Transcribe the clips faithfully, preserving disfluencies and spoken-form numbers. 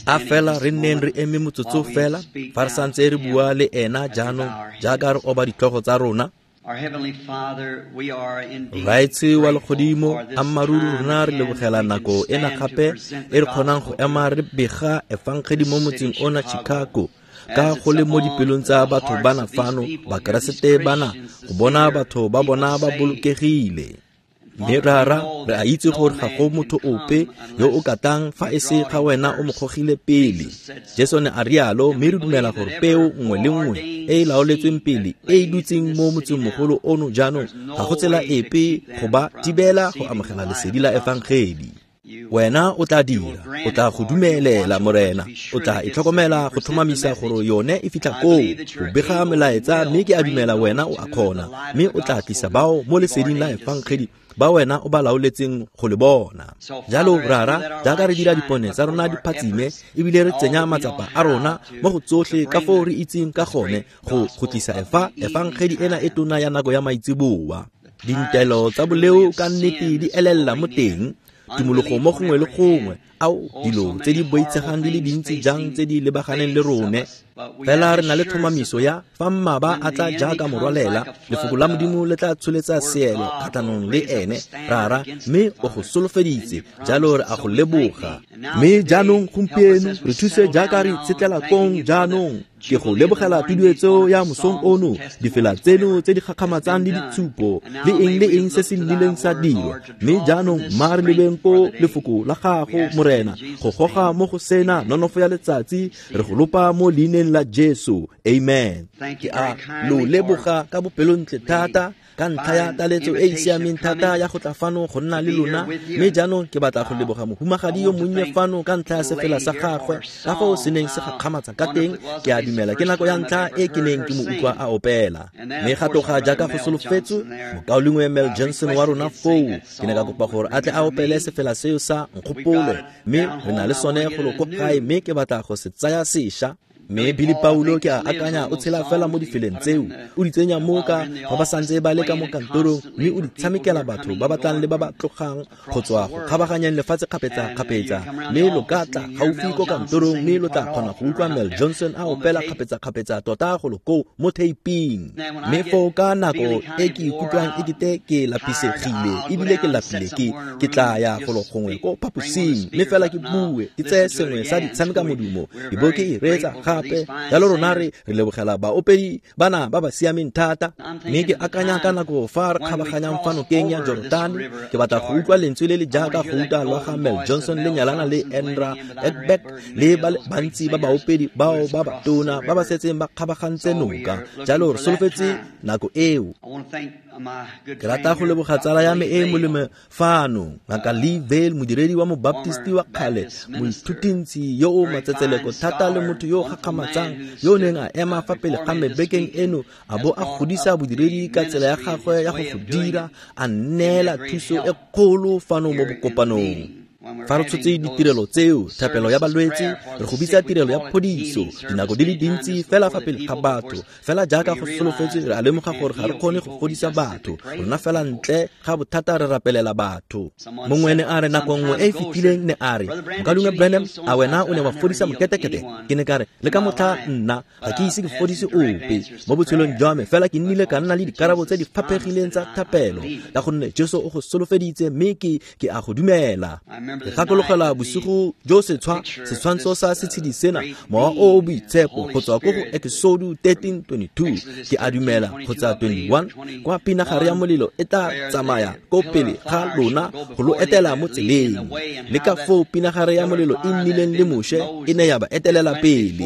A fela re nneng re eme motsotso fela fa re santse re bua le ena jaanong jaaka re oba ditlhogo tsa rona. Raetshe wa legodimo, ammaaruri rona re lebogela nako ena gape e re kgonang go ema re bega efangedi mo motseng ona Chicago, ka go le mo dipelong tsa batho bana fano, Bakeresete bana, go bona batho ba bona ba bolokegile. Mme rara, re a itse gore ga go motho ope yo o ka tlang fa e se ga wena o mo gogile pele. Jesu ne a rialo, mme re dumela gore peo nngwe le nngwe e e laoletsweng pele e e dutseng mo motsengmogolo ono jaanong ga go tsela epe go ba thibela go amogela lesedi la efangedi. Wena o tla dira, o tla go dumelela Morena, o tla itlhokomela go tlhomamisa gore yone e fitlha koo, go bega melaetsa, mme ke a dumela wena o a kgona, mme o tla tlisa bao mo leseding la efangedi ba wena o ba laoletseng go le bona. Jalo rara, jaaka re dira dipone tsa rona di phatsime ebile re tsenya matsapa a rona mo go tsotlhe ka foo re itseng ka gone go go tlisa efa efangedi ena e tona ya nako ya maitseboa. Dintelo tsa boleo ka nnete di elela mo teng, tumologo mo gongwe le gongwe, ao dilo tse di boitshegang di le dintsi jang tse di lebaganeng le rone. Fela re na le tlhomamiso ya fa mmaba a tla jaaka morwalela, lefoko la Modimo le tla tsholetsa seelo kgatlhanong le ene, rara, mme o go solofeditse, jalo re a go leboga. Mme jaanong gompieno re thuse jaaka re itshetlela kong jaanong. Ke go lebogela tuduetso ya mosong ono, difela tseno tse di gakgamatsang le ditshupo, le eng le eng se se nnileng sa dirwa. Mme jaanong mma re lebeng ko lefoko la gago, Morena, go goga mo go sena nonofo ya letsatsi, re go lopa mo leineng la Jesu. Amen. Ke a lo leboga ka bopelontle thata ka ntlha ya taletso e e siameng thata ya go tla fano go nna le lona. Mme jaanong ke batla go leboga mohumagadi yo monnye fano ka ntlha ya sefela sa gagwe, ka foo se neng se gakgamatsa ka teng. Ke a dumela ke nako ya ntlha e ke neng ke mo utlwa a opela. Mme ga tloga jaaka go solofetswe, mokaulengwe Mel Johnson wa rona foo, ke ne ka kopa gore a tle a opele sefela seo sa Nkgopole, mme re na le sone golo ko gae, mme ke batla go se tsaya sešwa. Mme Billy Paulo ke a akanya o tshela fela mo difeleng tseo, o di tsenya mo ka fa ba santse ba le ka mo kantorong, mme o di tshamekela batho ba ba tlang le ba ba tlogang go tswa go kgabaganyang lefatshe kgapetsa-kgapetsa. Mme lo ka tla gaufi ko kantorong, mme lo tla kgona go utlwa Mel Johnson a opela kgapetsa-kgapetsa tota golo koo mo theiping. Mme foo ka nako e ke ikutlwang ekete ke lapisegile ebile ke lapile, ke ke tla ya golo gongwe ko phaposing, mme fela ke bue, ke tseye sengwe sa ditshameka modumo, ke bo ke e reetsa gape. Jalo rona re re lebogela baopedi bana ba ba siameng thata. Mme ke akanya ka nako fa re kgabaganyang fa nokeng ya Jordan, ke batla go utlwa lentswe le le jaaka gouta lwa ga Mel Johnson le nyalana le Andra Edbeck le ba le bantsi ba baopedi bao ba batona ba ba setseng ba kgabagantse noka. Jalo re solofetse nako eo. Ke rata go leboga tsala ya me e molemo fano, Ngaka Lee Vayle, modiredi wa mobaptisti wa kgale, moithutintsi yo o matsetseleko thata le motho yo o gakgamatsang, yo o neng a ema fa pele ga me bekeng eno a bo a godisa bodiredi ka tsela ya gagwe ya go go dira, a nneela thuso e kgolo fano mo bokopanong. Fa re tshotse ditirelo tseo, thapelo ya balwetse, re go bitsa tirelo ya phodiso, dinako di le dintsi fela fa pele ga batho, fela jaaka go solofetswe, re a lemoga gore ga re kgone go fodisa batho, rona fela ntle ga bothata re rapelela batho. Mongwe ne a re nako nngwe e e fetileng ne a re, Mokaulengwe Branham, a wena o ne wa fodisa moketekete? Ke ne ka re, le ka motlha nna ga ke ise ke fodise ope mo botshelong jwa me, fela ke nnile ka nna le dikarabo tse di faphegileng tsa thapelo, ka gonne Jesu o go solofeditse, mme ke ke a go dumela. Ke gakologela bosigo jo setshwa setshwantsho sa setshedi sena, mowa o o boitshepo, go tswa ko go Exodus thirteen twenty-two, ke a dumela kgotsa twenty-one, kwa pinagare ya molelo e tla tsamaya ko pele ga lona go lo etela mo tseleng. Le ka foo pinagare ya molelo e nnileng le Moshe e ne ya ba etelela pele.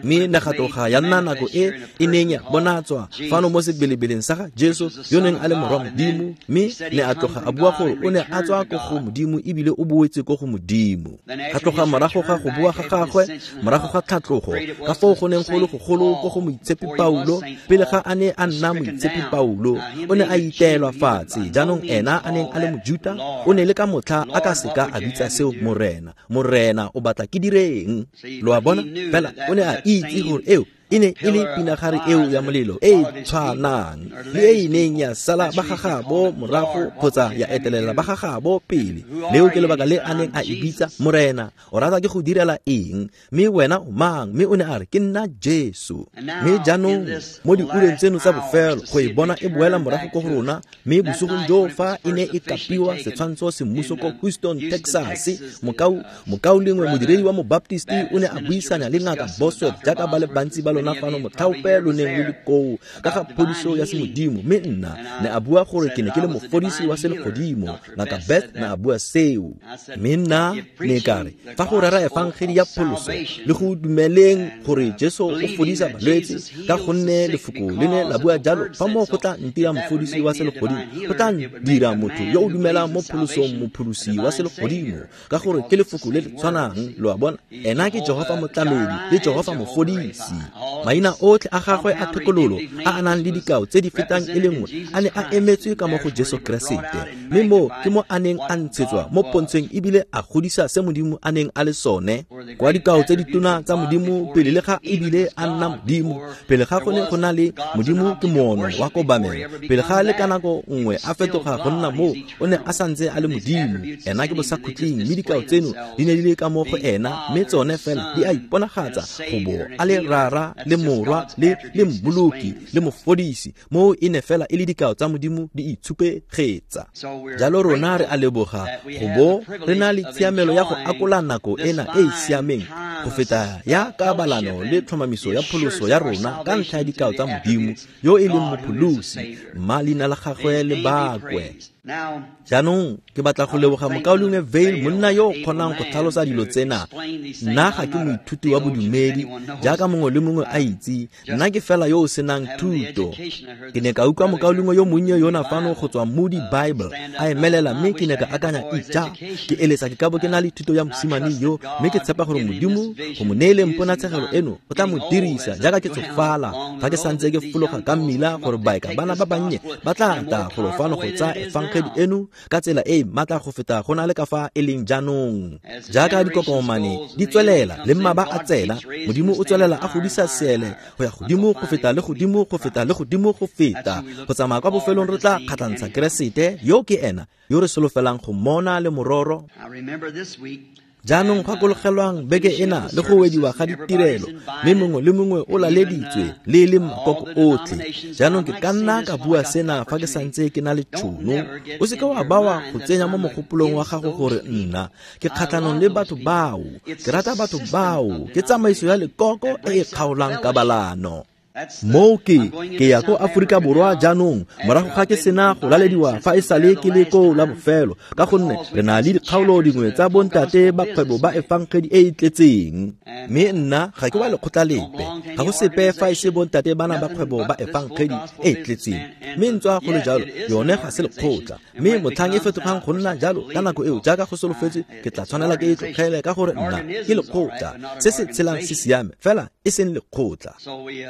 Mme ne ga tloga ya nna nako e e neng ya bonatswa fano mo sebelebeleng sa ga Jesu yo neng a le morwa Modimo, mme ne a tloga a bua gore o ne a tswa ko go Modimo ebile o boetse ko go Modimo. Ga tloga morago ga go boa ga gagwe, morago ga tlhatlogo, ka foo go neng go le gogolo ko go moitshepi Paulo, pele ga a ne a nna moitshepi Paulo, o ne a iteelwa fatshe. Jaanong ena a neng a le Mojuta, o ne le ka motlha a ka seka a bitsa seo Morena. Morena o batla ke direng? Lo a bona? Fela o ne a itse gore eo E ne e le pinagare eo ya molelo e e tshwanang le e e neng ya sala ba gagabo morago kgotsa ya etelela ba gagabo pele. Leo ke lebaka le a neng a e bitsa Morena, o rata ke go direla eng? Mme wena o mang? Mme o ne a re ke nna Jesu. Mme jaanong mo diureng tseno tsa bofelo go e bona e boela morago ko go rona, mme bosigong joo fa e ne e kapiwa setshwantsho semmuso ko Houston, Texas, mokau mokaulengwe modiredi wa mobaptisti o ne a buisana le ngaka Bosworth jaaka ba le bantsi ba lona fano motlhaope lo neng lo le koo ka ga phodiso ya semodimo. Mme nna ne a bua gore ke ne ke le mofodisi wa selegodimo. Ngaka Beth ne a bua seo. Mme nna ne ka re fa go rera efangedi ya pholoso le go dumeleng gore Jesu o fodisa balwetse, ka gonne lefoko le ne la bua jalo, fa moo go tla ntira mofodisi wa selegodimo, go tla dira motho yo o dumelang mo pholosong mopholosi wa selegodimo, ka gore ke lefoko le le tshwanang. Lo a bona, ena ke Jehofa motlamedi le Jehofa mofodisi. Maina otlhe a gagwe a thekololo a a nang le dikao tse di fetang e le nngwe a ne a emetswe ka mo go Jesu Keresete, mme mo ke mo a neng a ntshetswa mo pontsheng ebile a godisa se Modimo a neng a le sone. Kwa dikao tse ditona tsa Modimo pele le ga ebile a nna Modimo, pele ga go ne go na le Modimo ke moono wa kobamelo, pele ga le ka nako nngwe a fetoga go nna moo, o ne a santse a le Modimo. Ena ke bosakhutleng, mme dikao tseno di ne di le ka mo go ena, mme tsone fela di a iponagatsa go bo a le Rara le Morwa le le Mmoloki le Mofodisi. Moo e ne fela e le dikao tsa Modimo di itshupegetsa. Jalo rona re a leboga go bo re na le tshiamelo ya go akola nako ena e e siameng go feta ya kabalano le tlhomamiso ya pholoso ya rona ka ntlha ya dikao tsa Modimo yo e leng mopholosi. Mma leina la gagwe le bakwe. Jaanong ke batla go leboga mokaulengwe Vayle, monna yo o kgonang go tlhalosa dilo tsena. Nna ga ke moithuti wa bodumedi jaaka mongwe le mongwe a itse, nna ke fela yo o senang thuto. Ke ne ka utlwa mokaulengwe yo monnye yona fano go tswa Moody Bible a emelela, mme ke ne ka akanya, ija ke eletsa ke ka bo ke na le thuto ya mosimane yo, mme ke tshepa gore Modimo go mo neeleng ponatshegelo eno o tla mo dirisa jaaka ke tsofala fa ke santse ke fologa ka mmila, gore baeka bana ba bannye ba tla tla golo fano go tsaya efangedi eno ka tsela e e maatla go feta go na le ka fa e leng jaanong. Jaaka dikokomane di tswelela le mmaba a tsena, Modimo o tswelela a godisa seele go ya godimo go feta le godimo go feta le godimo go feta, go tsamaya kwa bofelong re tla kgatlhantsha Keresete yo ke ena yo re solofelang go mmona le mororo. Jaanong gakologelwang beke ena le go wediwa ga ditirelo, mme mongwe le mongwe o laleditswe le e leng makoko otlhe. Jaanong ke ka nna ka bua sena fa ke santse ke na le tšhono. O seke wa bawa go tsenya mo mogopolong wa gago gore nna ke kgatlhanong le batho bao, ke rata batho bao, ke tsamaiso ya lekoko e e kgaolang kabalano. Moo ke ke ya ko Aforika Borwa jaanong morago ga ke sena go lalediwa fa e sale ke le koo la bofelo, ka gonne re na le dikgaolo dingwe tsa bontate ba kgwebo ba efangedi e e tletseng. Mme nna ga ke wa lekgotla lepe, ga go sepe fa e se bontate bana ba kgwebo ba efangedi e e tletseng. Mme ntswa go le jalo, yone ga se lekgotla. Mme motlhang e fetogang go nna jalo ka nako eo jaaka go solofetswe, ke tla tshwanela ke e tlogele ka gore nna ke lekgotla. Se se tshelang se siame fela e seng lekgotla.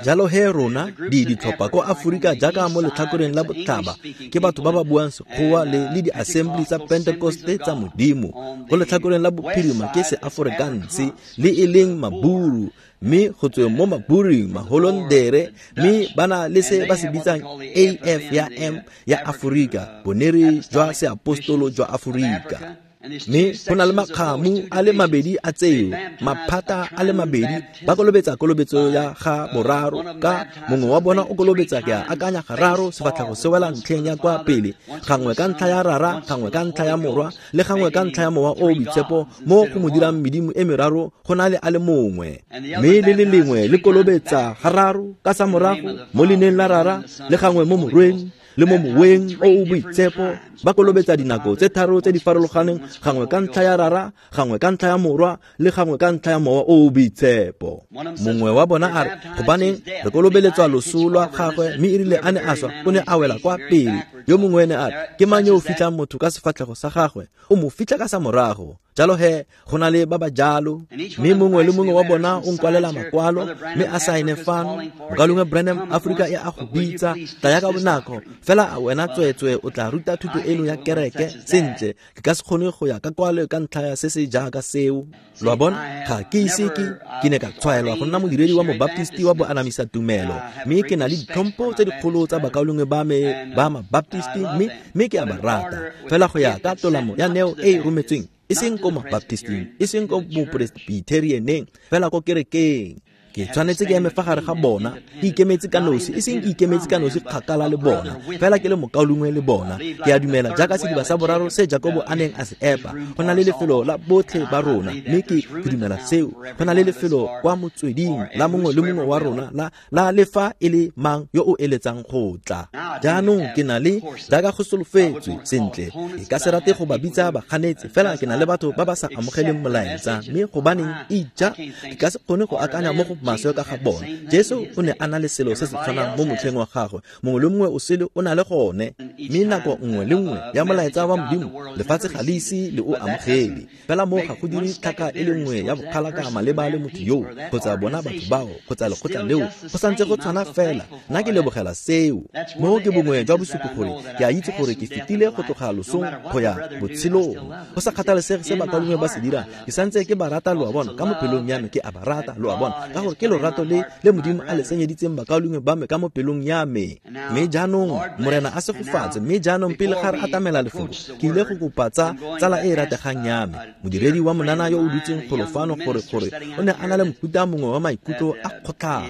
Jalo he rona di ditlhopha ko Aforika jaaka mo letlhakoreng la botlhaba ke batho ba ba buang Sekgowa le le di-assembly tsa Pentecoste tsa Modimo. Ko letlhakoreng la bophirima ke se-Afrikaans le e leng Maburu, mme go tsweng mo Maburing Maholondere, mme ba na le se ba se bitsang A F ya M ya Aforika, bonere jwa seapostolo jwa Aforika. Mme go na le makgamu a le mabedi a tseo, maphata a le mabedi, ba kolobetsa kolobetso ya ga boraro, ka mongwe wa bona o kolobetsa ke a akanya gararo sefatlhego se wela ntlheng ya kwa pele, gangwe ka ntlha ya Rara, gangwe ka ntlha ya Morwa, le gangwe ka ntlha ya Mowa o o Boitshepo, mo go mo dirang medimo e meraro go na le a le mongwe. Mme le le lengwe le kolobetsa gararo ka sa morago mo leineng la Rara, le gangwe mo Morweng le mo Moweng o o Boitshepo. Ba kolobetsa dinako tse tharo tse di farologaneng, gangwe ka ntlha ya Rara, gangwe ka ntlha ya Morwa, le gangwe ka ntlha ya Mowa o o Boitshepo. Mongwe wa bona a re, gobaneng re kolobeletswa loso lwa gagwe, mme erile a ne a swa o ne a wela kwa pele. Yo mongwe ene a re, ke mang yo o fitlhang motho ka sefatlhego sa gagwe, o mo fitlha ka sa morago. Jalo he, go na le ba ba jalo, mme mongwe le mongwe wa bona o nkwalela makwalo, mme a saene fano, Mokaulengwe Branham, Aforika e a go bitsa, tlaya ka bonako, fela wena tsweetswe o tla ruta thuto eno ya kereke sentle, ke ka se kgone go ya ka kwalo ka ntlha ya se se jaaka seo. Lo a bona, ga ke ise ke ke ne ka tshwaelwa go nna modiredi wa mobaptisti wa boanamisa tumelo, mme ke na le ditlhompho tse dikgolo tsa bakaulengwe ba me ba mabaptisti, mme mme ke a ba rata, fela go ya ka tolamo ya neo e e rometsweng, e seng ko mabaptisting, e seng ko bopresbyterianeng, fela ko kerekeng. Ke tshwanetse ke eme fa gare ga bona, ke ikemetse ka nosi, e seng ke ikemetse ka nosi kgakala le bona, fela ke le mokaulengwe le bona. Ke a dumela jaaka sediba sa boraro se Jakobo a neng a se epa, go na le lefelo la botlhe ba rona, mme ke ke dumela seo. Go na le lefelo kwa motsweding la mongwe le mongwe wa rona la la le fa e le mang yo o eletsang go tla. Jaanong ke na le jaaka go solofetswe sentle, ke ka se rate go ba bitsa baganetsi, fela ke na le batho ba ba sa amogeleng molaetsa, mme gobaneng ija ke ka se kgone go akanya mo go maswe ka ga bona. Jesu o ne a na le selo se se tshwanang mo motlheng wa gagwe, mongwe le mongwe o sele o na le gone, mme nako nngwe le nngwe ya molaetsa wa Modimo lefatshe ga le ise le o amogele. Fela mo ga go dire tlhaka e le nngwe ya bokgalaka maleba le motho yoo, kgotsa bona batho bao, kgotsa lekgotla leo, go santse go tshwana fela. Nna ke lebogela seo. Mo ke bongwe jwa bosupi gore ke a itse gore ke fetile go tloga losong go ya botshelong. Go sa kgathalesege se bakaulengwe ba se dirang, ke santse ke ba rata, lo a bona, ka mo pelong ya me ke a ba rata, lo a bona, ka gore ke lorato le le Modimo a le senyeditseng bakaulengwe ba me ka mo pelong ya me. Mme jaanong Morena a segofatse. Mme jaanong pele ga re atamela lefoko, ke ile go kopa tsa tsala e e rategang ya me, modiredi wa monana yo o dutseng golo fano, gore gore o ne a na le mofuta mongwe wa maikutlo a kgotlhang,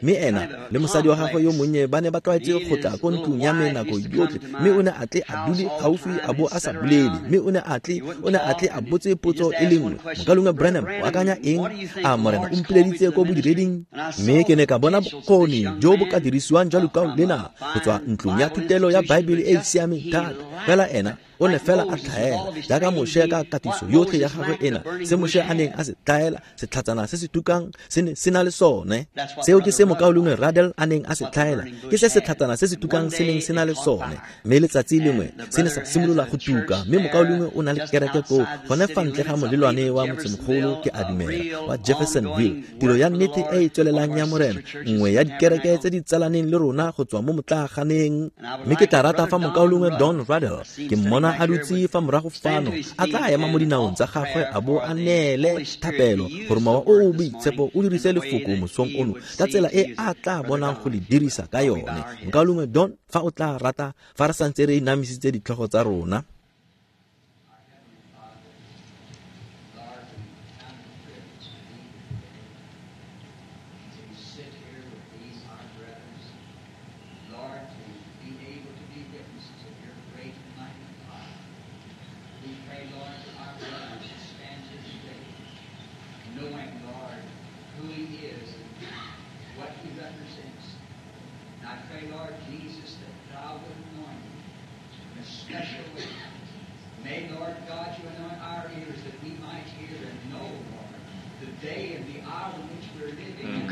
mme ena le mosadi wa gagwe yo monnye ba ne ba tlwaetse go tla ko ntlong ya me nako yotlhe, mme o ne a tle a dule gaufi a bo a sa bolele, mme o ne a tle o ne a tle a botse potso e le nngwe, Mokaulengwe Branham, o akanya eng? A Morena o mpileditse ko bodireding? Mme ke ne ka bona bokgoni jo bo ka dirisiwang jwa lekau lena go tswa ntlong ya thutelo ya Baebele e e siameng thata, fela ena o ne fela a tlhaela jaaka Moshe ka katiso yotlhe ya gagwe ena, se Moshe a neng a se tlhaela, setlhatsana se se tukang se ne se na le sone. Seo ke se mokaulengwe Radel a neng a se tlhaela, ke se setlhatsana se se tukang se neng se na le sone. Mme letsatsi lengwe se ne sa simolola go tuka, mme mokaulengwe o na le kereke koo gone fa ntle ga molelwane wa motsemogolo, ke a dumela, wa Jeffersonville, tiro ya nnete e e tswelelang ya Morena, nngwe ya dikereke tse di tsalaneng le rona go tswa mo motlaaganeng. Mme ke tla rata fa mokaulengwe Don Radel ke mmona a dutse fa morago fano, a tla ema mo dinaong tsa gagwe a bo a neele thapelo gore Mowa o o Boitshepo o dirise lefoko mosong ono ka tsela e a tla bonang go le dirisa ka yone. Mokaulengwe Don, fa o tla rata, fa re santse re inamisitse ditlhogo tsa rona.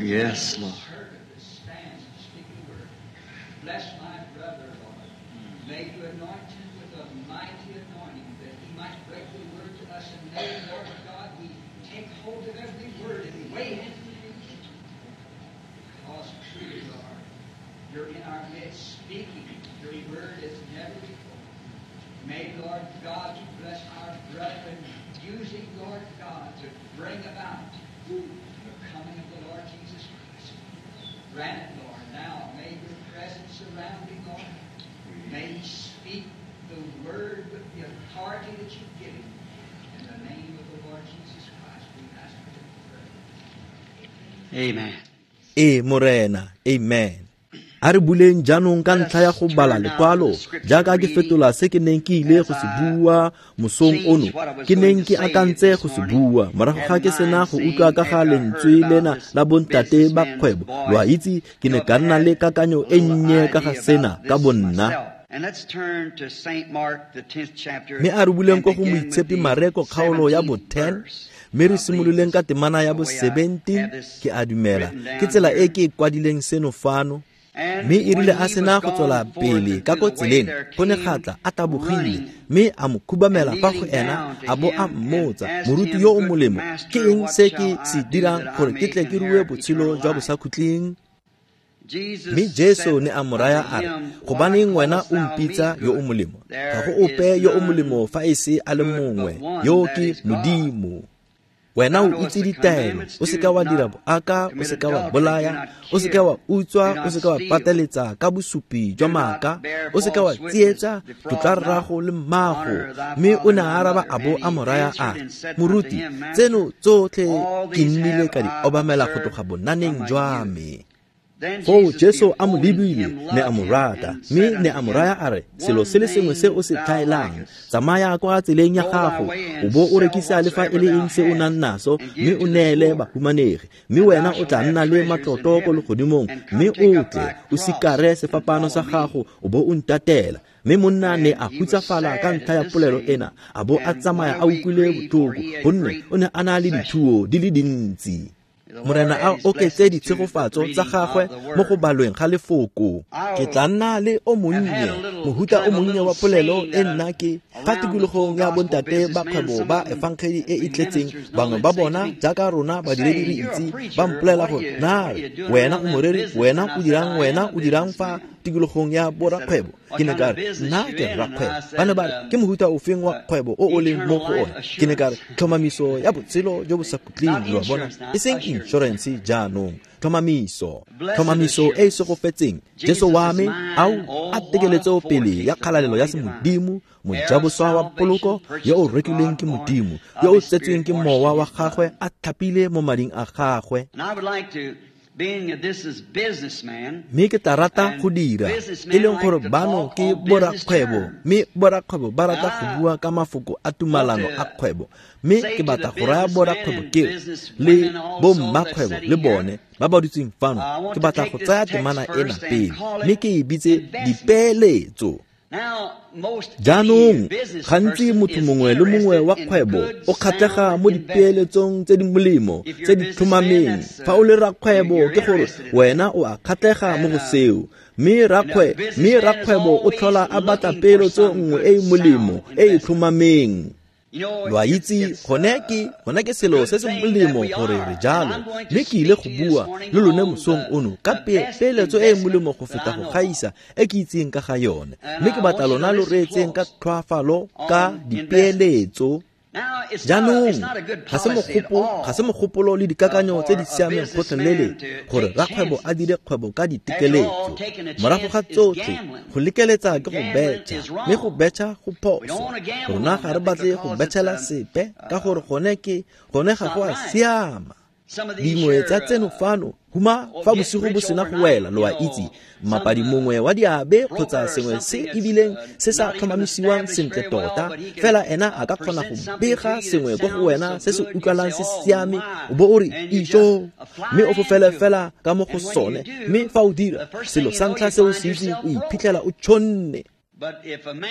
Yes, Lord. Bless my brother, Lord. May you anoint him with a mighty anointing that he might break the word to us, and may, Lord God, we take hold of every word and weigh it. Because truly, Lord, you're in our midst speaking your word as never before. May, Lord God, you bless our brethren, using, Lord God, to bring about the coming of the Lord Jesus Christ. Grant it, Lord, now. May your presence surround him, Lord. May he speak the word with the authority that you give him. In the name of the Lord Jesus Christ, we ask for it to pray. Amen. E Morena, amen. A re buleng jaanong ka ntlha ya go bala lekwalo, jaaka ke fetola se ke neng ke ile go se bua mosong ono, ke neng ke akantse go se bua morago ga ke sena go utlwa ka ga lentswe lena la bontate ba kgwebo. Lo a itse, ke ne ka nna le kakanyo e nnye ka ga sena ka bonna. Mme a re buleng ko go Moitshepi Mareko kgaolo ya bo ten, mme re simololeng ka temana ya bo seventeen, ke a dumela ke tsela e ke e kwadileng seno fano. Mme e rile a sena go tswela pele ka ko tseleng, go ne ga tla a tabogile, mme a mo khubamela fa go ena a bo a mmotsa, moruti yo o molemo, ke eng se ke se dirang gore ke tle ke rue botshelo jwa bosakhutleng? Mme Jesu ne a mo raya a re, gobaneng wena o mpitsa yo o molemo? Ga go ope yo o molemo fa e se a le mongwe, yo ke Modimo. Wena o itse ditaelo, o seka wa dira boaka, o seka wa bolaya, o seka wa utswa, o seka wa pateletsa ka bosupi jwa maaka, o seka wa tsietsa, tlotla rrago le mmago. Mme o ne a araba a bo a mo raya a re, moruti, tseno tsotlhe ke nnile ka di obamela go tloga bonaneng jwa me. Foo Jesu a mo lebile, ne a mo rata, mme ne a mo raya a re, selo se le sengwe se o se tlhaelang, tsamaya kwa tseleng ya gago, o bo o rekisa le fa e le eng se o nang naso, mme o neele bahumanegi, mme wena o tla nna le matlotlo ko legodimong, mme o tle o sikare sefapano sa gago, o bo o ntatela. Mme monna ne a hutsafala ka ntlha ya polelo ena, a bo a tsamaya a utlwile botlhoko, gonne o ne a na le dithuo di le dintsi. Morena a oketse ditshegofatso tsa gagwe mo go balweng ga lefoko. Ke tla nna le o monnye, mohuta o monnye wa polelo e nna ke fa tikologong ya bontate ba kgwebo ba efangedi e e tletseng, bangwe ba bona jaaka rona badiredi re itse, ba mpolela gore, na wena o moreri, wena o dirang, wena o dirang fa tikologong ya borakgwebo? Ke ne ka re, nna ke rakgwebo. Ba ne ba re, ke mohuta ofeng wa kgwebo o o leng mo go one? Ke ne ka re, tlhomamiso ya botshelo jo bo sa khutleng, lo a bona, e seng insurance jaanong, tlhomamiso, tlhomamiso e e segofetseng. Jesu wa me, ao a tekeletso pele ya kgalalelo ya semodimo, mojaboswa wa poloko yo o rekilweng ke Modimo, yo o tsetsweng ke mowa wa gagwe a tlhapile mo mading a gagwe. Mme ke tla rata go dira, e leng gore bano ke borakgwebo, mme borakgwebo ba rata go bua ka mafoko a tumalano a kgwebo. Mme ke batla go raya borakgwebo ke le bommakgwebo le bone ba ba dutseng fano, ke batla go tsaya temana ena pele, mme ke e bitse dipeeletso. Jaanong, gantsi motho mongwe le mongwe wa kgwebo o kgatlhega mo dipeeletsong tse di molemo, tse di tlhomameng. Fa o le rakgwebo, ke gore wena o a kgatlhega mo go seo. Mme rakgwe, mme rakgwebo o tlhola a batla peeletso nngwe e e molemo, e e tlhomameng. Lo a itse, gone ke, gone ke selo se se molemo gore re jalo. Mme ke ile go bua le lone mosong ono ka peeletso e e molemo go feta go gaisa e ke itseng ka ga yone. Mme ke batla lona lo reetseng ka tlhoafalo ka dipeeletso. Jaanong, ga se mogopo, ga se mogopolo le dikakanyo tse di siameng gotlhelele gore rakgwebo a dire kgwebo ka ditekeletso. Morago ga tsotlhe, go lekeletsa ke go betšha, mme go betšha go phoso. Rona ga re batle go betšhela sepe ka gore gone ke gone ga go a siama. Dingwe tsa tseno fano, huma fa bosigo bo sena go wela, lo a itse, mmapadi mongwe wa diabe kgotsa sengwe se ebileng se sa tlhomamisiwang sentle tota, fela ena a ka kgona go bega sengwe ko go wena se se utlwalang se siame, o bo o re ijo, mme o fofele fela ka mo go sone. Mme fa o dira selo sa ntlha se o se itseng, o iphitlhela o tšhonne.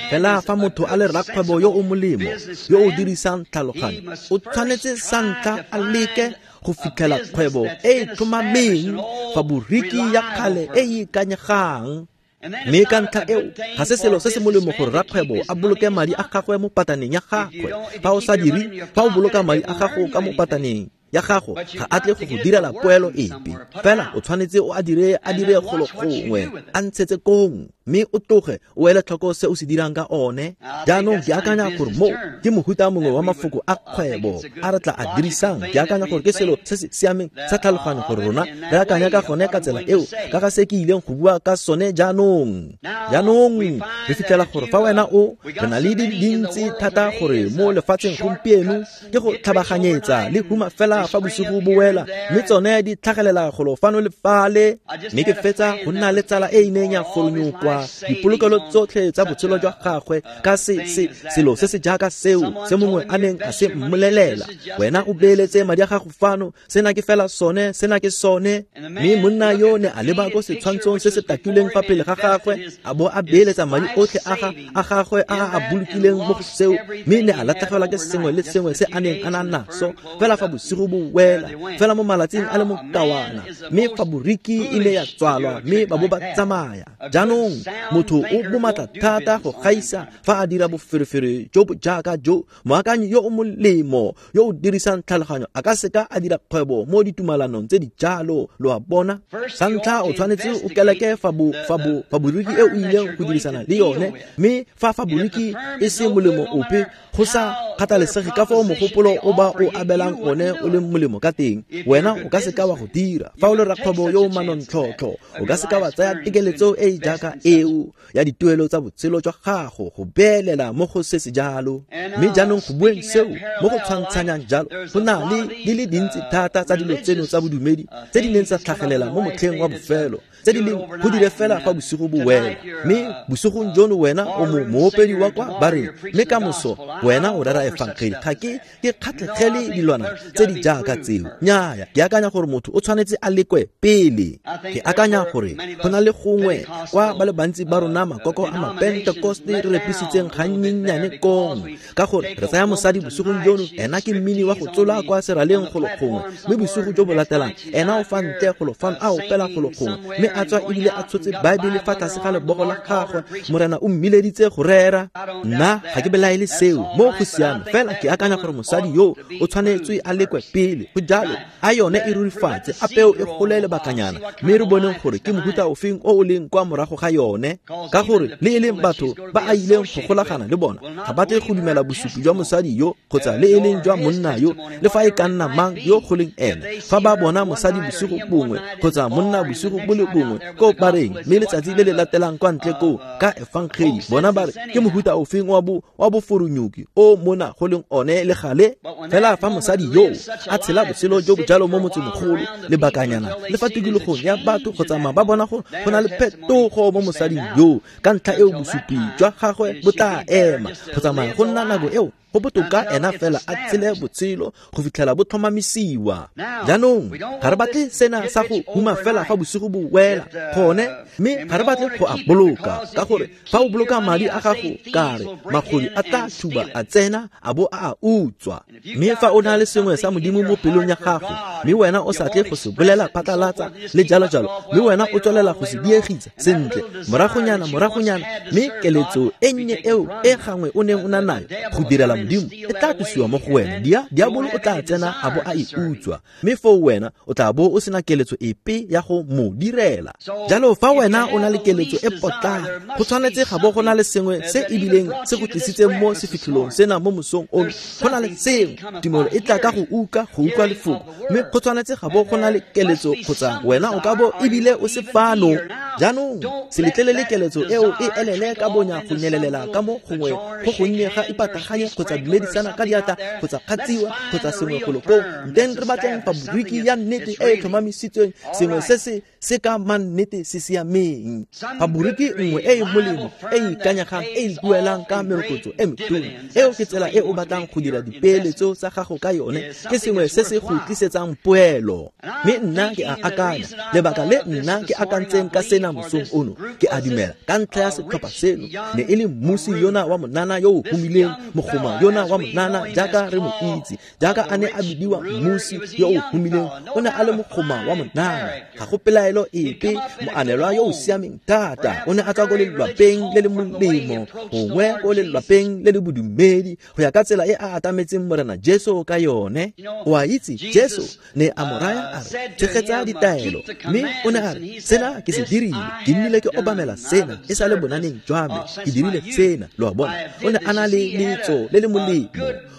Fela fa motho a le rakgwebo yo o molemo, yo o dirisang tlhaloganyo, o tshwanetse sa ntlha a leke go fitlhela kgwebo e e tlhomameng, faboriki ya kgale e e ikanyegang. Mme ka ntlha eo, ga se selo se se molemo gore rakgwebo a boloke madi a gagwe mo pataneng ya gagwe. Fa o sa dire, fa o boloka madi a gago ka mo pataneng ya gago, ga a tle go go direla poelo epe. Fela o tshwanetse o a dire, a dire golo gongwe, a ntshetse kong, mme o tloge o ele tlhoko se o se dirang ka one. Jaanong ke akanya gore mo ke mohuta mongwe wa mafoko a kgwebo a re tla a dirisang. Ke akanya gore ke selo se se siameng sa tlhaloganyo gore rona re akanya ka gone ka tsela eo, ka ga se ke ileng go bua ka sone jaanong. Jaanong re fitlhela gore fa wena o, re na le di dintsi thata gore mo lefatsheng gompieno ke go tlhabaganyetsa le huma fela fa bosigo bo wela, mme tsone di tlhagelela golo fano le fale. Mme ke fetsa go nna le tsala e e neng ya foronyokwa beelela dipolokelo tsotlhe tsa botshelo jwa gagwe ka se se selo se se jaaka seo se mongwe a neng a se mmolelela, wena o beeletse madi a gago fano, sena ke fela sone, sena ke sone. Mme monna yo ne a leba ko setshwantshong se se takilweng fa pele ga gagwe, a bo a beeletsa madi otlhe a ga a gagwe a a bolokileng mo go seo, mme ne a latlhegelwa ke sengwe le sengwe se a neng a na naso fela fa bosigo bo wela, fela mo malatsing a le mokawana, mme faboriki e ne ya tswalwa mme ba bo ba tsamaya. Jaanong motho o bomatla thata go gaisa fa a dira boferefere jo bo jaaka jo. Moakanyi yo o molemo yo o dirisang tlhaloganyo a ka seka a dira kgwebo mo ditumalanong tse di jalo, lo a bona. Sa ntlha o tshwanetse o keleke fa bo fa bo faboriki e o ileng go dirisana le yone, mme fa faboriki e se molemo ope, go sa kgathalesege ka fao mogopolo o ba o abelang one o leng molemo ka teng, wena o ka seka wa go dira. Fa o le rakgwebo yo o manontlhotlho, o ka seka wa tsaya tekeletso e e jaaka eo ya dituelo tsa botshelo jwa gago go beelela mo go se se jalo. Mme jaanong go bueng seo mo go tshwantshanyang jalo, go na le di le dintsi thata tsa dilo tseno tsa bodumedi tse di neng tsa tlhagelela mo motlheng wa bofelo, tse di leng go dire fela fa bosigo bo wela. Mme bosigong jono wena o mo moopedi wa kwa bareng, mme ka moso wena o rera efangeli. Ga ke ke kgatlhegele dilwana tse di jaaka tseo. Nnyaya, ke akanya gore motho o tshwanetse a lekwe pele. Ke akanya gore go na le gongwe kwa ba le bantsi ba rona makoko a mapentekoste re repisitseng gannyennyane kong, ka gore re tsaya mosadi bosigong jono, ena ke mmini wa go tsola kwa seraleng golo gongwe, mme bosigo jo bo latelang ena o fa ntle golo fano a opela golo gongwe, mme a tswa ebile a tshotse Baebele fa tlase ga lebogo la gagwe, Morena o mmileditse go rera. Nna ga ke belaele seo, mo go siame fela. Ke akanya gore mosadi yo o tshwanetswe a lekwe pele. Go jalo, a yone e rurifatse, a peo e gole lebakanyana, mme re boneng gore ke mohuta ofeng o o leng kwa morago ga yone, ka gore le e leng batho ba a ileng go golagana le bona ga ba tle go dumela bosupi jwa mosadi yo kgotsa le e leng jwa monna yo, le fa e ka nna mang yo go leng ene. Fa ba bona mosadi bosigo bongwe kgotsa monna bosigo bo le bongwe ko bareng, mme letsatsi le le latelang kwa ntle koo ka efangeli, bona ba re ke mohuta ofeng wa bo wa boforonyuki o mona go leng one le gale. Fela fa mosadi yo a tshela botshelo jo bo jalo mo motsemogolo lebakanyana, le fa tikologong ya batho go tsamaya ba bona go go na le phetogo mo mosading yo, ka ntlha eo bosupi jwa gagwe bo tla ema go tsamaya go nna nako eo. Go botoka ena fela a tshele botshelo go fitlhela bo tlhomamisiwa. Jaanong ga re batle sena sa go huma fela fa bosigo bo wela gone, mme ga re batle go a boloka, ka gore fa o boloka madi a gago kare magodu a tla thuba a tsena a bo a a utswa. Mme fa o na le sengwe sa Modimo mo pelong ya gago, mme wena o sa tle go se bolela phatlalatsa le jalo jalo, mme wena o tswelela go se diegisa sentle moragonyana moragonyana, mme keletso e nnye eo e gangwe o neng o na nayo go direla Modimo e tla tlosiwa mo go wena. Dia diabolo o tla tsena a bo a e utswa, mme foo wena o tla bo o sena keletso epe ya go mo direla. Jalo fa wena o na le keletso e potlana, go tshwanetse ga bo go na le sengwe se ebileng se go tlisitseng mo sefitlholong sena mo mosong ono. Go na le sengwe, tumelo e tla ka go utlwa, go utlwa lefoko, mme go tshwanetse ga bo go na le keletso kgotsa wena o ka bo ebile o se fano. Jaanong se letlelele keletso eo e elele ka bonya go nyelelela ka mo gongwe go gonnye ga ipataganye kgotsa dumedisana ka diatla kgotsa kgatsiwa kgotsa sengwe golo koo. Nteng re batleng faboriki ya nnete e e tlhomamisitsweng, sengwe se se se ka mannete se siameng, faboriki nngwe e e molemo e e ikanyegang e e duelang ka merokotso e metona. Eo ke tsela e o batlang go dira dipeeletso tsa gago ka yone, ke sengwe se se go tlisetsang poelo. Mme nna ke a akanya, lebaka le nna ke akantseng ka sena mosong ono, ke a dumela ka ntlha ya setlhopha seno ne e le mmusi yona wa monana yo o humileng, mogoma yona wa monana jaaka re mo itse, jaaka a ne a bidiwa mmusi yo o humileng, o ne a le mogoma wa monana. Ga go pelaelo epe, moanelwa yo o siameng thata, o ne a tswa ko lelwapeng le le molemo, gongwe ko lelwapeng le le bodumedi, go ya ka tsela e a atametseng Morena Jesu ka yone. O a itse, Jesu ne a mo raya a re, tshegetsa ditaelo, mme o ne a re, sena ke se dirile, ke nnile ke obamela sena e sa le bonaneng jwa me, ke dirile sena. Lo a bona, o ne a na le letso le le molemo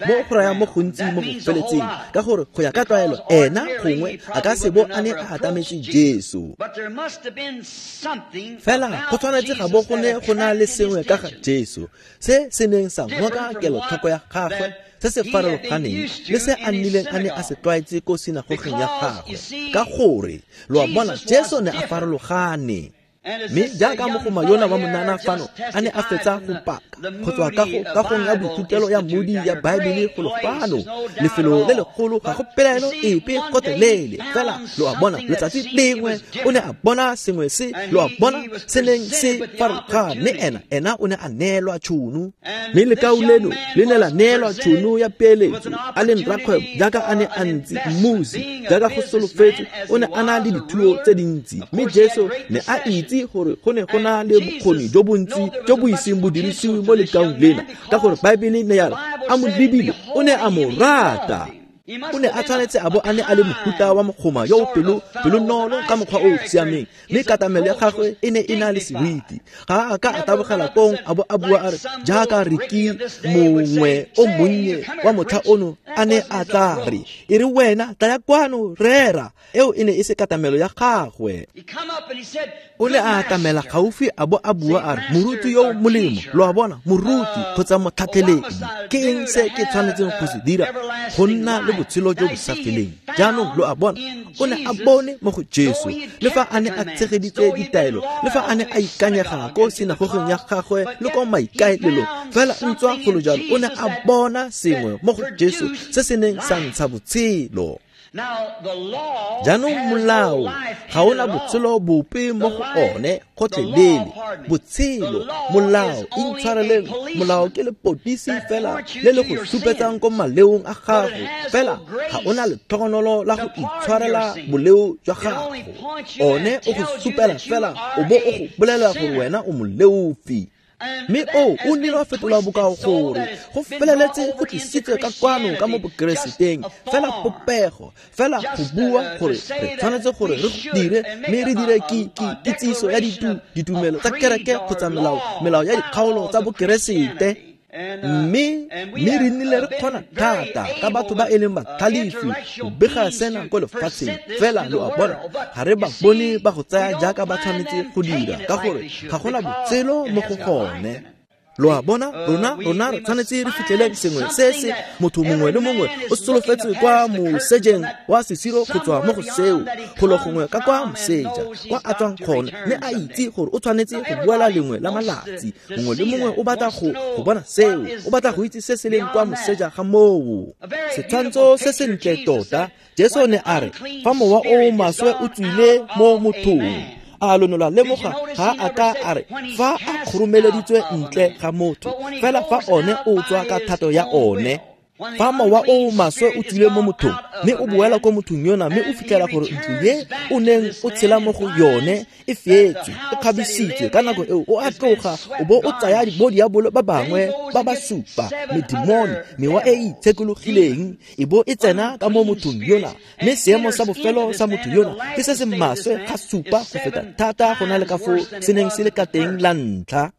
mo go raya mo gontsi mo go feletseng, ka gore go ya ka tlwaelo ena gongwe a ka se bo a ne a atametse Jesu. Fela go tshwanetse ga bo go ne go na le sengwe ka ga Jesu se se neng sa ngoka kelotlhoko ya gagwe, se se farologaneng le se a nnileng a ne a se tlwaetse ko sinagogeng ya gagwe, ka gore lo a bona Jesu ne a farologane. Mme jaaka mogoma yona wa monana fano a ne a fetsa go paka go tswa kagong ya boithutelo ya Moody ya Baebele golo fano, lefelo le legolo, ga go pelaelo epe gotlhelele. Fela lo a bona, letsatsi lengwe o ne a bona sengwe se, lo a bona, se neng se farologane. Ena ena o ne a neelwa tšhono, mme lekau leno le ne la neelwa tšhono ya peeletso. A leng rakgwebo jaaka a ne a ntse, mmusi jaaka go solofetswe, o ne a na le dithuo tse dintsi. Mme Jesu ne a itse gore go ne go na le bokgoni jo bontsi jo bo iseng bo dirisiwe mo lekaung lena, ka gore Baebele ne ya re a mo lebile o ne a mo rata. O ne a tshwanetse a bo a ne a le mohuta wa mogoma yo o pelo pelonolo ka mokgwa o o siameng, mme katamelo ya gagwe e ne e na le seriti. Ga a ka a tabogela kong a bo a bua a re jaaka Riki mongwe o monnye wa motlha ono a ne a tla re, e re wena tlaya kwano rera. Eo e ne e se katamelo ya gagwe. O ne a atamela gaufi a bo a bua a re, moruti yo molemo, lo a bona, moruti kgotsa motlhatlheledi, ke eng se ke tshwanetseng go se dira go nna le botshelo jo bo sa feleng? Jaanong lo a bona, o ne a bone mo go Jesu, le fa a ne a tshegeditse ditaelo, le fa a ne a ikanyega ko sinagogeng ya gagwe le ko maikaelelong, fela ntswa go le jalo o ne a bona sengwe mo go Jesu se se neng sa ntsha botshelo. Jaanong molao ga ona botshelo bope mo go one gotlhelele. Botshelo, molao, intshwareleng, molao ke lepodisi fela le le go supetsang ko maleong a gago, fela ga ona letlhogonolo la go itshwarela boleo jwa gago. One o go supela fela o bo o go bolelela gore wena o moleofi. Mme o o nnile wa fetola bokao gore go feleletse go tlisitswe ka kwano ka mo bokereseteng, fela popego, fela go bua gore re tshwanetse gore re go dire, mme re dire kitsiso ya ditumelo tsa kereke kgotsa melao melao ya dikgaolo tsa bokeresete. Mme mme re nnile re kgona thata ka batho ba e leng batlhalefi go bega sena ko lefatsheng, fela lo a bona, ga re ba bone ba go tsaya jaaka ba tshwanetse go dira, ka gore ga gona botshelo mo go gone. Lo a bona, rona rona re tshwanetse re fitlheleng sengwe se se motho mongwe le mongwe o solofetse kwa mosejeng wa sesiro go tswa mo go seo, golo gongwe ka kwa moseja kwa a tswang gone, mme a itse gore o tshwanetse go boela lengwe la malatsi. Mongwe le mongwe o batla go go bona seo, o batla go itse se se leng kwa moseja ga moo. Setshwantsho se sentle tota, Jesu ne a re fa mowa o maswe o tswile mo mothong, a lo ne lwa lemoga, ga a ka a re fa a kgoromeleditswe ntle ga motho, fela fa one o tswa ka thato ya one. Fa mowa o maswe o tswile mo mothong, mme o boela ko mothong yona, mme o fitlhela gore ntlo ye o neng o tshela mo go yone e feetswe, e kgabisitswe, ka nako eo o a tloga o bo o tsaya bo diabolo ba bangwe ba ba supa, medimone, mewa e e itshekologileng, e bo e tsena ka mo mothong yona, mme seemo sa bofelo sa motho yona ke se se maswe ga supa go feta thata go na le ka foo se neng se le ka teng la ntlha.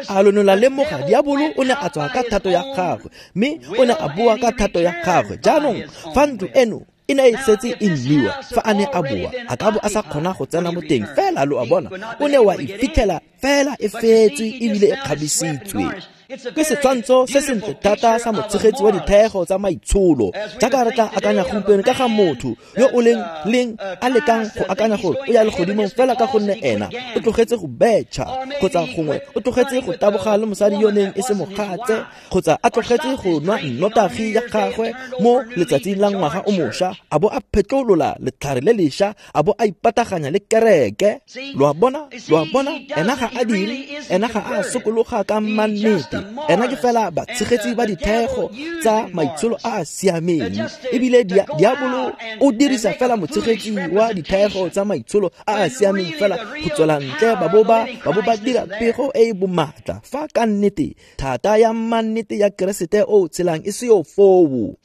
A lo ne la lemoga, diabolo o ne a tswa ka thato ya gagwe, mme o ne a boa ka thato ya gagwe. Jaanong fa ntlo eno e ne e setse e nniwa, fa a ne a boa a ka bo a sa kgona go tsena mo teng, fela lo a bona, o ne wa e fitlhela fela e feetswe ebile e kgabisitswe. Ke setshwantsho se sentle thata sa motshegetsi wa dithego tsa maitsholo, jaaka re tla akanya gompieno ka ga motho yo o leng leng a lekang go akanya gore o ya legodimong fela ka gonne ena o tlogetse go betšha, kgotsa gongwe o tlogetse go taboga le mosadi yo neng e se mogatse, kgotsa a tlogetse go nwa nnotagi ya gagwe mo letsatsing la ngwaga o mošwa, a bo a phetlolola letlhare le lešwa, a bo a ipataganya le kereke. Lo a bona, lo a bona, ena ga a dire, ena ga a sokologa ka mannete. Ena ke fela batshegetsi ba dithego tsa maitsholo a a siameng, ebile diabolo o dirisa fela motshegetsi wa dithego tsa maitsholo a a siameng fela go tswela ntle ba bo ba ba bo ba dira pego e e bomatla, fa ka nnete thata ya mannete ya Keresete o tshelang e se yo foo.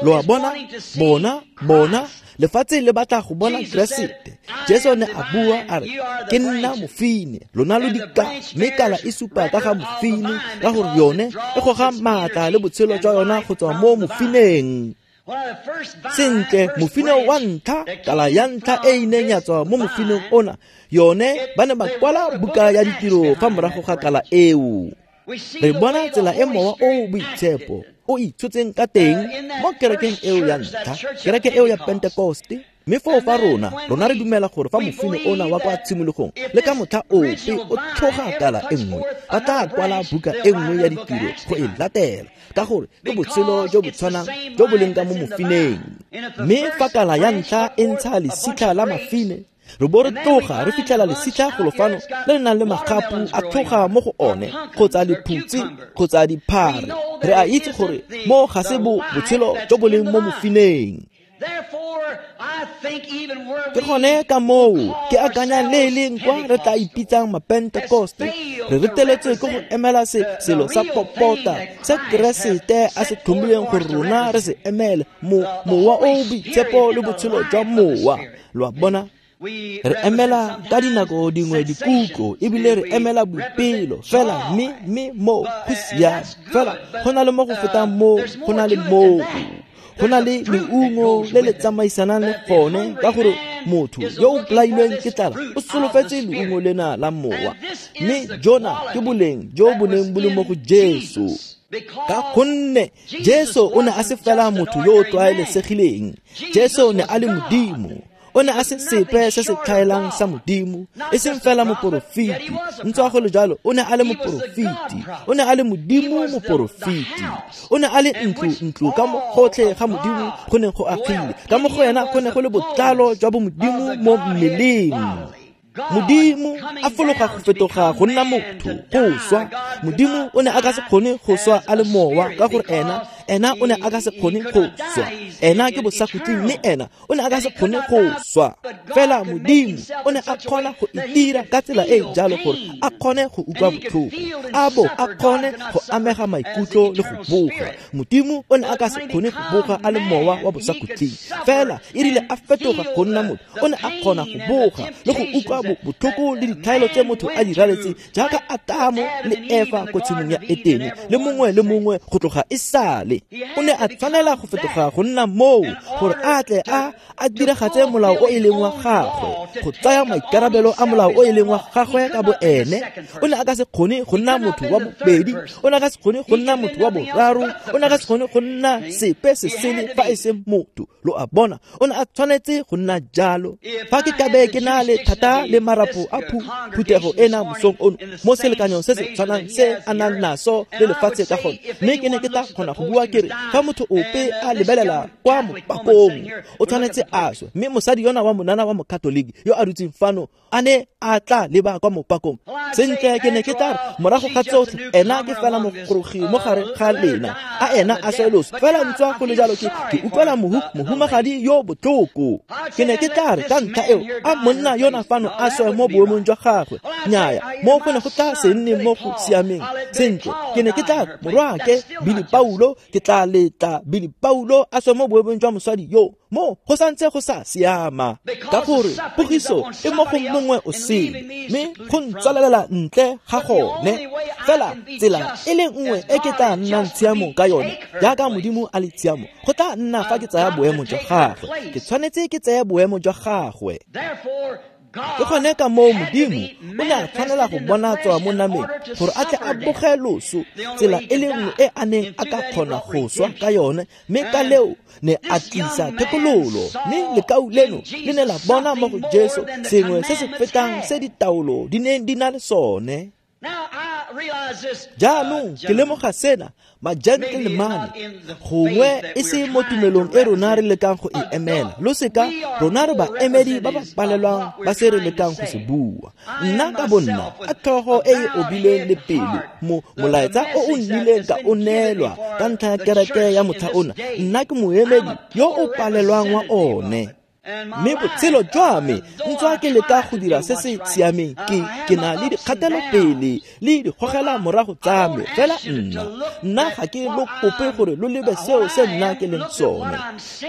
Lo a bona, bona, bona, lefatshe le batla go bona Keresete. Jesu ne a bua a re, ke nna mofine, lona lo dikala, mme kala e supa ka ga mofine, ka gore yone e goga maatla le botshelo jwa yona go tswa mo mofineng. Sentle, mofine wa ntlha, kala ya ntlha e e neng ya tswa mo mofineng ona, yone ba ne ba kwala buka ya ditiro fa morago ga kala eo. Re bona tsela e mowa o boitshepo o itshotseng ka teng mo kerekeng eo ya ntlha, kereke eo ya Pentekoste. Mme foo fa rona rona re dumela gore fa mofine ona wa kwa tshimologong le ka motlha ope o tlhoga kala e nngwe, ba tla kwala buka e nngwe ya ditiro go e latela, ka gore ke botshelo jo bo tshwanang jo bo leng ka mo mofineng. Mme fa kala ya ntlha e ntsha lesitlha la mafine, re bo re tloga re fitlhela lesitlha golo fano le le nang le magapu a tlhoga mo go one, kgotsa lephutse kgotsa diphare. Re a itse gore mo ga se bo botshelo jo bo leng mo mofineng. Ke gone ka moo ke akanya le e leng kwa re tla ipitsang mapentekoste, re reteletswe ke go emela se selo sa popota se Keresete a se tlhomileng gore rona re se emele, mo mowa o o boitshepo le botshelo jwa mowa. Lo a bona? Re emela ka dinako dingwe dikutlo, ebile re emela boipelo fela, mme mme mo go siame fela go na le mo go fetang mo, go na le moo go na le leungo le le tsamaisanang le gone, ka gore motho yo o bolailweng ke tlala o solofetse leungo lena la mowa. Mme jona ke boleng jo bo neng bo le mo go Jesu, ka gonne Jesu o ne a se fela motho yo o tlwaelesegileng. Jesu ne a le Modimo. O ne a se sepe se se tlhaelang sa Modimo, e seng fela moporofeti. Ntswa go le jalo, o ne a le moporofeti, o ne a le Modimo moporofeti, o ne a le ntlo ntlo ka mo gotlhe ga Modimo go neng go agile, ka mo go ena go ne go le botlalo jwa bomodimo mo mmeleng. Modimo a fologa go fetoga go nna motho, go swa. Modimo o ne a ka se kgone go swa a le mowa, ka gore ena ena o ne a ka se kgone go swa. Ena ke bosakhutleng, mme ena o ne a ka se kgone go swa. Fela Modimo o ne a kgona go itira ka tsela e jalo gore a kgone go utlwa botlhoko, a bo a kgone go amega maikutlo le go boga. Modimo o ne a ka se kgone go boga a le mowa wa bosakhutleng, fela e rile a fetoga go nna motho, o ne a kgona go boga le go utlwa botlhoko le ditlhaelo tse motho a di raletseng, jaaka Atamo le Efa ko tshimong ya Etene, le mongwe le mongwe go tloga e sale. O ne a tshwanela go fetoga go nna moo gore a tle a a diragatse molao o e leng wa gagwe, go tsaya maikarabelo a molao o e leng wa gagwe ka bo ene. O ne a ka se kgone go nna motho wa bobedi, o ne a ka se kgone go nna motho wa boraro, o ne a ka se kgone go nna sepe se sele fa e se motho. Lo a bona? O ne a tshwanetse go nna jalo. Fa ke kabe ke na le thata le marapo a phuthego ena mosong ono mo selekanyong se se tshwanang se a nang naso le lefatshe ka gone, mme ke ne ke tla kgona go bua ke re fa motho ope a lebelela kwa mopakong o tshwanetse a swe, mme mosadi yona wa monana wa mokatoliki yo a dutseng fano a ne a tla leba kwa mopakong, sentle ke ne ke tla re morago ga tsotlhe ena ke fela mogorogi mo gare ga lena, a ena a swe loso. Fela ntswa go le jalo ke ke utlwela mohumagadi yo botlhoko. Ke ne ke tla re ka ntlha eo a monna yona fano a swe mo boemong jwa gagwe. Nnyaya, mo go ne go tla se nne mo go siameng. Sentle, ke ne ke tla re morwaake Billy Paulo, ke tla letla Billy Paulo a swe mo boemong jwa mosadi yo. Mo go santse go sa siama, ka gore pogiso e mo go mongwe o sele, mme go ntswalelela ntle ga gone. Fela tsela e le nngwe e ke tla nnang tshiamo ka yone, jaaka Modimo a le tshiamo, go tla nna fa ke tsaya boemo jwa gagwe. Ke tshwanetse ke tseye boemo jwa gagwe. Ke gone ka moo Modimo o ne a tshwanela go bonatswa mo nameng gore a tle a boge loso, tsela e le nngwe e a neng a ka kgona go swa ka yone, mme ka leo ne a tlisa thekololo. Mme lekau leno le ne la bona mo go Jesu sengwe se se fetang se ditaolo di neng di na le sone. Jaanong ke lemoga sena, ma-gentleman, gongwe e se mo tumelong e rona re lekang go e emela. Lo seka, rona re baemedi ba ba palelwang ba se re lekang go se bua. Nna ka bonna, ka tlhogo e e obileng le pelo, mo molaetsa o o nnileng ka o neelwa ka ntlha ya kereke ya motlha ona, nna ke moemedi yo o palelwang wa one. Mme botshelo jwa me ntswa ke leka go dira se se siameng, ke ke na le dikgatelopele le dikgogela morago tsa me. Fela nna nna ga ke lo kope gore lo lebe seo se nna ke leng sone,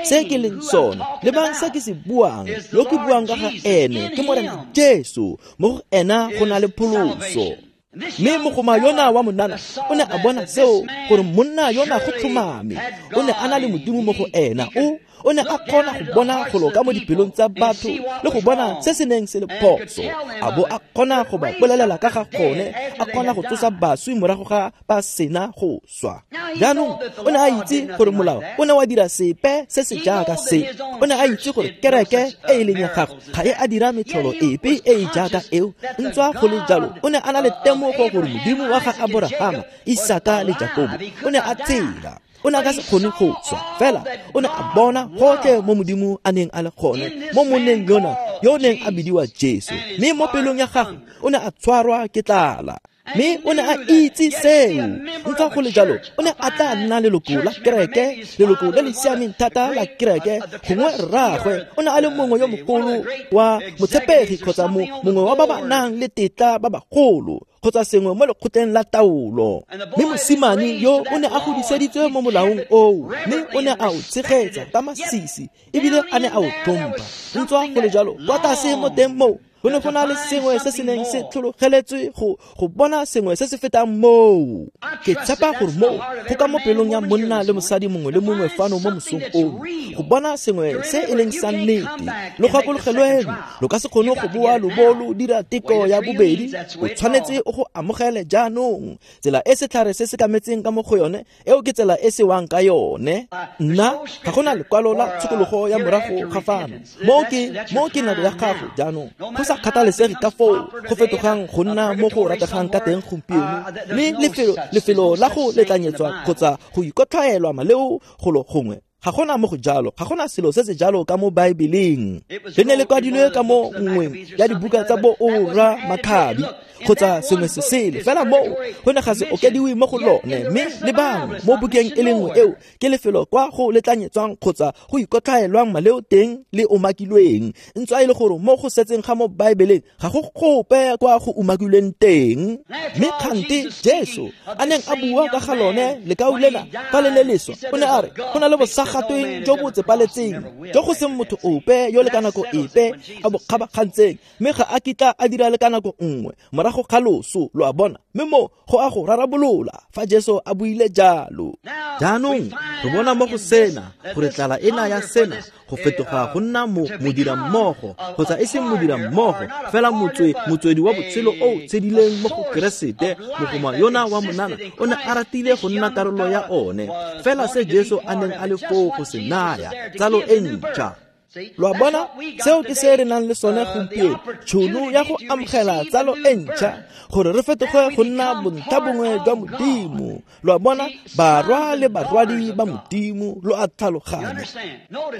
se ke leng sone. Lebang se ke se buang, yo ke buang ka ga ene ke Morena Jesu, mo go ena go na le pholoso. Mme mogoma yona wa monana o ne a bona seo, gore monna yona go tlhomame o ne a na le Modimo mo go ena. O o ne a kgona go bona golo ka mo dipelong tsa batho le go bona se se neng se le phoso, a bo a kgona go ba bolelela ka ga gone, a kgona go tsosa baswi morago ga ba sena go swa. Jaanong o ne a itse gore molao o ne wa dira sepe se se jaaka se. O ne a itse gore kereke e e leng ya gagwe ga e a dira metlholo epe e e jaaka eo. Ntswa go le jalo, o ne a na le temogo gore Modimo wa ga Aborahama, Isaka le Jakobo o ne a tshela. O ne a ka se kgone go swa, fela o ne a bona gotlhe mo Modimo a neng a le gone mo monneng yona yo o neng a bidiwa Jesu. Mme mo pelong ya gagwe o ne a tshwarwa ke tlala, mme o ne a itse seo. Ntswa go le jalo, o ne a tla nna leloko la kereke, leloko le le siameng thata la kereke. Gongwe rraagwe o ne a le mongwe yo mogolo wa motshepegi kgotsa mongwe wa ba ba nang le tetla ba bagolo kgotsa sengwe mo lekgotleng la taolo. Mme mosimane yo o ne a godiseditswe mo molaong oo, mme o ne a o tshegetsa ka masisi ebile a ne a o tlhompha. Ntswa go le jalo, kwa tlase mo teng moo go ne go na le sengwe se se neng se tlhologeletswe go go bona sengwe se se fetang moo. Ke tshepa gore moo go ka mo pelong ya monna le mosadi mongwe le mongwe fano mo mosong ono, go bona sengwe se e leng sa nnete. Lo gakologelweng, lo ka se kgone go boa lo bo lo dira teko ya bobedi. O tshwanetse o go amogele jaanong. Tsela e setlhare se se kametseng ka mo go yone, eo ke tsela e se wang ka yone. Nna ga gona lekwalo la tshokologo ya morago ga fano. Moo ke moo ke nako ya gago jaanong. Go sa kgathalesege ka foo go fetogang go nna mo go rategang ka teng gompieno, mme lefelo lefelo la go letlanyetswa kgotsa go ikotlhaelwa maleo golo gongwe, ga gona mo go jalo. Ga gona selo se se jalo ka mo Baebeleng. Le ne le kwadilwe ka mo nngweng ya dibuka tsa bo ora Makhabi kgotsa sengwe se sele, fela moo go ne ga se okediwe mo go lone. Mme le bangwe mo bukeng e le nngwe eo ke lefelo kwa go letlanyetswang kgotsa go ikotlhaelwang maleo teng le umakilweng, ntswa e le gore mo go setseng ga mo Baebeleng ga go gope kwa go umakilweng teng. Mme kgante Jesu a neng a bua ka ga lone lekau lena fa le le leswa, o ne a re go na le bosagatweng jo bo tsepaletseng jo go seng motho ope yo le ka nako epe a bo kgabakgantseng, mme ga a kitla a dira le ka nako nngwe morago ga loso. Lo a bona, mme mo go a go rarabolola fa Jesu a buile jalo. Jaanong re bona mo go sena gore tlala ena ya sena go fetoga go nna mo modirammogo kgotsa e seng modirammogo fela motswe motswedi wa botshelo o tshedileng mo go Keresete. Mogoma yona wa monana o ne a ratile go nna karolo ya one, fela se Jesu a neng a le foo go se naya, tsalo e ntšha. Lo a bona, seo ke se re nang le sone gompieno, tšhono ya go amogela tsalo e ntšha gore re fetoge go nna bontlha bongwe jwa Modimo. Lo a bona, barwa le barwadi ba Modimo, lo a tlhaloganya.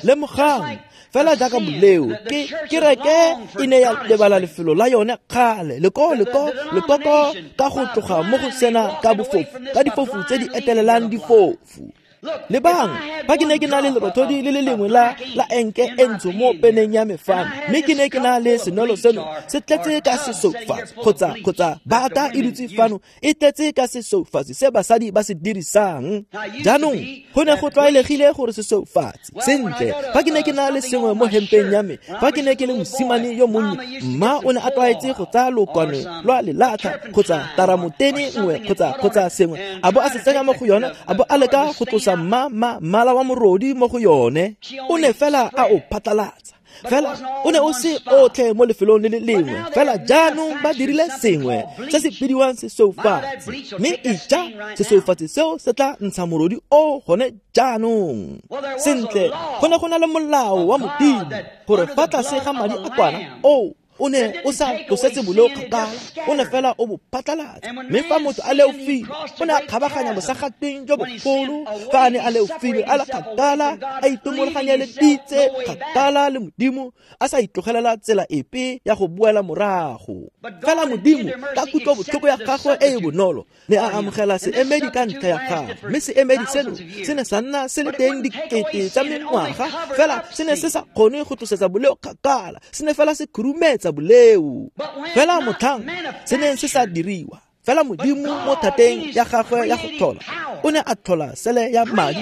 Lemogang, fela jaaka boleo, ke kereke e ne ya lebala lefelo la yone kgale, leko leko lekoko ka go tloga mo go sena ka bofofu, ka difofu tse di etelelang difofu. Lebang, fa ke ne ke na le lerothodi le le lengwe la la enke e ntsho mo peneng ya me fano, mme ke ne ke na le senwelo seno se tletse ka sesoufatsi kgotsa kgotsa bata e dutse fano e tletse ka sesoufatsi se basadi ba se dirisang. Jaanong go ne go tlwaelegile gore sesoufatsi sentle. Fa ke ne ke na le sengwe mo hempeng ya me, fa ke ne ke le mosimane yo monnye, mma o ne a tlwaetse go tsaya lokwane lwa lelatlha kgotsa taramotene nngwe kgotsa kgotsa sengwe, a bo a se tsenya mo go yone, a bo a leka go tlosa ma ma mmala wa morodi mo go yone. O ne fela a o phatlalatsa, fela o ne o se otlhe mo lefelong le le lengwe. Fela jaanong ba dirile sengwe se se bidiwang sesoufatsi, mme ija sesoufatsi seo se tla ntsha morodi o gone jaanong. Sentle, go ne go na le molao wa Modimo gore fa tlase ga madi a kwana o o ne o sa tlosetse boleo kgakala, o ne fela o bo phatlalatsa. Mme fa motho a leofile, o ne a kgabaganya bosagatweng jo bogolo. Fa a ne a leofile a le kgakala, a itomologanyeleditse kgakala le Modimo, a sa itlogelela tsela epe ya go boela morago. Fela Modimo ka kutlobotlhoko ya gagwe e e bonolo ne a amogela seemedi ka ntlha ya gagwe, mme seemedi seno se ne sa nna se le teng dikete tsa mengwaga, fela se ne se sa kgone go tlosetsa boleo kgakala, se ne fela se khurumetsa boleo. Fela motlhang se neng se sa diriwa, fela Modimo mo thateng ya gagwe ya go tlhola o ne a tlhola sele ya madi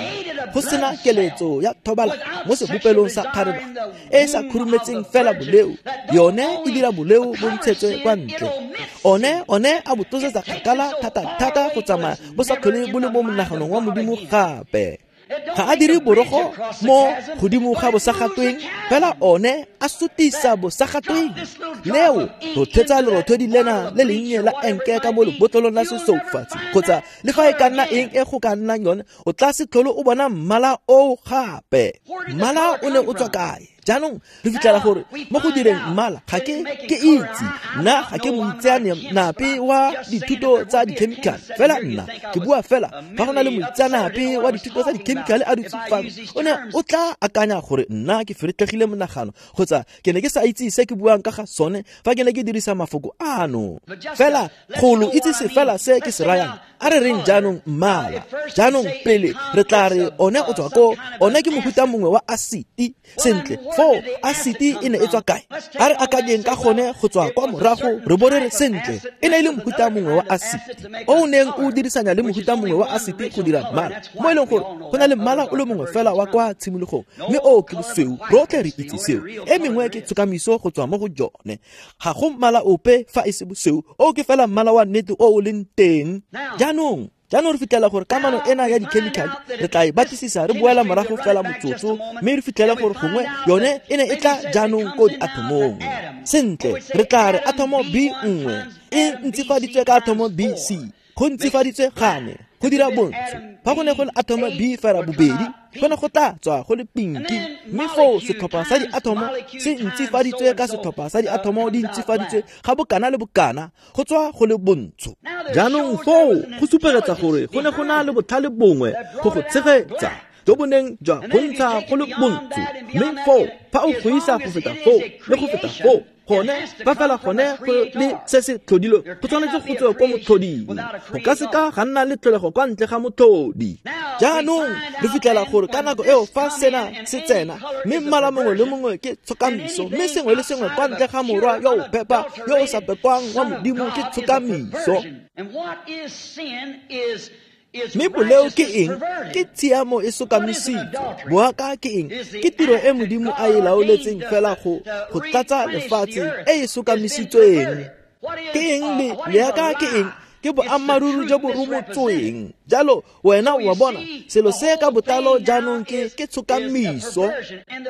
go sena keletso ya thobala mo sebopelong sa kgarebe e sa khurumetseng fela boleo, yone e dira boleo bo ntshetswe kwa ntle. One one a bo tlosetsa kgakala thata-thata go tsamaya bo sa tlhole bo le mo monaganong wa Modimo gape. Ga a dire borogo mo godimo ga bosagatweng, fela one a sutisa bosagatweng. Leo rothetsa lerothodi lena le lennye la enke ka mo lebotlolong la sesoufatsi kgotsa le fa e ka nna eng e go ka nnang yone, o tla se tlhole o bona mmala oo gape. Mmala o ne o tswa kae? Jaanong re fitlhela gore mo go direng mmala ga ke ke itse, nna ga ke moitseanape wa dithuto tsa dikhemikhale, fela nna ke bua fela fa go na le moitseanape wa dithuto tsa dikhemikhale a dutse fano, o ne o tla akanya gore nna ke feretlhegile monagano kgotsa ke ne ke sa itse se ke buang ka ga sone fa ke ne ke dirisa mafoko ano. Fela go lo itsise fela se ke se rayang. A re reng jaanong mmala. Jaanong pele re tla re one o tswa ko, one ke mofuta mongwe wa asiti. Sentle, foo asiti e ne e tswa kae? A re akanyeng ka gone go tswa kwa morago re bo re re sentle, e ne e le mofuta mongwe wa asiti o o neng o dirisanya le mofuta mongwe wa asiti go dira mmala, mo e leng gore go na le mmala o le mongwe fela wa kwa tshimologong, mme oo ke bosweu. Rotlhe re itse seo. E mengwe ke tshokamiso go tswa mo go jone. Ga go mmala ope fa e se bosweu, oo ke fela mmala wa nnete o o leng teng. Jaanong jaanong re fitlhela gore kamano ena ya dikhemikhale re tla e batlisisa re boela morago fela motsotso, mme re fitlhele gore gongwe yone e ne e tla jaanong ko diatomong. Sentle, re tla re atomo B nngwe e ntsifaditswe ka atomo B C, go ntsifaditswe gane go dira bontsho. Fa go ne go le atomo B fela bobedi, go ne go tla tswa go le pinki, mme foo setlhopha sa diatomo se ntsifaditswe ka setlhopha sa diatomo di ntsifaditswe ga bokana le bokana, go tswa go le bontsho. Jaanong foo go supegetsa gore go ne go na le botlhale bongwe go go tshegetsa jo bo neng jwa go ntsha go le bontsho, mme foo fa o go isa go feta foo le go feta foo, gone fa fela gone go le se se tlhodilwe, go tshwanetse go tswe ko motlhoding. Go ka seka ga nna le tlholego kwa ntle ga motlhodi. Jaanong re fitlhela gore ka nako eo fa sena se tsena, mme mmala mongwe le mongwe ke tshokamiso, mme sengwe le sengwe kwa ntle ga morwa yo o phepa yo o sa pekwang wa Modimo ke tshokamiso. Mme boleo ke eng? Ke tshiamo e sokamisitswe. Boaka ke eng? Ke tiro e Modimo a e laoletseng fela go go tlatsa lefatshe e e sokamisitsweng. Ke eng le leaka ke eng? Ke boammaaruri jo bo rumotsweng. Jalo wena o a bona selo se ka botlalo jaanong ke ke tshokamiso,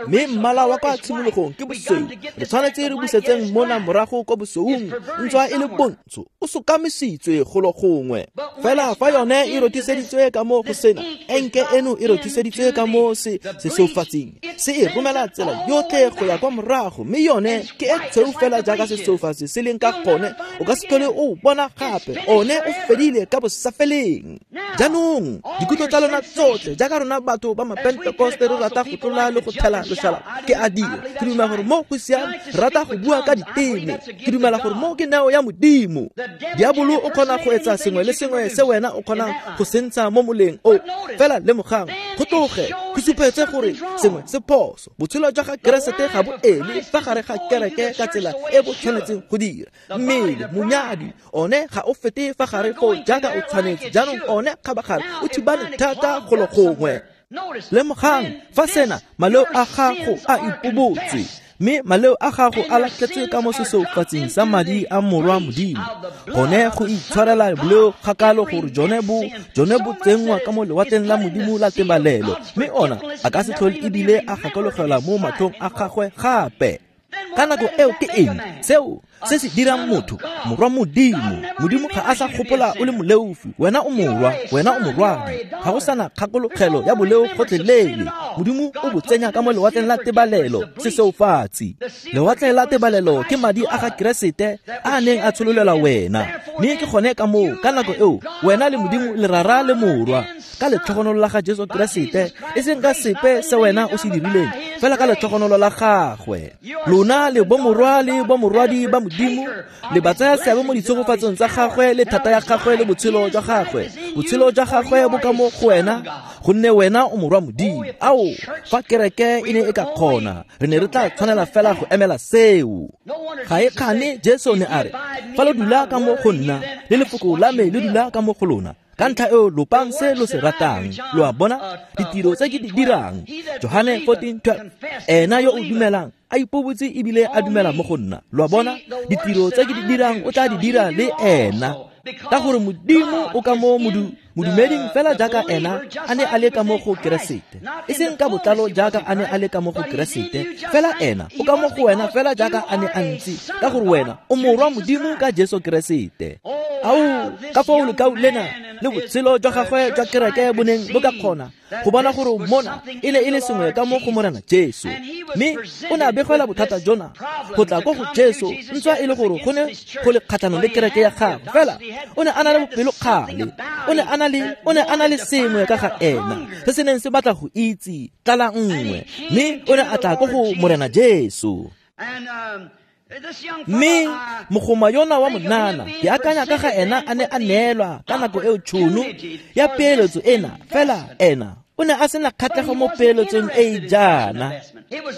mme mmala wa kwa tshimologong ke bosweu. Re tshwanetse re busetseng mona morago kwa bosweung, ntswa e le bontsho, o sokamisitswe golo gongwe. Fela fa yone e rothiseditswe ka mo go sena, enke eno e rothiseditswe ka mo se sesoufatsing, se e romela tsela yotlhe go ya kwa morago, mme yone ke e tshweu fela jaaka sesoufatsi se leng ka gone. O ka se tlhole o bona gape, one o fedile ka bosafeleng. Jaanong dikutlo tsa lona tsotlhe jaaka rona batho ba mapentekoste re rata go tlola le go thela loshalaba, ke a dira. Ke dumela gore mo go siame, re rata go bua ka diteme. Ke dumela gore mo ke neo ya Modimo. Diabolo o kgona go etsa sengwe le sengwe se wena o kgonang go se ntsha mo moleng o. Fela lemogang, go tloge go supetse gore sengwe se phoso. Botshelo jwa ga Keresete ga bo ele fa gare ga kereke ka tsela e bo tshwanetseng go dira. Mmele monyadi one ga o fete fa gare foo jaaka o tshwanetse. Jaanong one kgabagare o thibane thata golo gongwe. Lemogang fa sena maleo a gago a ipobotswe, mme maleo a gago a latlhetswe ka mo sesoufatsing sa madi a morwa Modimo, gone go itshwarela boleo kgakalo gore jone bo jone bo tsenngwa ka mo lewatleng la Modimo la tebalelo, mme ona a ka se tlhole ebile a gakologelwa mo matlhong a gagwe gape. Ka nako eo ke eng seo se se dirang motho morwa Modimo? Modimo ga a sa gopola o le moleofi, wena o morwa, wena o morwadi. Ga go sana kgakologelo ya boleo gotlhelele. Modimo o bo tsenya ka mo lewatleng la tebalelo, sesoufatsi. Lewatle la tebalelo ke madi a ga Keresete a neng a tshololelwa wena, mme ke gone ka moo ka nako eo wena le Modimo le rara le morwa ka letlhogonolo la ga Jesu Keresete, e seng ka sepe se wena o se dirileng, fela ka letlhogonolo la gagwe. Lona le bomorwa le bomorwadi ba Modimo, le ba tsaya seabe mo ditshegofatsong tsa gagwe le thata ya gagwe le botshelo jwa gagwe. Botshelo jwa gagwe bo ka mo go wena, gonne wena o morwa Modimo. Ao, fa kereke e ne e ka kgona, re ne re tla tshwanela fela go emela seo. Ga e kgane Jesu ne a re, fa lo dula ka mo go nna, le lefoko la me le dula ka mo go lona, Ka ntlha eo lopang se lo se ratang. Lo a bona? Ditiro tse ke di dirang. Johane fourteen twelve. Ena yo o dumelang a ipobotse ebile a dumela mo go nna. Lo a bona? Ditiro tse ke di dirang o tla di dira le ena. Ka gore Modimo o ka mo modu modumeding fela jaaka ena a ne a le ka mo go Keresete. E seng ka botlalo jaaka a ne a le ka mo go Keresete, fela ena o ka mo go wena fela jaaka a ne a ntse, ka gore wena o morwa Modimo ka Jesu Keresete. Ao, ka foo lekau lena le botshelo jwa gagwe jwa kereke bo neng bo ka kgona go bona gore mona e ne e le sengwe ka mo go Morena Jesu. Mme o ne a begela bothata jona go tla ko go Jesu, ntswa e le gore go ne go le kgatlhanong le kereke ya gagwe, fela o ne a na le bopelokgale, o ne a na le o ne a na le sengwe ka ga ena se se neng se batla go itse tlala nngwe, mme o ne a tla ko go Morena Jesu. Mme mogoma yona wa monana ke akanya ka ga ena a ne a neelwa ka nako eo tšhono ya peeletso ena, fela ena o ne a sena kgatlhego mo peeletsong e e jaana.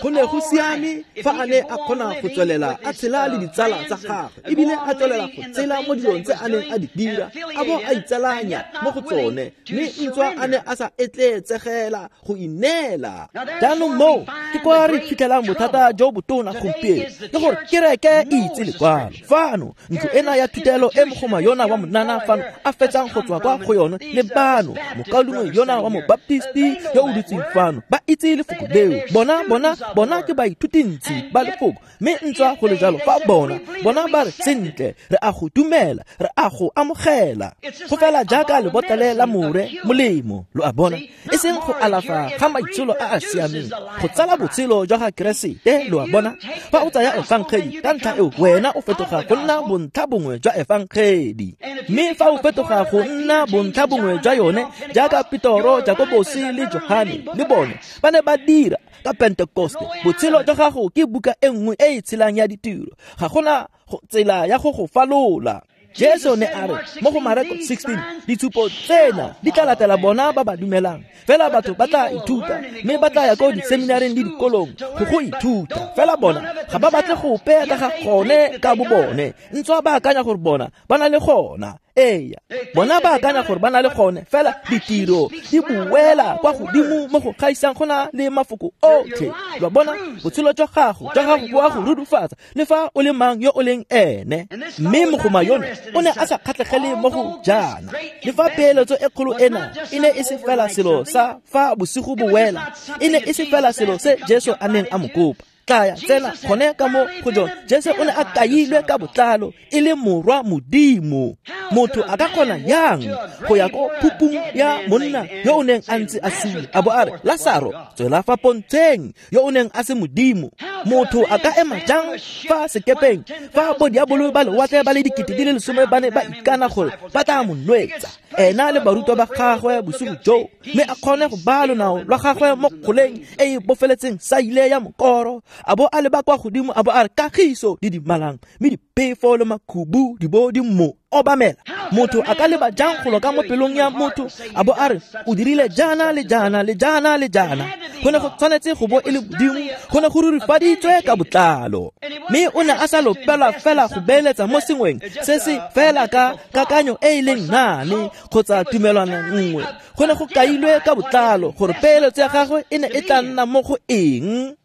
Go ne go siame fa a ne a kgona go tswelela a tshela le ditsala tsa gagwe, ebile a tswelela go tshela mo dilong tse a neng a di dira, a bo a itsalanya mo go tsone, mme ntswa a ne a sa etleetsegela go ineela. Jaanong moo ke kwa re fitlhelang bothata jo botona gompieno, ke gore kereke e itse lekwalo. Fano ntlo ena ya thutelo e mogoma yona wa monana fano a fetsang go tswa kwa go yone, le bano mokaulengwe yona wa mobaptisti yo o dutseng fano, ba itse lefoko leo. Bona bona bona ke baithutintsi ba lefoko, mme ntswa go le jalo fa bona bona ba re sentle, re a go dumela, re a go amogela. Go fela jaaka lebotlele la more molemo, lo a bona, e seng go alafa ga maitsholo a a siameng, go tsala botshelo jwa ga Keresete. Lo a bona? Fa o tsaya efangedi, ka ntlha eo wena o fetoga go nna bontlha bongwe jwa efangedi, mme fa o fetoga go nna bontlha bongwe jwa yone, jaaka Petoro, Jakobose le Johane le bone ba ne ba dira ka Pentekoste, botshelo jwa gago ke buka e nngwe e e tshelang ya ditiro. Ga gona tsela ya go go falola. Jesu ne a re mo go Mareko sixteen, ditshupo tsena di tla latela bona ba ba dumelang. Fela batho ba tla ithuta, mme ba tla ya ko diseminareng le dikolong go go ithuta. Fela bona ga ba batle go peya ka ga gone ka bo bone, ntswa ba akanya gore bona ba na le gona. Eya, bona ba akanya gore ba na le gone, fela ditiro di buela kwa godimo mo go gaisang go na le mafoko otlhe. Lo bona, botshelo jwa gago jwa gago bo a go rudufatsa le fa o le mang yo o leng ene. Mme mogoma yone o ne a sa kgatlhegele mo go jaana. Le fa peeletso e kgolo ena e ne e se fela selo sa fa bosigo bo wela, e ne e se fela selo se Jesu a neng a mo kopa. Tlaya tsena gone ka mo go jone. Jesu o ne a kailwe ka botlalo e le morwa Modimo. Motho a ka kgona yang go ya ko phupung ya monna yo o neng a ntse a sule, a bo a re, Lasaro, tswela fa pontsheng, yo o neng a se Modimo? Motho a ka ema jang fa sekepeng fa bodiabolo ba lewatle ba le dikete di le lesome ba ne ba ikana gore ba tla mo nwetsa, ena le barutwa ba gagwe bosigo joo, mme a kgone go baya lonao lwa gagwe mo kgoleng e e bofeletseng saile ya mokoro, a bo a leba kwa godimo, a bo a re, kagiso di dimalang, mme diphefo le makhubu di bo di mo obamela. Motho a ka leba jang golo ka mo pelong ya motho, a bo a re, o dirile jaana le jaana le jaana le jaana? Go ne go tshwanetse go bo e le Modimo, go ne go rurifaditswe ka botlalo. Mme o ne a sa lopelwa fela go beeletsa mo sengweng se se fela ka kakanyo e e leng nane kgotsa tumelwana nngwe. Go ne go kailwe ka botlalo gore peeletso ya gagwe e ne e tla nna mo go eng.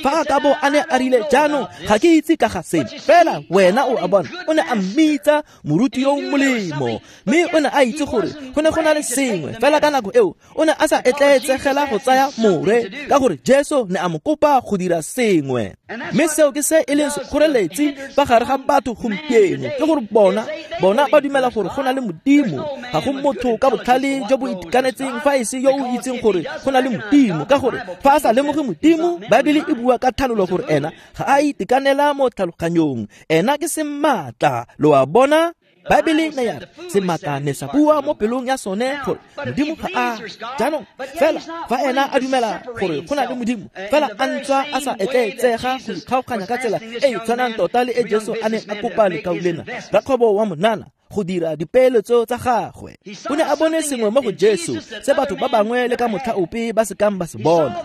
Fa a ka bo a ne a rile, jaanong ga ke itse ka ga seno, fela wena o a bona, o ne a mmitsa moruti yo o molemo, mme o ne a itse gore go ne go na le sengwe. Fela ka nako eo o ne a sa etleetsegela go tsaya more, ka gore Jesu ne a mo kopa go dira sengwe. Mme seo ke se e leng sekgoreletsi fa gare ga batho gompieno, ke gore bona bona ba dumela gore go na le Modimo. Ga go motho ka botlhale jo bo itekanetseng fa e se yo o itseng gore go na le Modimo, ka gore fa a sa lemoge Modimo, Baebele e bua ka thalolo gore ena ga a itekanela mo tlhaloganyong, ena ke sematla. Lo a bona? Baebele ne ya re sematla ne sa bua mo pelong ya sone gore Modimo ga a. Jaanong fela fa ena a dumela gore go na le Modimo, fela a ntswa a sa etleetsega go ikgaoganya ka tsela e e tshwanang tota le e Jesu a neng a kopa lekau lena, rakgwebo wa monana, go dira dipeeletso tsa gagwe. O ne a bone sengwe mo go Jesu se batho ba bangwe le ka motlha ope ba se kang ba se bona.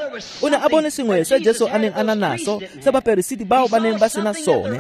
O ne a bone sengwe se Jesu a neng a na naso se baperesiti bao ba neng ba sena sone.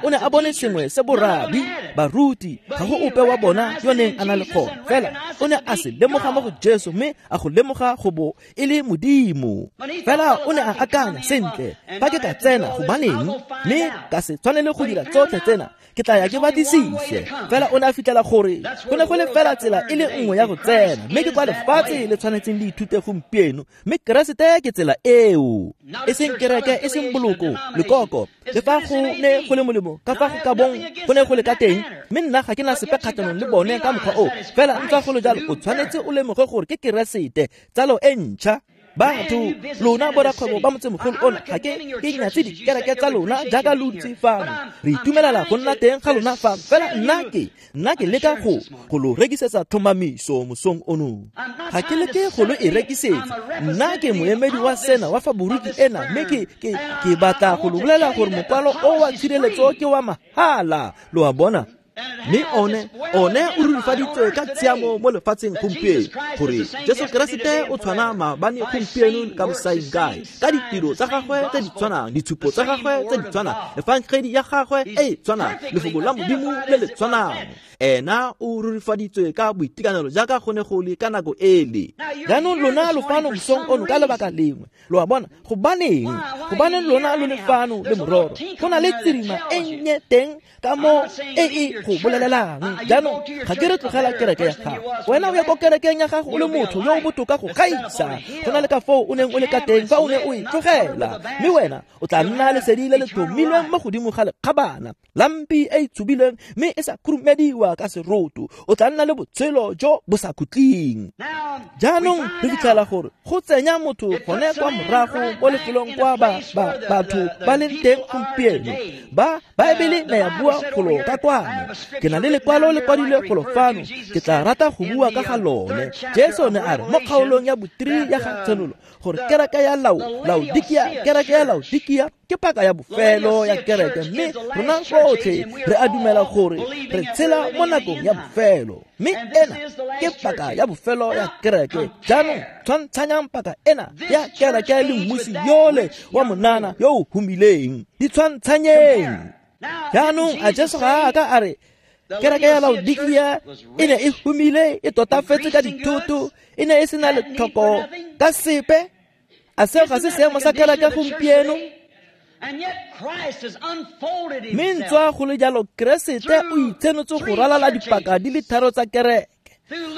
O ne a bone sengwe se borabi, baruti, ga go ope wa bona yo neng a na le gone. Fela o ne a se lemoga mo go Jesu mme a go lemoga go bo e le Modimo. Fela o ne a akanya sentle, fa ke ka tsena gobaneng mme ka se tshwanele go dira tsotlhe tsena, ke tla ya ke batlisise. Fela o ne a fitlhela gore go ne go le fela tsela e le nngwe ya go tsena, mme ke kwa lefatshe le tshwanetseng le ithute gompieno, mme Keresete ke tsela eo. E seng kereke, e seng boloko, lekoko, le fa go ne go le molemo ka fa go ka bong go ne go le ka teng, mme nna ga ke na sepe kgatlhanong le bone ka mokgwa o. Fela ntswa go le jalo, o tshwanetse o lemoge gore ke Keresete, tsalo e ntšha. Batho lona borakgwebo ba motsemogolo ona, ga ke ke nyatse dikereke tsa lona jaaka lo ntse fano. Re itumelela go nna teng ga lona fano. Fela nna ke nna ke leka go go lo rekisetsa tlhomamiso mosong ono. Ga ke leke go lo e rekisetsa. Nna ke moemedi wa sena wa faboriki ena, mme ke ke ke batla go lo bolela gore mokwalo o wa tshireletso ke wa mahala. Lo a bona? Mme one one o rurifaditswe ka tshiamo mo lefatsheng gompieno gore Jesu Keresete o tshwana maabane, gompieno ka bosaengkae, ka ditiro tsa gagwe tse di tshwanang, ditshupo tsa gagwe tse di tshwanang, efangedi ya gagwe e e tshwanang, lefoko la Modimo le le tshwanang. Ena o rurifaditswe ka boitekanelo jaaka go ne go le ka nako ele. Jaanong lona lo fano mosong ono ka lebaka lengwe. Lo a bona? Gobaneng? Gobaneng lona lo le fano le mororo? Go na le tsirima e nnye teng ka mo e e go bolelelang. Jaanong ga ke re tlogela kereke ya gago. Wena o ya ko kerekeng ya gago o le motho yo o botoka go gaisa go na le ka foo o neng o le ka teng fa o ne o e tlogela. Mme wena o tla nna lesedi le le tlhomilweng mo godimo ga lekgabana, lampi e e tshubilweng mme e sa khurumediwa ka seroto. O tla nna le botshelo jo bo sa khutleng. Jaanong re fitlhela gore go tsenya motho gone kwa morago mo lefelong kwa ba ba batho ba leng teng gompieno. Ba Baebele ne ya bua golo ka kwano. Ke na le lekwalo le kwadilwe golo fano, ke tla rata go bua ka ga lone. Jesu ne a re mo kgaolong ya botiri ya ga Tshenolo gore kereke ya Laodikia, kereke ya Laodikia ke paka ya bofelo ya kereke, mme rona rotlhe re a dumela gore re tshela mo nakong ya bofelo, mme ena ke paka ya bofelo ya kereke. Jaanong tshwantshanyang paka ena ya kereke le mmusi yole wa monana yo o humileng. Di tshwantshanyeng. Jaanong a Jesu ga a ka a re kereke ya Laodikia e ne e humile, e totafetse ka dithoto, e ne e sena letlhoko ka sepe? A seo ga se seemo sa kereke gompieno? Mme ntswa go le jalo, Keresete o itshenotse go ralala dipaka di le tharo tsa kereke,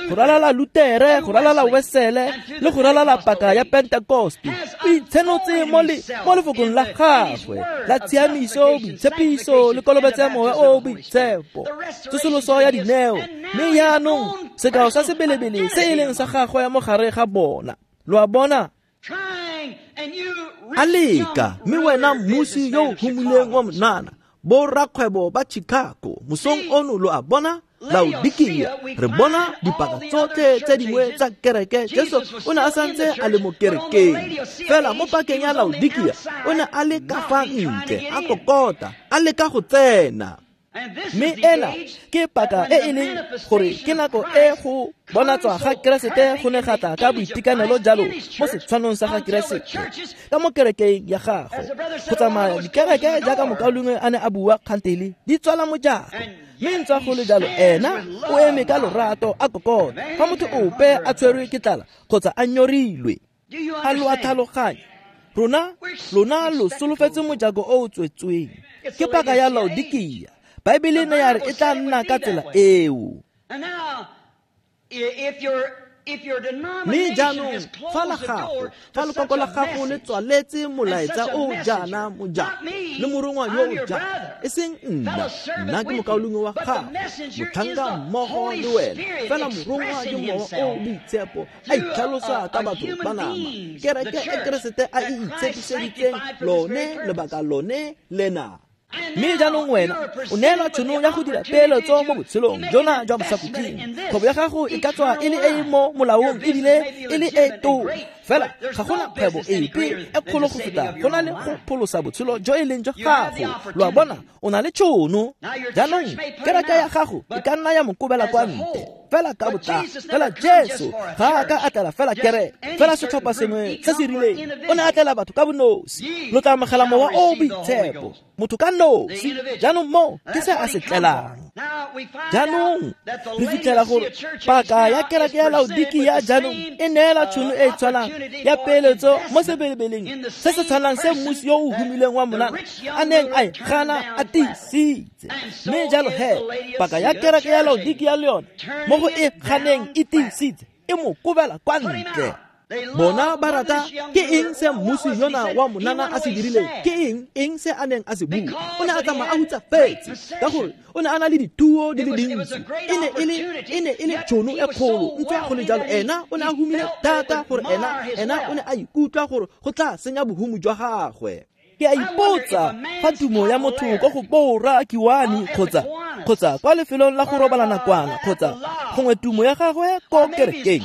go ralala Lutere, go ralala Wesele, le go ralala paka ya Pentekoste. O itshenotse mo le mo lefokong la gagwe la tshiamiso, boitshepiso le kolobetso ya moya o boitshepo, tsosoloso ya dineo. Mme jaanong sekao sa sebelebele se e leng sa gagwe mo gare ga bona. Lo a bona? A leka, mme wena mmusi yo o humileng wa monana, borakgwebo ba Chicago, mosong ono lo a bona? Laodikia, re bona dipaka tsotlhe tse dingwe tsa kereke. Jesu o ne a santse a le mo kerekeng, fela mo pakeng ya Laodikia o ne a le ka fa ntle, a kokota, a leka go tsena. Mme ena ke paka e e leng gore ke nako e go bonatswa ga Keresete go ne ga tla ka boitekanelo jalo mo setshwanong sa ga Keresete ka mo kerekeng ya gagwe. Go tsamaya dikereke jaaka mokaulengwe a ne a bua kgantele di tswala mojako, mme ntswa go le jalo ena o eme ka lorato a kokota fa motho ope a tshwerwe ke tlala kgotsa a nyorilwe. A lo a tlhaloganya? Rona lona lo solofetse mojako o o tswetsweng. Ke paka ya Laodikia. Baebele ne ya re e tla nna ka tsela eo. Mme jaanong fa la gago, fa lekoko la gago le tswaletse molaetsa o jaana mojako le morongwa yo o jaana, e seng nna, nna ke mokaulengwe wa gago, motlhanka mmogo le wena. Fela morongwa ke mowa o boitshepo a itlhalosa ka batho ba nama. Kereke e Keresete a e itshepiseditseng lone lebaka lone lena. Mme jaanong wena o neelwa tšhono ya go dira peeletso mo botshelong jona jwa bosakhutleng. Kgwebo ya gago e ka tswa e le e e mo molaong ebile e le e tona, Fela ga gona kgwebo epe e kgolo go feta go na le go pholosa botshelo jo e leng jwa gago. Lo a bona, o na le tšhono. Jaanong kereke ya gago e ka nna ya mo kobela kwa ntle fela ka botlalo. Fela Jesu ga a ka a tlela fela kereke, fela setlhopha sengwe se se rileng. O ne a tlela batho ka bonosi. Lo tla amogela Mowa o o Boitshepo, motho ka nosi. Jaanong mo ke se a se tlelang. Jaanong re fitlhela gore paka ya kereke ya Laodikia jaanong e neela tšhono e e tshwanang ya peeletso mo sebelebeleng se se tshwanang se mmusi yo o humileng wa monana a neng a e gana a tiisitse. Mme jalo he paka ya kereke ya Laodikia le yone mo go e ganeng e tiisitse, e mo kobela kwa ntle. Bona ba rata ke eng se mmusi yona wa monana a se dirileng? Ke eng eng se a neng a se bua? O ne a tsamaya a hutsafetse ka gore o ne a na le dituo di le dintsi. E ne e le e ne e le tšhono e kgolo. Ntswa go le jalo, ena o ne a humile thata gore ena ena o ne a ikutlwa gore go tla senya bohumo jwa gagwe. Ke a ipotsa fa tumo ya motho ko go bora Kiwani kgotsa kgotsa kwa lefelong la go robala nakwana kgotsa gongwe tumo ya gagwe ko kerekeng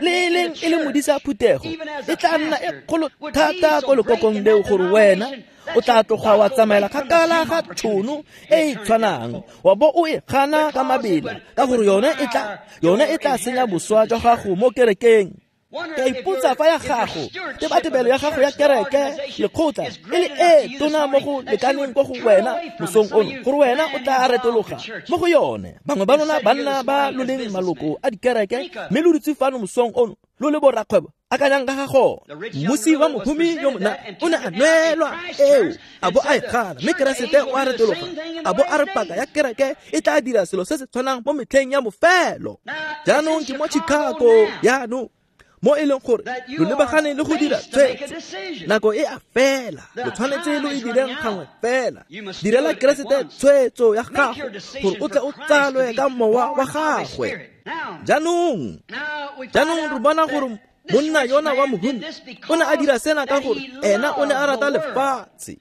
le e leng e le modisa phuthego e tla nna e kgolo thata ko lekokong leo gore wena o tla tloga wa tsamaela kgakala ga tšhono e e tshwanang wa bo o e gana ka mabela ka gore yone e tla yone e tla senya boswa jwa gago mo kerekeng. Ke a ipotsa fa ya gago tebatebelo ya gago ya kereke lekgotla e le e tona mo go lekaneng ko go wena mosong ono gore wena o tla retologa mo go yone. Bangwe ba lona banna ba lo leng maloko a dikereke mme lo dutse fano mosong ono lo le borakgwebo akanyang ka ga gone. Mmusi wa mohumi yo mona o ne a nwelwa eo a bo a e gana, mme Keresete o a retologa a bo a re paka ya kereke e tla dira selo se se tshwanang mo metlheng ya bofelo. Jaanong ke mo Chicago jaanong mo e leng gore lo lebagane le go dira tshwetso. Nako e a fela, lo tshwanetse lo e direng gangwe fela. Direla Keresete tshwetso ya gago gore o tle o tsalwe ka mowa wa gagwe. Jaanong jaanong re bona gore monna yona wa mohumi o ne a dira sena ka gore ena o ne a rata lefatshe,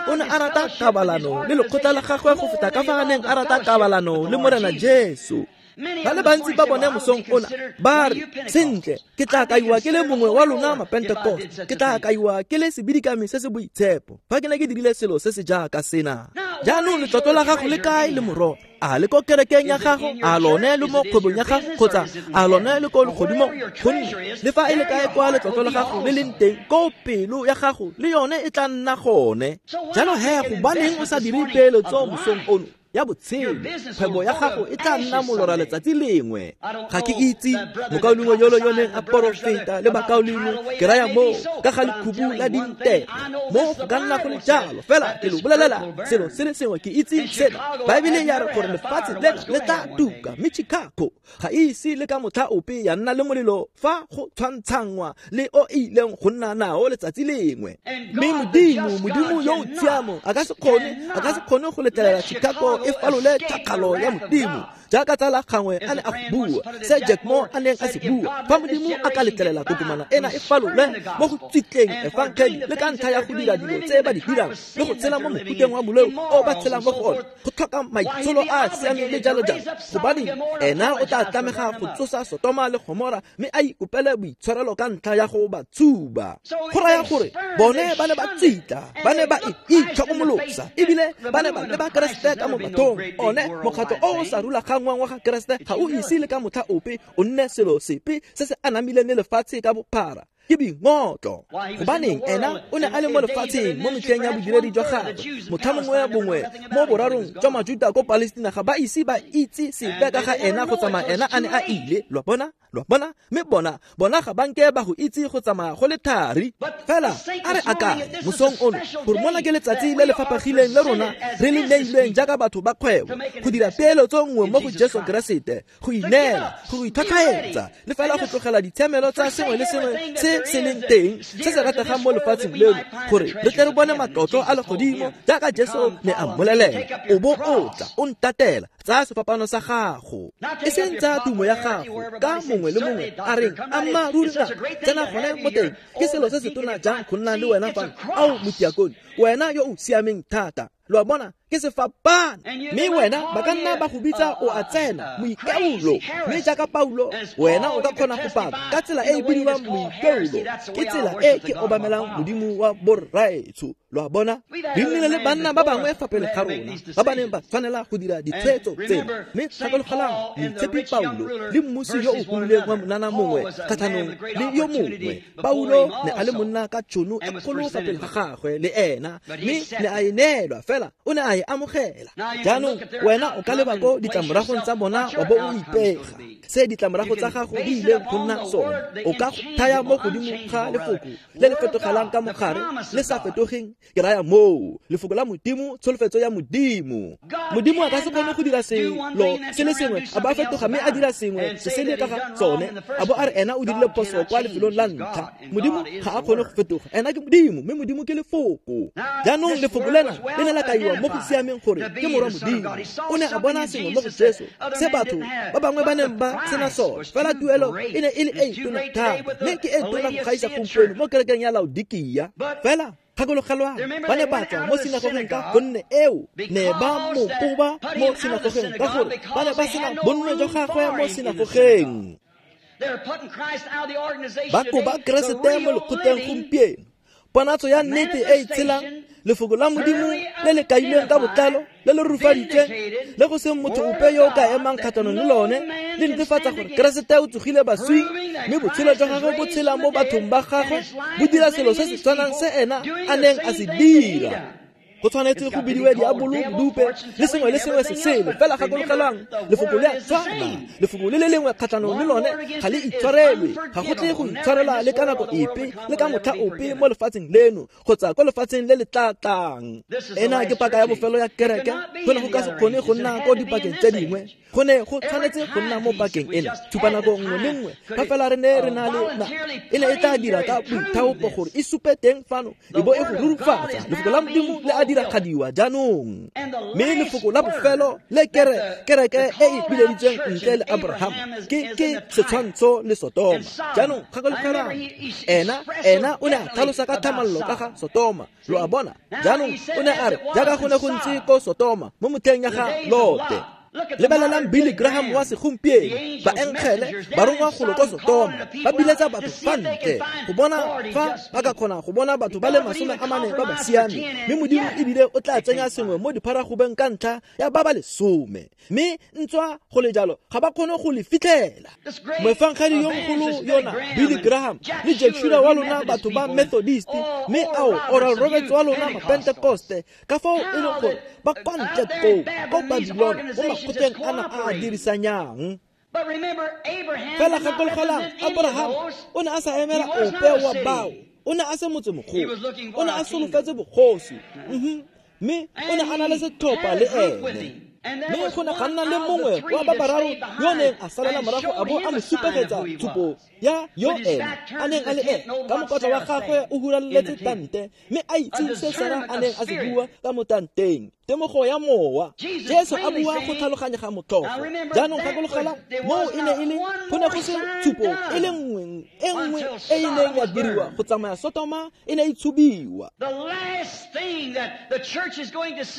o ne a rata kabalano le lekgotla la gagwe go feta ka fa a neng a rata kabalano le Morena Jesu. Ba le bantsi ba bone mosong ona ba re, sentle, ke tla kaiwa ke le mongwe wa lona Mapentekoste, ke tla kaiwa ke le sebidikami se se boitshepo fa ke ne ke dirile selo se se jaaka sena. Jaanong letlotlo la gago le kae le mororo? A le ko kerekeng ya gago? A lone le mo kgwebong ya gago? Kgotsa a lone le ko legodimong? Gonne le fa e le kae kwa letlotlo la gago le leng teng, ko pelo ya gago le yone e tla nna gone. Jalo he, gobaneng o sa dire peeletso mosong ono ya botshelo? Kgwebo ya gago e tla nna molora letsatsi lengwe. Ga ke itse mokaulengwe yolo yo neng a porofeta le bakaulengwe ke raya moo ka ga lekhubu la dintela. Mo go ka nna go le jalo, fela ke lo bolelela selo se le sengwe, ke itse sena. Baebele ya re gore lefatshe lena le tla tuka, mme Chicago ga e ise le ka motlha ope ya nna le molelo fa go tshwantshangwa le o e ileng go nna nao letsatsi lengwe. Mme Modimo, Modimo yo o tshiamo a ka se kgone a ka se kgone go letlelela Chicago e falole tšhakgalo ya Modimo jaaka tsala gangwe a ne a go bua se Jack Moore a neng a se bua. Fa Modimo a ka letlelela kokomana ena e falole mo go tsitleng efangeli le ka ntlha ya go dira dilo tse ba di dirang le go tshela mo mofuteng wa boleo o ba tshelang mo go one, go tlhoka maitsholo a a siameng le jalo jalo, gobaneng ena o tla tlamega go tsosa Sotoma le Gomora mme a ikopele boitshwarelo ka ntlha ya go ba tshuba. Go raya gore bone ba ne ba tsitla, ba ne ba itlhokomolosa, ebile ba ne ba leba Keresete ka mo bathong. One mokgatlho o o sa rulaganngwang wa ga Keresete ga o ise le ka motlha ope o nne selo sepe se se anamileng le lefatshe ka bophara. Ke boingotlo. Gobaneng ena o ne a le mo lefatsheng mo metlheng ya bodiredi jwa gagwe. Motlha mongwe bongwe mo borarong jwa Majuta ko Palestina ga ba ise ba itse sepe ka ga ena go tsamaya ena a ne a ile. Lo a bona? Lo a bona? Mme bona bona ga ba nke ba go itse go tsamaya go le thari. Fela a re akanye mosong ono gore mona ke letsatsi le le fapagileng le rona re le neilweng jaaka batho ba kgwebo go dira peeletso nngwe mo go Jesu Keresete, go ineela, go itlhwatlhwaetsa le fela go tlogela ditshiamelo tsa sengwe le sengwe se se leng teng se se rategang mo lefatsheng leno gore re tle re bone matlotlo a legodimo jaaka Jesu ne a mmolelela. O bo o tla o ntatela, tsaya sefapano sa gago, e seng tsaya tumo ya gago ka mongwe le mongwe a reng ammaaruri ra tsena gone mo teng. Ke selo se se tona jang go nna le wena fano, ao motiakone, wena yo o siameng thata. Lo a bona, Ke sefapano. Mme wena ba ka nna ba go bitsa o a tsena moikaulo, mme jaaka Paulo wena o ka kgona go paka ka tsela e e bidiwang moikaulo. Ke tsela e ke obamelang Modimo wa borraetsho. Lo a bona, re nnile le banna ba bangwe fa pele ga rona ba ba neng ba tshwanela go dira ditshwetso tseno. Mme gakologelang moitshepi Paulo le mmusi yo o humileng wa monana mongwe kgatlhanong le yo mongwe. Paulo ne a le monna ka tšhono e kgolo fa pele ga gagwe le ena, mme ne a e neelwa fela o ne a e amogela. Jaanong wena o ka leba ko ditlamoragong tsa bona wa bo o ipega se ditlamorago tsa gago di ileng go nna sone. O ka thaya mo godimo ga lefoko le le fetogelang ka mogare le sa fetogeng. Ke raya moo lefoko la Modimo, tsholofetso ya Modimo. Modimo a ka se kgone go dira selo se le sengwe a bo a fetoga mme a dira sengwe se se le ka ga tsone, a bo a re ena o dirile phoso kwa lefelong la ntlha. Modimo ga a kgone go fetoga, ena ke Modimo, mme Modimo ke lefoko. Jaanong lefoko lena le ne la kaiwa mo go siameng gore ke morwa Modimo. O ne a bona sengwe mo go Jesu se batho ba bangwe ba neng ba sena sone, fela tuelo e ne e le e tona thata, mme ke e tona go gaisa gompieno mo kerekeng ya Laodikia. Fela gakologelwang, ba ne ba tswa mo sinagogeng ka gonne eo ne ba mo koba mo sinagogeng ka gore ba ne ba sena bonno jwa gagwe mo sinagogeng. Ba koba Keresete mo lekgotleng gompieno. Ponatso ya nnete e e tshelang, lefoko la Modimo le le kailweng ka botlalo, le le rurifaditsweng, le go seng motho ope yo o ka emang kgatlhanong le lone, le netefatsa gore Keresete o tsogile baswing, mme botshelo jwa gagwe bo tshela mo bathong ba gagwe, bo dira selo se se tshwanang se ena a neng a se dira. Go tshwanetse go bidiwe diabolo, bodupe le sengwe le sengwe se sele. Fela gakologelwang, lefoko le a tshwana. Lefoko le le lengwe kgatlhanong le lone ga le itshwarelwe, ga go tle go itshwarelwa le ka nako epe le ka motlha ope mo lefatsheng leno kgotsa ko lefatsheng le le tla tlang. Ena ke paka ya bofelo ya kereke. Go ne go ka se kgone go nna ko dipakeng tse dingwe, go ne go tshwanetse go nna mo pakeng ena. Tshupanako nngwe le nngwe fa fela re ne re na le na e ne e tla dira ka boithaopo gore e supe teng fano e bo e go rurifatsa lefoko la Modimo le a diragadiwa jaanong. Mme lefoko la bofelo le kere kereke e e bileditsweng ntle le Abraham ke ke setshwantsho le Sotoma. Jaanong gakologelwang, ena ena o ne a tlhalosa ka thamallo ka ga Sotoma. Lo a bona, jaanong o ne a re jaaka go ne go ntse ko Sotoma mo motlheng ya ga Lote. Lebelelang Billy Graham wa segompieno, baengele barongwa golo ko Sotoma ba biletsa batho fa ntle go bona fa ba ka kgona go bona batho ba le masome a mane ba ba siame, mme Modimo ebile o tla tsenya sengwe mo dipharagobeng ka ntlha ya ba ba lesome, mme ntswa go le jalo ga ba kgone go le fitlhela. Moefangedi yo mogolo yona Billy Graham le Jack Schuler wa lona batho ba Methodist, mme ao Oral Roberts wa lona Mapentekoste, ka fao e leng gore ba kwa ntle koo ko Babylon mo makgotleng ana a a dirisanyang. Fela gakologelang, Abraham o ne a sa emela ope wa bao, o ne a se motsemogolo, o ne a solofetse bogosi, mme o ne a na le setlhopha le ene. Mme go ne ga nna le mongwe wa ba bararo yo neng a salela morago a bo a mo supegetsa tshupo ya yo ene a neng a le ene ka mokotla wa gagwe o huraletse tante, mme a itse se Sara a neng a se bua ka mo tanteng. Temogo ya mowa, Jesu a bua go tlhaloganyega motlhofo. Jaanong gakologelwa, moo e ne e le go ne go se tshupo e le nngwe e nngwe e e neng ya diriwa go tsamaya Sotoma e ne e tshubiwa.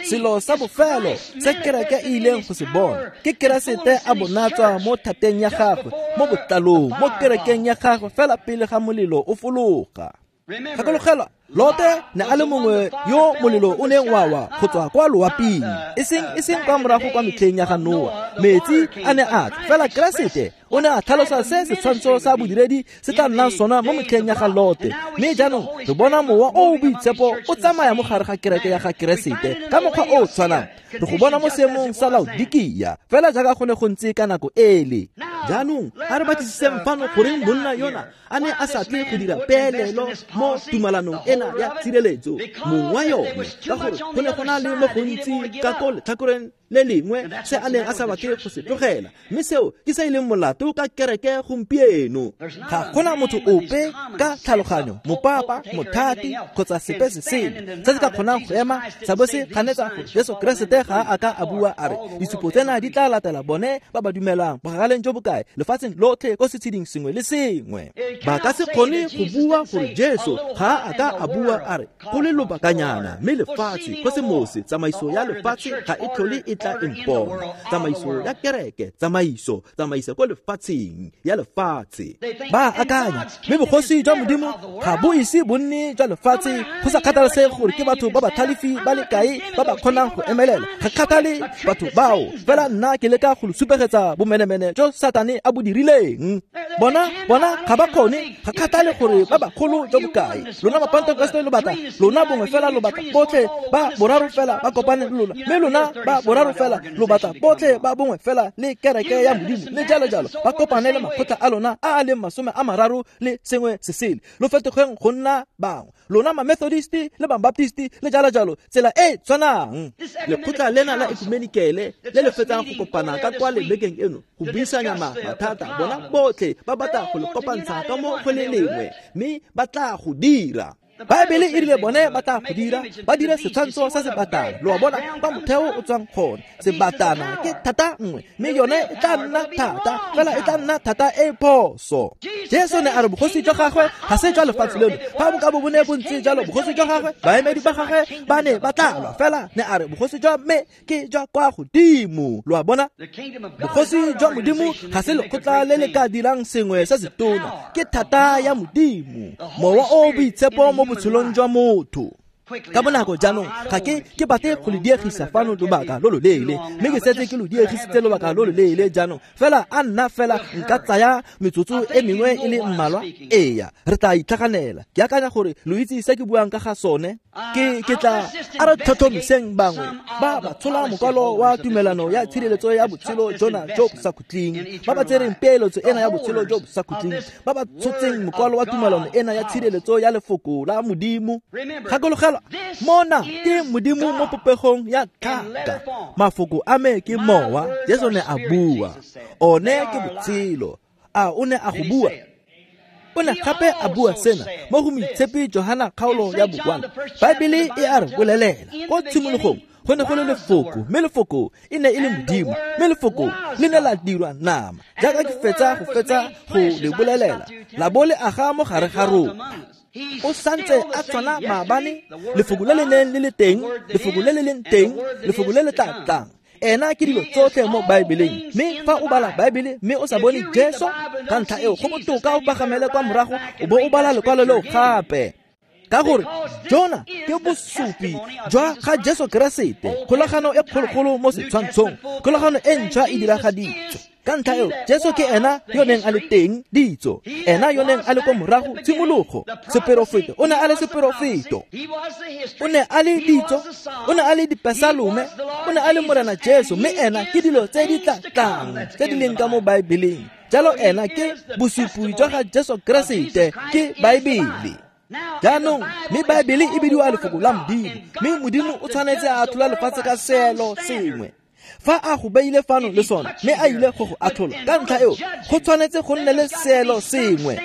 Selo sa bofelo se kereke e ileng go se bona ke Keresete a bonatswa mo thateng ya gagwe, mo botlalong, mo kerekeng ya gagwe fela pele ga molelo o fologa. Gakologelwa, Lote ne a le mongwe yo molelo o neng wa wa go tswa kwa loaping, e seng e seng kwa morago kwa metlheng ya ga Noa. Metsi a ne a tla, fela Keresete o ne a tlhalosa se setshwantsho sa bodiredi se tla nnang sona mo metlheng ya ga Lote. Mme jaanong re bona mowa o o boitshepo o tsamaya mo gare ga kereke ya ga Keresete ka mokgwa o o tshwanang. Re go bona mo seemong sa Laodikia, fela jaaka go ne go ntse ka nako ele. Jaanong a re batlisiseng fano goreng monna yona a ne a sa tle go dira peelelo mo tumalanong ena ya tshireletso mong wa yone, ka gore go ne go na le mo gontsi ka ko letlhakoreng le lengwe se a neng a sa batle go se tlogela, mme seo ke se e leng molato ka kereke gompieno. Ga gona motho ope ka tlhaloganyo, mopapa, mothati kgotsa sepe se sele se se ka kgonang go ema sa bo se ganetsa gore Jesu Keresete ga a ka a bua a re ditshupo tsena di tla latela bone ba ba dumelang bogakaleng jo bokae lefatsheng lotlhe ko setsheding sengwe le sengwe. Ba ka se kgone go bua gore Jesu ga a ka a bua a re go le lobakanyana mme lefatshe kosemose tsamaiso ya lefatshe ga e tlhole e tla impona, tsamaiso ya kereke, tsamaiso tsamaiso ko lefatsheng ya lefatshe. Ba akanya mme bogosi jwa Modimo ga bo ise bo nne jwa lefatshe, go sa kgathalesege gore ke batho ba ba tlhalefi ba le kae ba ba kgonang go emelela. Ga kgathale batho bao, fela nna ke leka go lo supegetsa bomenemene jo Satane a bo dirileng. Bona bona ga ba kgone, ga kgathale gore ba bagolo jo bokae. Lona Mapentekoste lo batla, lona bongwe fela lo batla botlhe ba boraro fela ba kopane le lona, mme lona ba boraro fela lo batla botlhe ba bongwe fela le kereke ya Modimo le jalo jalo ba kopane le makgotla a lona a a leng masome a mararo le sengwe se sele, lo fetogeng go nna bangwe, lona ma-Methodist le ba-Baptist le jalo jalo, tsela e tshwanang. Lekgotla lena la ekumenikele le le fetsang go kopana ka kwa lebekeng eno go buisanya mathata, bona botlhe ba batla go le kopantsha ka mo go le lengwe, mme ba tla go dira. Baebele e rile bone ba tla go dira, ba dire setshwantsho sa sebatana. Lo a bona kwa motheo o tswang gone, sebatana ke thata nngwe, mme yone e tla nna thata, fela e tla nna thata e phoso. Jesu ne a re bogosi jwa gagwe ga se jwa lefatshe leno. Fa bo ka bo bo ne bo ntse jalo, bogosi jwa gagwe, baemedi ba gagwe ba ne ba tla lwa, fela ne a re bogosi jwa me ke jwa kwa godimo. Lo a bona, bogosi jwa Modimo ga se lekgotla le le ka dirang sengwe se se tona, ke thata ya Modimo, Mowa o o Boitshepo mo botshelong jwa motho. Ka bonako jaanong ga ke ke batle go le diegisa fano lobaka lo lo leele, mme ke setse ke lo diegisitse lobaka lo lo leele jaanong. Fela a nna fela nka tsaya metsotso e mengwe e le mmalwa, eya re tla itlhaganela. Ke akanya gore lo itse se ke buang ka ga sone. Ke ke tla a re tlhotlhomiseng bangwe ba ba tshola mokwalo wa tumelano ya tshireletso ya botshelo jona jo bo sa khutleng, ba ba tsereng peeletso ena ya botshelo jo bo sa khutleng, ba ba tshotseng mokwalo wa tumelano ena ya tshireletso ya lefoko la Modimo. Gakologelwa, mona ke Modimo mo popegong ya tlhaka. Mafoko a me ke mowa, Jesu ne a bua, one ke botshelo. A o ne a go bua? O ne gape a bua sena mo go Moitshepi Johana kgaolo ya bokwana. Baebele e a re bolelela ko tshimologong go ne go le lefoko, mme lefoko e ne e le Modimo, mme lefoko le ne la dirwa nama, jaaka ke fetsa go fetsa go le bolelela, la bo le aga mo gare ga rona. O santse a tshwana maabane, lefoko le le neng le le teng, lefoko le le leng teng, lefoko le le tla tlang. Ena ke dilo tsotlhe mo Baebeleng. Mme fa o bala Baebele mme o sa bone Jesu, ka ntlha eo go botoka o pagamele kwa morago o bo o bala lekwalo leo gape, ka gore jona ke bosupi jwa ga Jesu Keresete, kgolagano e kgologolo mo setshwantshong, kgolagano e ntšhwa e diragaditswe. Ka ntlha eo Jesu ke ena yo neng a le teng ditso, ena yo neng a le kwa morago tshimologo, seperofeto, o ne a le seperofeto, o ne a le ditso, o ne a le dipesalome, o ne a le Morena Jesu, mme ena ke dilo tse di tla tlang tse di leng ka mo Baebeleng. Jalo ena ke bosupi jwa ga Jesu Keresete, ke Baebele. Jaanong mme Baebele e bidiwa lefoko la Modimo, mme Modimo o tshwanetse a atlhola lefatshe ka seelo sengwe. Fa a go beile fano le sone, mme a ile go go atlhola, ka ntlha eo go tshwanetse go nne le seelo sengwe.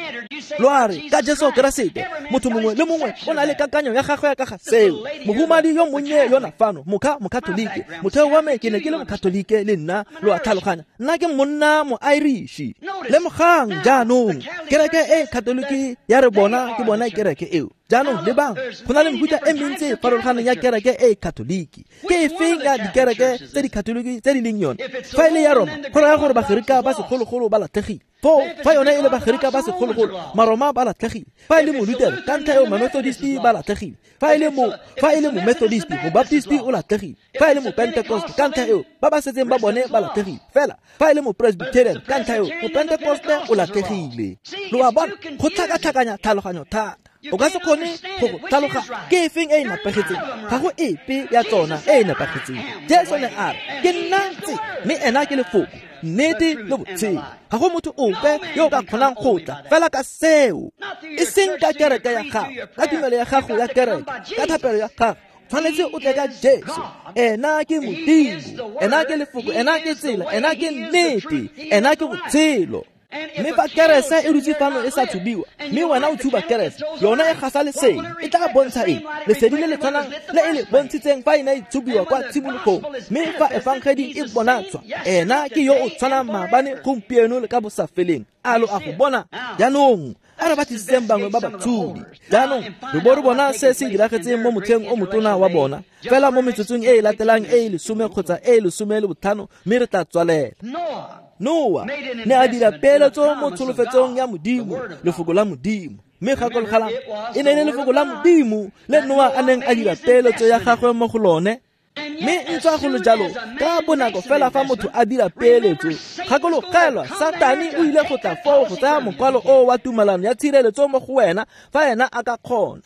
Lo a re ka Jesu Keresete, motho mongwe le mongwe o na le kakanyo ya gagwe ka ga seo. Mohumadi yo monnye yona fano, mokha mokatolike, motheo wa me ke ne ke le mokatolike le nna, lo a tlhaloganya, nna ke monna mo-Irish. Lemogang jaanong, kereke e katolike ya re bona ke bona kereke eo. Jaanong lebang, go na le mefuta e mentsi e farologaneng ya kereke e katoliki. Ke efeng ya dikereke tse di katoliki tse di leng yone? Fa e le ya Roma, go raya gore Bagerika ba segologolo ba latlhegile. Foo fa yone e le Bagerika ba segologolo, Maroma ba latlhegile. Fa e le Molutere, ka ntlha eo Mamethodist ba latlhegile. Fa e le mo fa e le Momethodist, Mobaptist o latlhegile. Fa e le Mopentecost, ka ntlha eo ba ba setseng ba bone ba latlhegile. Fela fa e le Mopresbyterian, ka ntlha eo Mopentecost o latlhegile. Lo a bona, go tlhakatlhakanya tlhaloganyo thata. O ka se kgone go go tlhaloga ke efeng e e nepagetseng, ga go epe ya tsona e e nepagetseng. Jesu ne a re ke nna tse, mme ena ke lefoko, nnete le botshelo. Ga go motho ope yo o ka kgonang go tla fela ka seo, e seng ka kereke ya gago, ka tumelo ya gago ya kereke, ka thapelo ya gago. tshwanetse o tle ka Jesu. Ena ke Modimo, ena ke lefoko, ena ke tsela, ena ke nnete, ena ke botshelo. Mme fa kerese e dutse fano e sa tshubiwa, mme wena o tshuba kerese, yona e gasa lesedi, e tla bontsha eng? Lesedi le le tshwanang le e le bontshitseng fa e ne e tshubiwa kwa tshimologong. Mme fa efangedi e bonatswa, ena ke yo o tshwanang maabane, gompieno le ka bosafeleng. A lo a go bona jaanong? A re batlisiseng bangwe ba batshubi. Jaanong re bo re bona se se diragetseng mo motlheng o motona wa bona, fela mo metsotsong e e latelang e e lesome kgotsa e e lesome le botlhano, mme re tla tswalela. Noa ne a dira peeletso mo tsholofetsong ya Modimo, lefoko la Modimo. Mme gakologelang, e ne e le lefoko la Modimo le Noa a neng a dira peeletso ya gagwe mo go lone. Mme ntswa go le jalo, ka bonako fela fa motho a dira peeletso, gakologelwa, Satane o ile go tla foo go tsaya mokwalo o wa tumalano ya tshireletso mo go wena fa ena a ka kgona.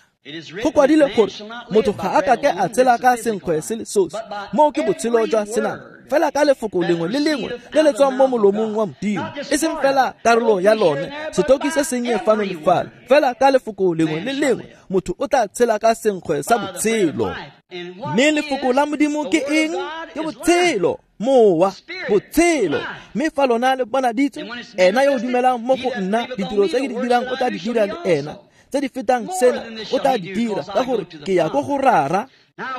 Go kwadile gore motho ga a kake a tshela ka senkgwe se le sosi, moo ke botshelo jwa senama, fela ka lefoko lengwe le lengwe le le tswang mo molomong wa Modimo, e seng fela karolo ya lone, setoki se sennye fano le fale, fela ka lefoko lengwe le lengwe motho o tla tshela ka senkgwe sa botshelo. Mme lefoko la Modimo ke eng? Ke botshelo, mowa, botshelo. Mme fa lona le bonaditswe, ena yo o dumelang mo go nna, ditiro tse ke di dirang o tla di dira le ena, tse di fetang sena o tla di dira, ka gore ke ya ko go Rara.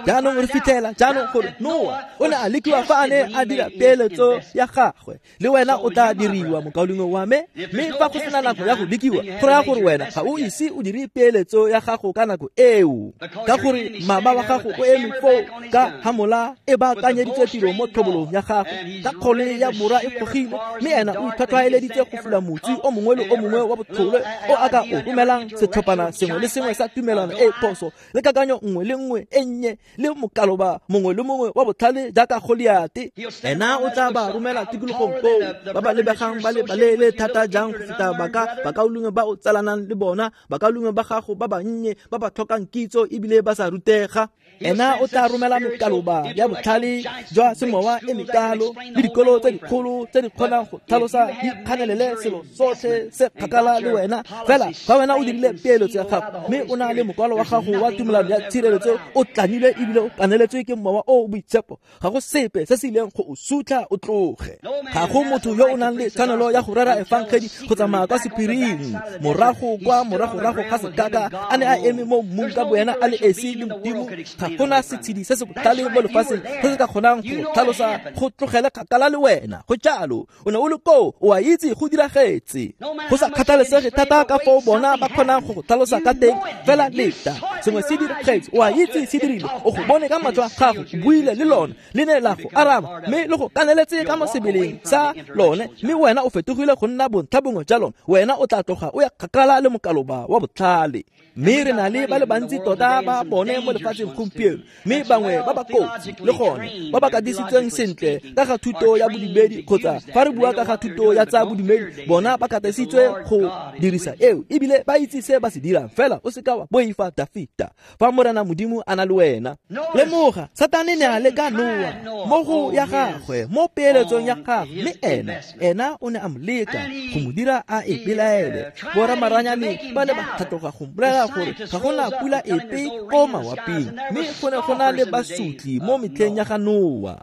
Jaanong re fitlhela jaanong gore Noa o ne a lekiwa fa a ne a dira peeletso ya gagwe, le wena o tla diriwa, mokaulengwe wa me. Mme fa go sena nako ya go lekiwa, go raya gore wena ga o ise o dire peeletso ya gago ka nako eo, ka gore mama wa gago o eme foo ka hamola e baakanyeditswe tiro mo tlhobolong ya gagwe, ka kgole ya bora e gogile, mme ena o itlhwatlhwaeleditse go fula motsi o mongwe le o mongwe wa botlhole o a ka o romelang setlhophana sengwe le sengwe sa tumelano e e phoso le kakanyo nngwe le nngwe e nnye le mokaloba mongwe le mongwe wa botlhale jaaka Goliate. Ena o tla ba romela tikologong koo, ba ba lebegang ba le baleele thata jang go feta baka bakaulengwe ba o tsalanang le bona, bakaulengwe ba gago ba bannye ba ba tlhokang kitso ebile ba sa rutega. Ena o tla romela mekaloba ya botlhale jwa semowa e mekalo le dikolo tse dikgolo tse di kgonang go tlhalosa di kganelele selo sotlhe se kgakala le wena. Fela fa wena o dirile peeletso ya gago, mme o na le mokwalo wa gago wa tumelano ya tshireletso o tlamilwe ebile o kaneletswe ke mowa o o boitshepo, ga go sepe se se ileng go o sutlha o tloge. Ga go motho yo o nang le tshwanelo ya go rera efangedi go tsamaya kwa sephiring morago kwa moragorago ga sekaka a ne a eme mo mmung ka boena a le esi le Modimo. Ga gona setshedi se se botlhale mo lefatsheng se se ka kgonang go tlhalosa go tlogele kgakala le wena. Go jalo, o ne o le koo, o a itse go diragetse. Go sa kgathalesege thata ka foo bona ba kgonang go go tlhalosa ka teng, fela leta sengwe se diragetse, o a itse se dirile, o go bone ka matlho a gago, o buile le lone, le ne la go araba, mme le go kaneletse ka mo sebeleng sa lone, mme wena o fetogile go nna bontlha bongwe jwa lone. Wena o tla tloga o ya kgakala le mokaloba wa botlhale. Mme re na le ba le bantsi tota ba bone mo lefatsheng gompieno, mme bangwe ba ba kotsi le gone ba ba katisitsweng sentle ka ga thuto ya bodumedi, kgotsa fa re bua ka ga thuto ya tsa bodumedi, bona ba katisitswe go dirisa eo ebile ba itse se ba se dirang. Fela o seka wa boifa Dafita fa Morena Modimo a na le wena. Lemoga, Satane ne a leka Noa mo go ya gagwe, mo peeletsong ya gagwe, mme ena ena o ne a mo leka go mo dira a e belaele. Boramaranyane ba ne ba tlhatloga go mmolelela gore ga gona pula epe ko mawaping, mme go ne go na le basotli mo metlheng ya ga Noa.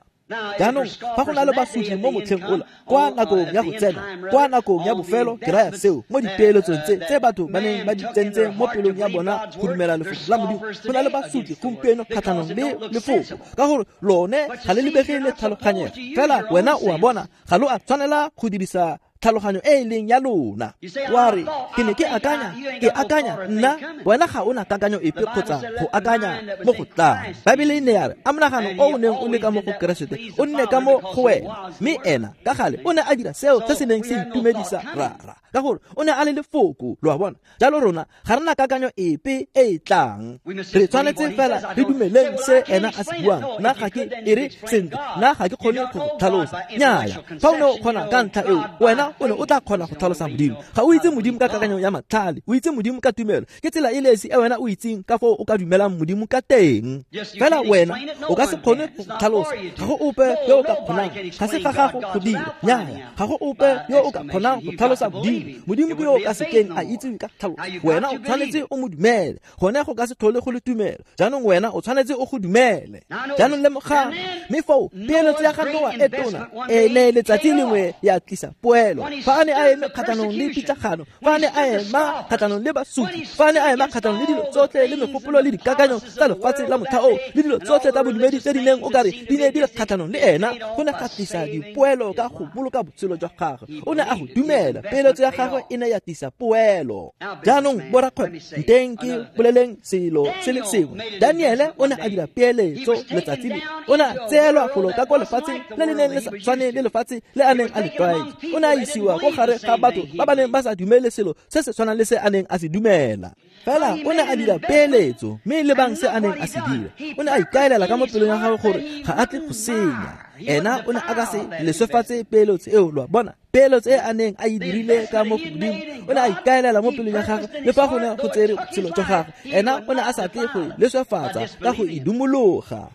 Jaanong fa go na le basotli mo motlheng ola, kwa nakong ya go tsena, kwa nakong ya bofelo, ke raya seo mo dipeeletsong tse tse batho ba neng ba di tsentse mo pelong ya bona go dumela lefoko la Modimo, go na le basotli gompieno kgatlhanong le lefoko, ka gore lone ga le lebege le tlhaloganyega. Fela wena o a bona, ga lo a tshwanela go dirisa tlhaloganyo e e leng ya lona. Wa re, ke ne ke akanya, ke akanya nna, wena ga o na kakanyo epe kgotsa go akanya mo go tlang. Baebele e ne ya re, a monagano o o neng o le ka mo go Keresete o nne ka mo go wena, mme ena ka gale o ne a dira seo se se neng se itumedisa Rara, ka gore o ne a le lefoko. Lo a bona? Jalo rona ga re na kakanyo epe e e tlang, re tshwanetse fela re dumeleng se ena a se buang. Nna ga ke e re sentle, nna ga ke kgone go tlhalosa. Nnyaya, fa o ne o kgona ka ntlha eo, wena Wena o ne o tla kgona go tlhalosa Modimo. Ga o itse Modimo ka kakanyo ya matlhale, o itse Modimo ka tumelo. Ke tsela e le esi e wena o itseng ka foo o ka dumelang Modimo ka teng. Fela wena o ka se kgone go tlhalosa. Ga go ope yo o ka kgonang, ga se ga gago go dira. Nnyaya, ga go ope yo o ka kgonang go tlhalosa Modimo. Modimo ke yo o ka sekeng a itsewe ka tlhaloso. Wena o tshwanetse o mo dumele. Gone go ka se tlhole go le tumelo. Jaanong wena o tshwanetse o go dumele. Jaanong lemogang, mme foo peeletso ya ga Noa e tona e ne letsatsi lengwe ya tlisa poelo. Fa a ne a eme kgatlhanong le pitlagano, fa a ne a ema kgatlhanong le basupi, fa a ne a ema kgatlhanong le dilo tsotlhe le megopolo le dikakanyo tsa lefatshe la motlha oo le dilo tsotlhe tsa bodumedi tse di neng o kare di ne di le kgatlhanong le ena, go ne ga tlisa dipoelo ka go boloka botshelo jwa gagwe. O ne a go dumela. Peeletso ya gagwe e ne ya tlisa poelo. Jaanong borakgwebo, nteng ke boleleng selo se le sengwe. Daniele o ne a dira peeletso letsatsi le. O ne a tseelwa golo ka kwa lefatsheng le le neng le sa tshwane le lefatshe le a neng a le tlwaetse. O ne a isiwa ko gare ga batho ba ba neng ba sa dumele selo se se tshwanang le se a neng a se dumela. Fela o ne a dira peeletso, mme lebang se a neng a se dira. O ne a ikaelela ka mo pelong ya gagwe gore ga a tle go senya. Ena o ne a ka se leswefatse peeletso eo, lo a bona. Peeletso e a neng a e dirile ka mo godimo, o ne a ikaelela mo pelong ya gagwe le fa go ne go tsere botshelo jwa gagwe. Ena o ne a sa tle go e leswefatsa ka go e dumologa.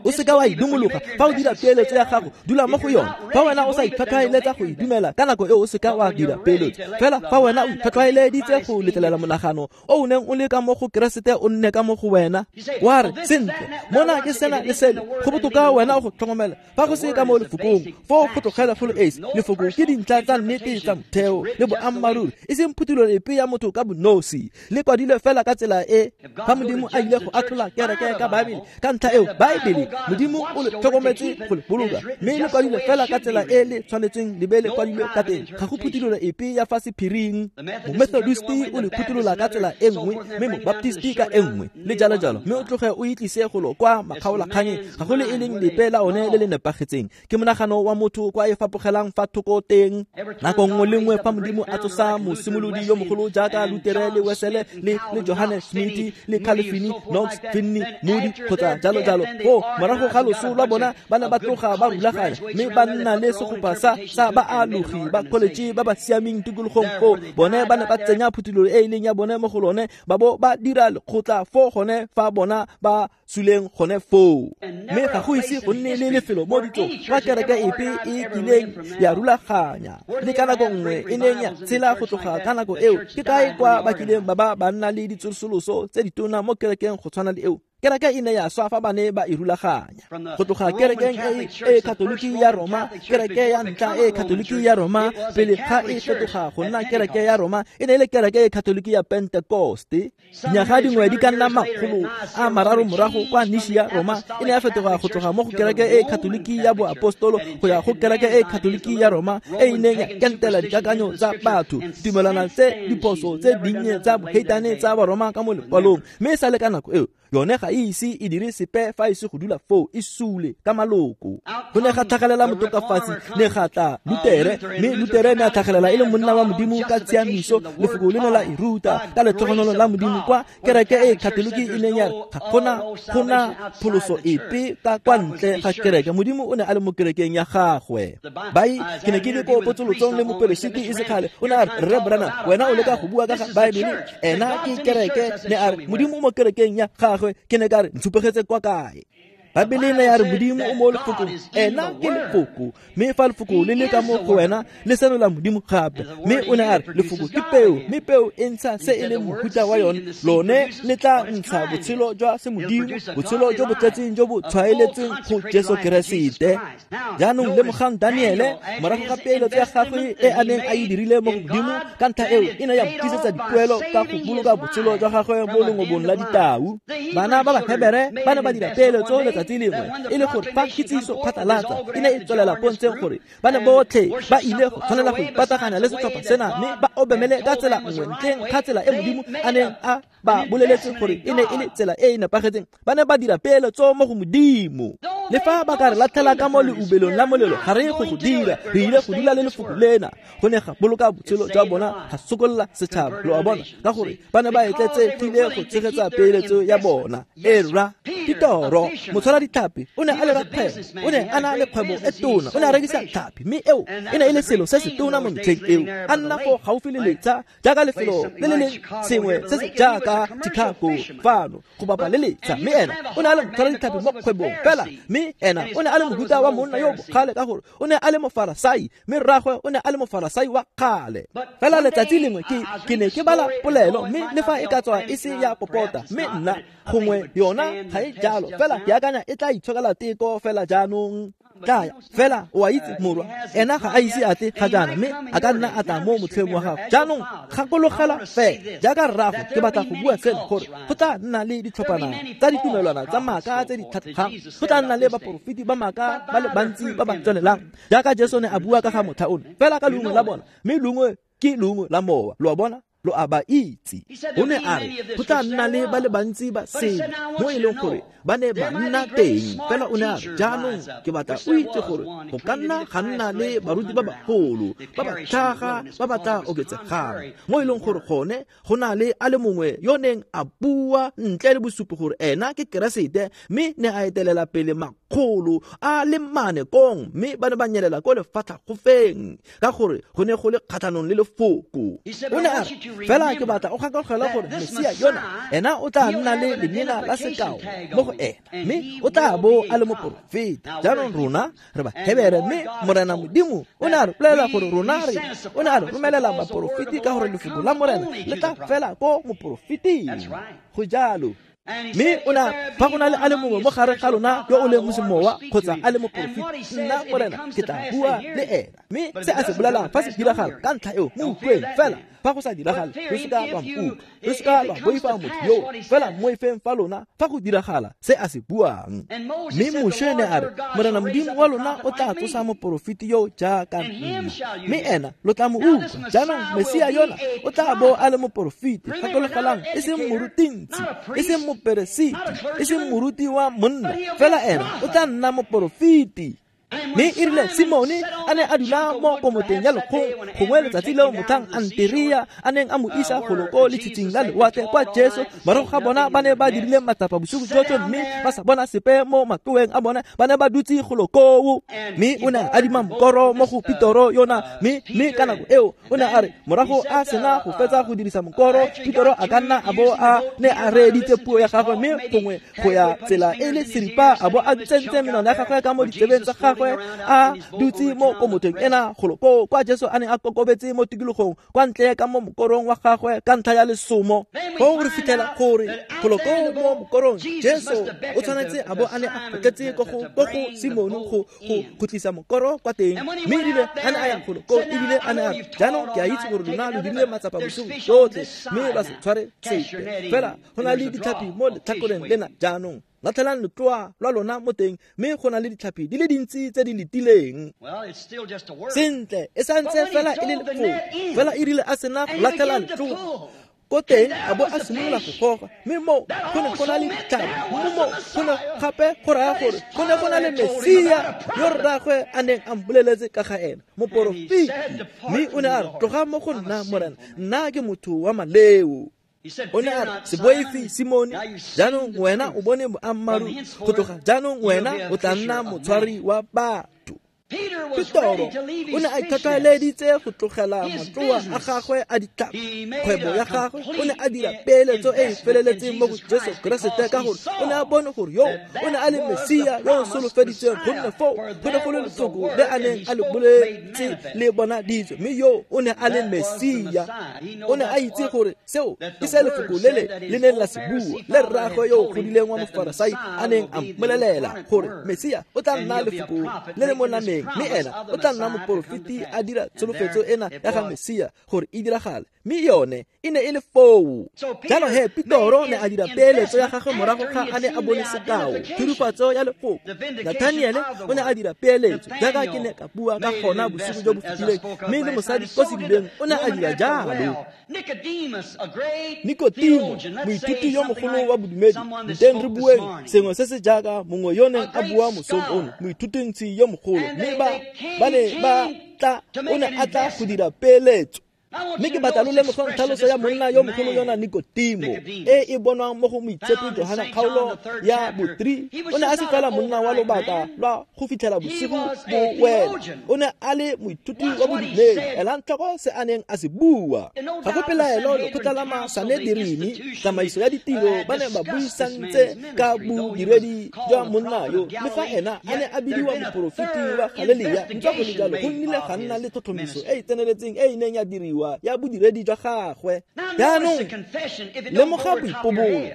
O seka wa e dumologa. Fa o dira peeletso ya gago, dula mo go yone. Fa wena o sa itlhwatlhwaeletsa go e dumela ka nako eo, o seka wa dira peeletso. Fela fa wena o itlhwatlhwaeleditse go letlelela monagano o o neng o le ka mo go Keresete o nne ka mo go wena, wa re, sentle, mona ke sena le sele, go botoka wena o go tlhokomela. Fa go se ka mo lefokong, foo go tlogela go le esi. Lefoko ke dintlha tsa nnete tsa motheo le boammaaruri, e seng phuthulolo epe ya motho ka bonosi. Le kwadilwe fela ka tsela e fa Modimo a ile go atlhola kereke ka Baebele. Ka ntlha eo, Baebele Modimo o le tlhokometse go le boloka, mme le kwadilwe fela ka tsela e le tshwanetseng le be le kwadilwe ka teng. Ga go phuthulolo epe ya fa sephiring. Momethodisti o le phutholola ka tsela e nngwe, mme mobaptisti ka e nngwe, le jalo jalo. Mme o tloge o itlise golo kwa makgaolakganyeng, ga go le e leng lepe la one le le nepagetseng. Ke monagano wa motho kwa e fapogelang fa thoko teng. Nako nngwe le nngwe fa Modimo a tsosa mosimolodi yo mogolo jaaka Lutere le Wesele le le Johannes Smith le Calvin, Knox, Finney, Moody kgotsa jalo jalo, foo morago ga loso lwa bona ba ne ba tloga ba rulaganya, mme ba nna le segopa sa sa baalogi ba college ba ba siameng tikologong foo. Bone ba ne ba tsenya phuthulolo e e leng ya bone mo go lone, ba bo ba dira lekgotla foo gone fa bona ba suleng gone foo. Mme ga go ise go nne le lefelo mo ditsong kwa kereke epe e kileng ya rulaganya le ka nako nngwe e neng ya tshela go tloga ka nako eo. Ke kae kwa ba kileng ba ba ba nna le ditsosoloso tse ditona mo kerekeng go tshwana le eo? Kereke e ne ya swa fa ba ne ba e rulaganya. Go tloga kerekeng e e Katoliki ya Roma, kereke ya ntlha e Katoliki ya Roma, pele ga e fetoga go nna kereke ya Roma, e ne e le kereke e Katoliki ya Pentekoste. Dinyaga dingwe di ka nna makgolo a mararo morago kwa Nishia Roma, e ne ya fetoga go tloga mo go kereke e Katoliki ya boapostolo go ya go kereke e Katoliki ya Roma, e e neng ya kentela dikakanyo tsa batho, tumelwana tse diphoso tse dinnye tsa boheitane tsa Baroma ka mo lekwalong. Mme e sale ka nako eo, yone ga e ise e dire sepe fa e se go dula foo e sule ka maloko. Go ne ga tlhagelela motokafatsi, ne ga tla Lutere, mme Lutere ne a tlhagelela e le monna wa Modimo ka tshiamiso. Lefoko le ne la e ruta ka letlhogonolo la Modimo kwa kereke e Katoliki e neng ya re ga gona gona pholoso epe ka kwa ntle ga kereke. Modimo o ne a le mo kerekeng ya gagwe. Bai, ke ne ke le ko potsolotsong le moperesiti e se kgale, o ne a re, Rre Branham, wena o leka go bua ka ga Baebele, ena ke kereke. Ne a re Modimo o mo kerekeng ya gagwe. Ke ne ka re, ntshupegetse kwa kae? Baebele ne ya re Modimo o mo lefokong, ena ke lefoko, mme fa lefoko le le ka mo go wena le senola Modimo gape. Mme o ne a re lefoko ke peo, mme peo e ntsha se e leng mohuta wa yone. Lone le tla ntsha botshelo jwa semodimo, botshelo jo bo tletseng jo bo tshwaeletseng go Jesu Keresete. Jaanong lemogang Daniele, morago ga peeletso ya gagwe e a neng a e dirile mo go Modimo, ka ntlha eo e ne ya mo tlisetsa dipoelo ka go boloka botshelo jwa gagwe mo lengobong la ditau. Bana ba Bahebere ba ne ba dira peeletso letsatsi lengwe, e le gore fa kitsiso phatlalatsa e ne e tswelela pontsheng gore ba ne botlhe ba ile go tshwanela go ipataganya le setlhopha sena, mme ba obamele ka tsela nngwe ntleng ga tsela e Modimo a neng a ba boleletse gore e ne e le tsela e e nepagetseng. Ba ne ba dira peeletso mo go Modimo. Le fa ba ka re latlhela ka mo leubelong la molelo, ga re go go dira, re ile go dula le lefoko lena. Go ne ga boloka botshelo jwa bona, ga sokolola setšhaba, lo a bona, ka gore ba ne ba etletsegile go tshegetsa peeletso ya bona. E rra, Petoro, motshwara ditlhapi, o ne a le rakgwebo, o ne a na le kgwebo e tona, o ne a rekisa tlhapi, mme eo e ne e le selo se se tona mo metlheng eo. A nna fo gaufi le letsha, jaaka lefelo le le leng sengwe se se jaaka Chicago fano go bapa le letsha, mme ena o ne a le motshwara ditlhapi mo kgwebong fela, mme ena o ne a le mohuta wa monna yo bogale ka gore o ne a le mofarasai, mme rraagwe o ne a le mofarasai wa kgale. Fela letsatsi lengwe ke ke ne ke bala polelo, mme le fa e ka tswa e se ya popota, mme nna gongwe yona ga e jalo, fela ke akanya e tla itshokela teko fela jaanong. Tlaya fela o a itse morwa, ena ga a ise a tle ga jaana, mme a ka nna a tla mo motlheng wa gago. Jaanong gakologela fela jaaka rrago, ke batla go bua seno gore go tla nna le ditlhophana tsa ditumelwana tsa maaka tse di tlhatlhogang, go tla nna le baporofeti ba maaka ba le bantsi ba ba tswelelang, jaaka Jesu ne a bua ka ga motlha ono, fela ka leungo la bona, mme leungo ke leungo la mowa, lo a bona, lo a ba itse. O ne a re go tla nna le ba le bantsi ba sele mo e leng gore ba ne ba nna teng, fela o ne a re jaanong ke batla o itse gore go ka nna ga nna le baruti ba bagolo ba ba tlhaga ba ba tla oketsegang, mo e leng gore gone go na le a le mongwe yo neng a bua ntle le bosupi gore ena ke Keresete, mme ne a etelela pele makgolo a le mane kong, mme ba ne ba nyelela ko lefatlhagofeng ka gore go ne go le kgatlhanong le lefoko. O ne a re fela ke batla o gakologelwa gore Mesia yona ena o tla nna le lemina la sekao mo go ena, mme o tla bo a le moporofeti. Jaanong rona re Bahebere, mme Morena Modimo o ne a re bolelela gore rona re o ne a re romelela baporofeti ka gore lefoko la Morena le tla fela ko moporofeting. Go jalo. Mme o ne fa go na le a le mongwe mo gare ga lona yo o leng mosemowa kgotsa a le moporofeti, nna Morena ke tla bua le ena, mme se a se bolelang fa se diragala ka ntlha eo mo utlweng. Fela fa go sa diragale, lo seka lwa nkutlwa, lo seka lwa boifa motho yo, fela moifeng fa lona fa go diragala se a se buang. Mme Moshe ne a re Morena Modimo wa lona o tla tsosa moporofeti yo jaaka nna, mme ena lo tla mo utlwa. Jaanong Mesia yona o tla bo a le moporofeti, gakologelang, e seng morutintsi, e seng moperesiti, e seng moruti wa monna, fela ena o tla nna moporofeti. Mme e rile Simone a ne a dula mo komoteng ya lekgong, gongwe letsatsi leo motlhang Anterea a neng a mo isa golo ko letshitshing la lewatle kwa Jesu, morago ga bona ba ne ba dirile matsapa bosigo jotlhe mme ba sa bona sepe mo matloweng a bona, ba ne ba dutse golo koo. Mme o ne a adima mokoro mo go Petoro yona, mme mme ka nako eo o ne a re morago a sena go fetsa go dirisa mokoro, Petoro a ka nna a bo a ne a reeditse puo ya gagwe, mme gongwe go ya tsela e le seripa a bo a tsentse menwana ya gagwe ka mo ditsebeng tsa gagwe, a dutse mo komoteng ena golo koo kwa Jesu a neng a kokobetse mo tikologong kwa ntle ka mo mokorong wa gagwe ka ntlha ya lesomo. Foo re fitlhela gore golo koo mo mokorong Jesu o tshwanetse a bo a ne a kgotletse ko go ko go Simone go go go tlisa mokoro kwa teng, mme ebile a ne a ya golo koo, ebile a ne a re jaanong ke a itse gore lona lo dirile matsapa bosigo jotlhe mme lwa se tshware sepe, fela go na le ditlhapi mo letlhakoreng lena jaanong latlhelang letloa lwa lona mo teng, mme go na le ditlhapi di le dintsi tse di letileng. Sentle, e santse fela e le lefoko, fela e rile a sena go latlhela letloa ko teng a bo a simolola go goga, mme mo go ne go na le ditlhapi, mme mo go ne gape go raya gore go ne go na le Mesia yo rraagwe a neng a mmoleletse ka ga ena, moporofeti. Mme o ne a re tloga mo go nna Morena, nna ke motho wa maleo. O ne a re se boife Simone, jaanong wena o bone boammaaruri, go tloga jaanong wena o tla nna motshwari wa batho. Petoro o ne a itlhotlheleditse go tlogela matloa a gagwe a ditlhapi, kgwebo ya gagwe, o ne a dira peeletso e e feleletseng mo go Jesu Keresete ka gore o ne a bone gore yo o ne a le Mesia yo o solofeditsweng, gonne foo go ne go le lefoko le a neng a le boletse le bonaditswe, mme yo o ne a le Mesia. O ne a itse gore seo ke se lefoko le le le neng la se bua, le rraagwe yo o godileng wa mofarasai a neng a mmolelela gore Mesia o tla nna lefoko le le mo nameng, neng mme ena o tla nna moporofeti a dira tsholofetso ena ya ga Mesia gore e diragale mme yone e ne e le foo. Jalo he Petoro ne a dira peeletso ya gagwe morago ga a ne a bone sekao thurifatso ya lefoko. Nathaniele o ne a dira peeletso jaaka ke ne ka bua ka gona bosigo jo bo fetileng mme le mosadi ko sedibeng o ne a dira jalo. Nikodimo moithuti yo mogolo wa bodumedi nteng re bueng sengwe se se jaaka mongwe yo neng a bua mosong ono moithutintsi yo mogolo mme ba ba ne ba tla o ne a tla go dira peeletso. Mme ke batla lo lemogang tlhaloso ya monna yo mogolo yona Nikodimo e e bonwang mo go moitshepi Johana kgaolo ya bo three. O ne a se fela monna wa lobaka lwa go fitlhela bosigo bo wela, o ne a le moithuti wa bodumedi. Elang tlhoko se a neng a se bua. Ga go pelaelo lekgotla la Sanederini tsamaiso ya ditiro ba ne ba buisantse ka bodiredi jwa monna yo le fa ena a ne a bidiwa moporofeti wa Galelia. Ntswa go le jalo go nnile ga nna le tlhotlhomiso e e tseneletseng e e neng ya diriwa ya bodiredi jwa gagwe. Jaanong lemoga boipobolo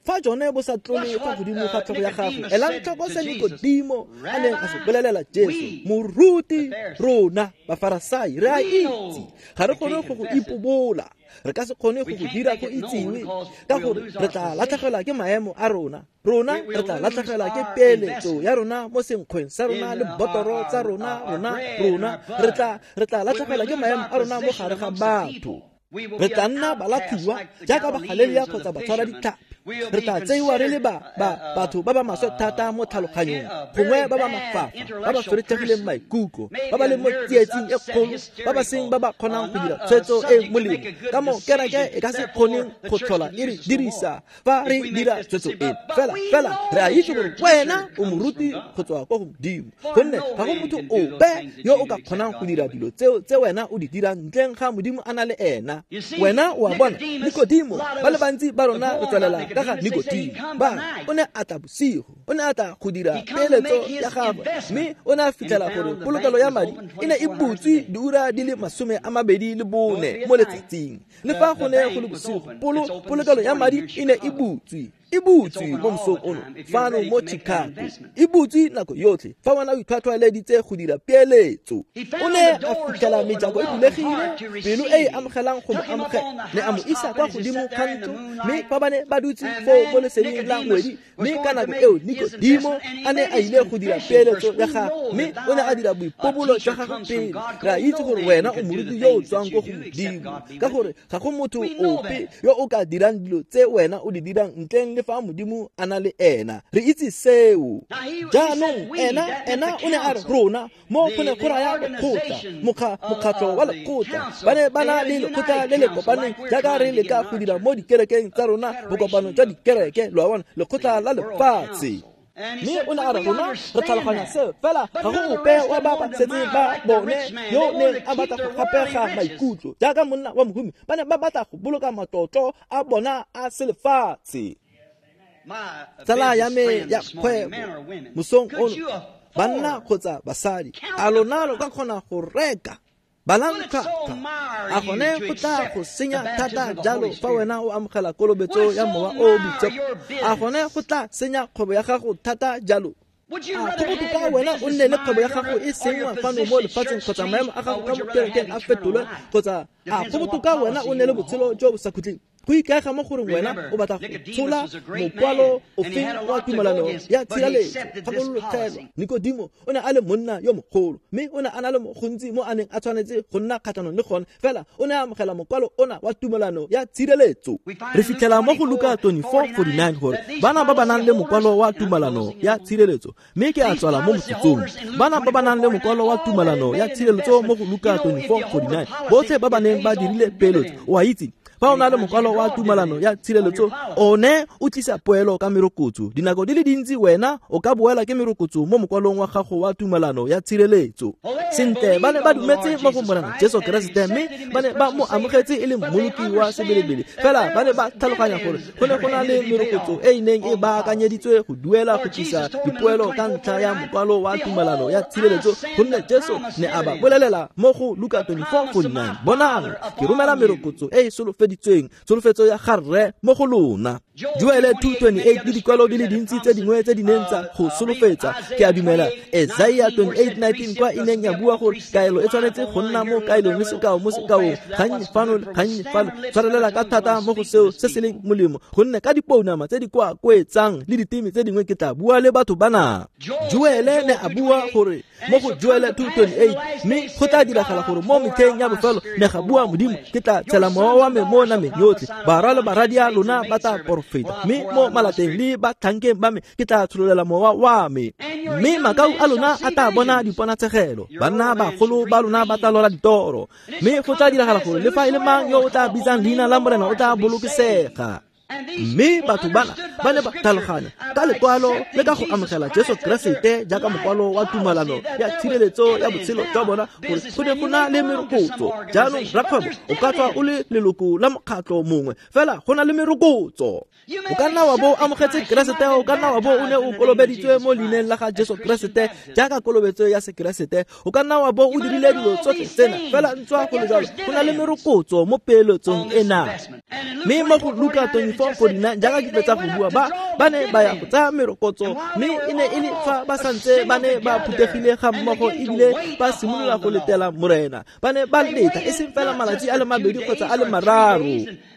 fa jone bo sa tlole fa godimo ga tlhogo ya gagwe. Elang tlhoko se Nikodimo a neng a se bolelela Jesu: moruti, rona Bafarasai re a itse ga re kgone go go ipobola, re ka se kgone go go dira go itsiwe ka gore re tla latlhegelwa ke maemo a rona, rona re tla latlhegelwa ke peeletso ya rona mo senkgweng sa rona le botoro tsa rona, rona rona re tla re tla latlhegelwa ke maemo a rona mo gare ga batho. Re tla nna balathiwa jaaka Bagalelia kgotsa batshwara ditlhapi. Re tla tseiwa re le ba batho ba ba maswe thata mo tlhaloganyong, gongwe ba ba mafafa, ba ba feretlhegileng maikutlo, ba ba leng mo tsietsing e kgolo, ba ba seng ba ba kgonang go dira tshwetso e molemo ka moo kereke e ka se kgoneng go tlhola e re dirisa fa re dira tshwetso eno. Fela fela re a itse gore wena o moruti go tswa kwa go Modimo, gonne ga go motho ope yo o ka kgonang go dira dilo tseo tse wena o di dirang ntleng ga Modimo a na le ena. Wena o a bona Nikodimo, ba le bantsi ba rona re tswelela ka ga Nikodimo ba o ne a tla bosigo, o ne a tla go dira peeletso ya gagwe mme o ne a fitlhela gore polokelo ya madi e ne e butswe diura di le masome a mabedi le bone mo letsatsing. Le fa go ne go le bosigo, polo polokelo ya madi e ne e butswe e butswe mo mosong ono fano mo Chicago, e butswe nako yotlhe fa wena o itlhwatlhwaeleditse go dira peeletso. O ne a fitlhela mejako e bulegile, pelo e e amogelang go mo amogela, ne a mo isa kwa godimo ga ntlo mme fa ba ne ba dutse foo mo leseding la ngwedi mme ka nako eo Nikodimo a ne a ile go dira peeletso ya gagwe mme o ne a dira boipobolo jwa gagwe pele. Re a itse gore wena o moruti yo o tswang ko go Modimo, ka gore ga go motho ope yo o ka dirang dilo tse wena o di dirang ntleng le fa Modimo a na le ena. Re itse seo. Jaanong ena ena o ne a re rona mo go ne go raya lekgotla, mokgatlho wa lekgotla. Ba ne ba na le lekgotla le le kopaneng jaaka re leka go dira mo dikerekeng tsa rona, bokopano jwa dikereke, lo a bona, lekgotla la lefatshe. Mme o ne a re rona re tlhaloganya seo, fela ga go ope wa ba ba setseng ba bone yo neng a batla go gapega maikutlo jaaka monna wa mohumi. Ba ne ba batla go boloka matlotlo a bona a selefatshe. Tsala ya me ya kgwebo mosong ono, banna kgotsa basadi, a lona lo ka kgona go reka balang tlhwatlhwa? A gone go tla go senya thata jalo fa wena o amogela kolobetso ya Mowa o o Boitshepo? A gone go tla senya kgwebo ya gago thata jalo? A go botoka wena o nne le kgwebo ya gago e sengwa fano mo lefatsheng kgotsa maemo a gago ka mo kerekeng a fetolwe, kgotsa a go botoka wena o nne le botshelo jo bo sa khutleng? Go ikaega mo goreng wena o batla go tshola mokwalo ofeng wa tumelano ya tshireletso. Gakologela, Nikodimo o ne a le monna yo mogolo mme o ne a na le mo gontsi mo a neng a tshwanetse go nna kgatlhanong le gone, fela o ne a amogela mokwalo ona wa tumelano ya tshireletso. Re fitlhela mo go Luka twenty-four forty-nine gore bana ba ba nang le mokwalo wa tumelano ya tshireletso, mme ke a tswala mo motsotsong. Bana ba ba nang le mokwalo wa tumelano ya tshireletso mo go Luka twenty-four forty-nine, botlhe ba ba neng ba dirile peeletso, o a itse fa o na le mokwalo wa tumelano ya tshireletso one o tlisa poelo ka merokotso. Dinako di le dintsi wena o ka boela ke merokotso mo mokwalong wa gago wa tumelano ya tshireletso. Sentle, ba ne ba dumetse mo go Morena Jesu Keresete mme ba ne ba mo amogetse e le mmoloki wa sebelebele, fela ba ne ba tlhaloganya gore go ne go na le merokotso e e neng e baakanyeditswe go duela go tlisa dipoelo ka ntlha ya mokwalo wa tumelano ya tshireletso, gonne Jesu ne a ba bolelela mo go Luka twenty-four forty-nine, bonang ke romela merokotso e e solofeditsweng, tsholofelo tsholofetso ya ga Rre mo go lona. Joele two twenty-eight le dikwalo di le dintsi tse dingwe tse di neng tsa go solofetsa. Ke a dumela Isaiah twenty-eight nineteen kwa e neng ya bua gore kaelo e tshwanetse go nna mo kaelong le sekao mo sekaong, gannye fano le gannye fano, tshwarelela ka thata mo go seo se se leng molemo, gonne ka dipounama tse di kwa koetsang le diteme tse dingwe ke tla bua le batho bana. Joele ne a bua gore mo go Joele two twenty-eight, mme go tla diragala gore mo metlheng ya bofelo ne ga bua Modimo, ke tla tshela mowa wa me mo nameng yotlhe, barwa le barwadia lona ba tla porofeta, mme mo malateng le batlhankeng ba me ke tla tshololela mowa wa me, mme makau a lona a tla bona diponatshegelo, banna bagolo ba lona ba tla lora ditoro, mme go tla diragala gore le fa e le mang yo o tla bitsang leina la Morena o tla bolokesega. Mme batho bana ba ne ba tlhaloganya ka lekwalo le ka go amogela Jesu Keresete jaaka mokwalo wa tumalano ya tshireletso ya botshelo jwa bona, gore go ne go na le merokotso. Jaanong rakgwebo o ka tswa o le leloko la mokgatlho mongwe, fela go na le merokotso. O ka nna wa bo o amogetse Keresete, o ka nna wa bo o ne o kolobeditswe mo leineng la ga Jesu Keresete jaaka kolobetso ya Sekeresete, o ka nna wa bo o dirile dilo tsotlhe tsena, fela ntswa go le jalo go na le merokotso mo peeletsong ena. Mme mo go Luka twenty-four forty-nine jaaka ke fetsa go bua, ba ba ne ba ya go tsaya merokotso, mme e ne e le fa ba santse ba ne ba phuthegile ga mmogo ebile ba simolola go letela Morena. Ba ne ba leta e seng fela malatsi a le mabedi kgotsa a le mararo,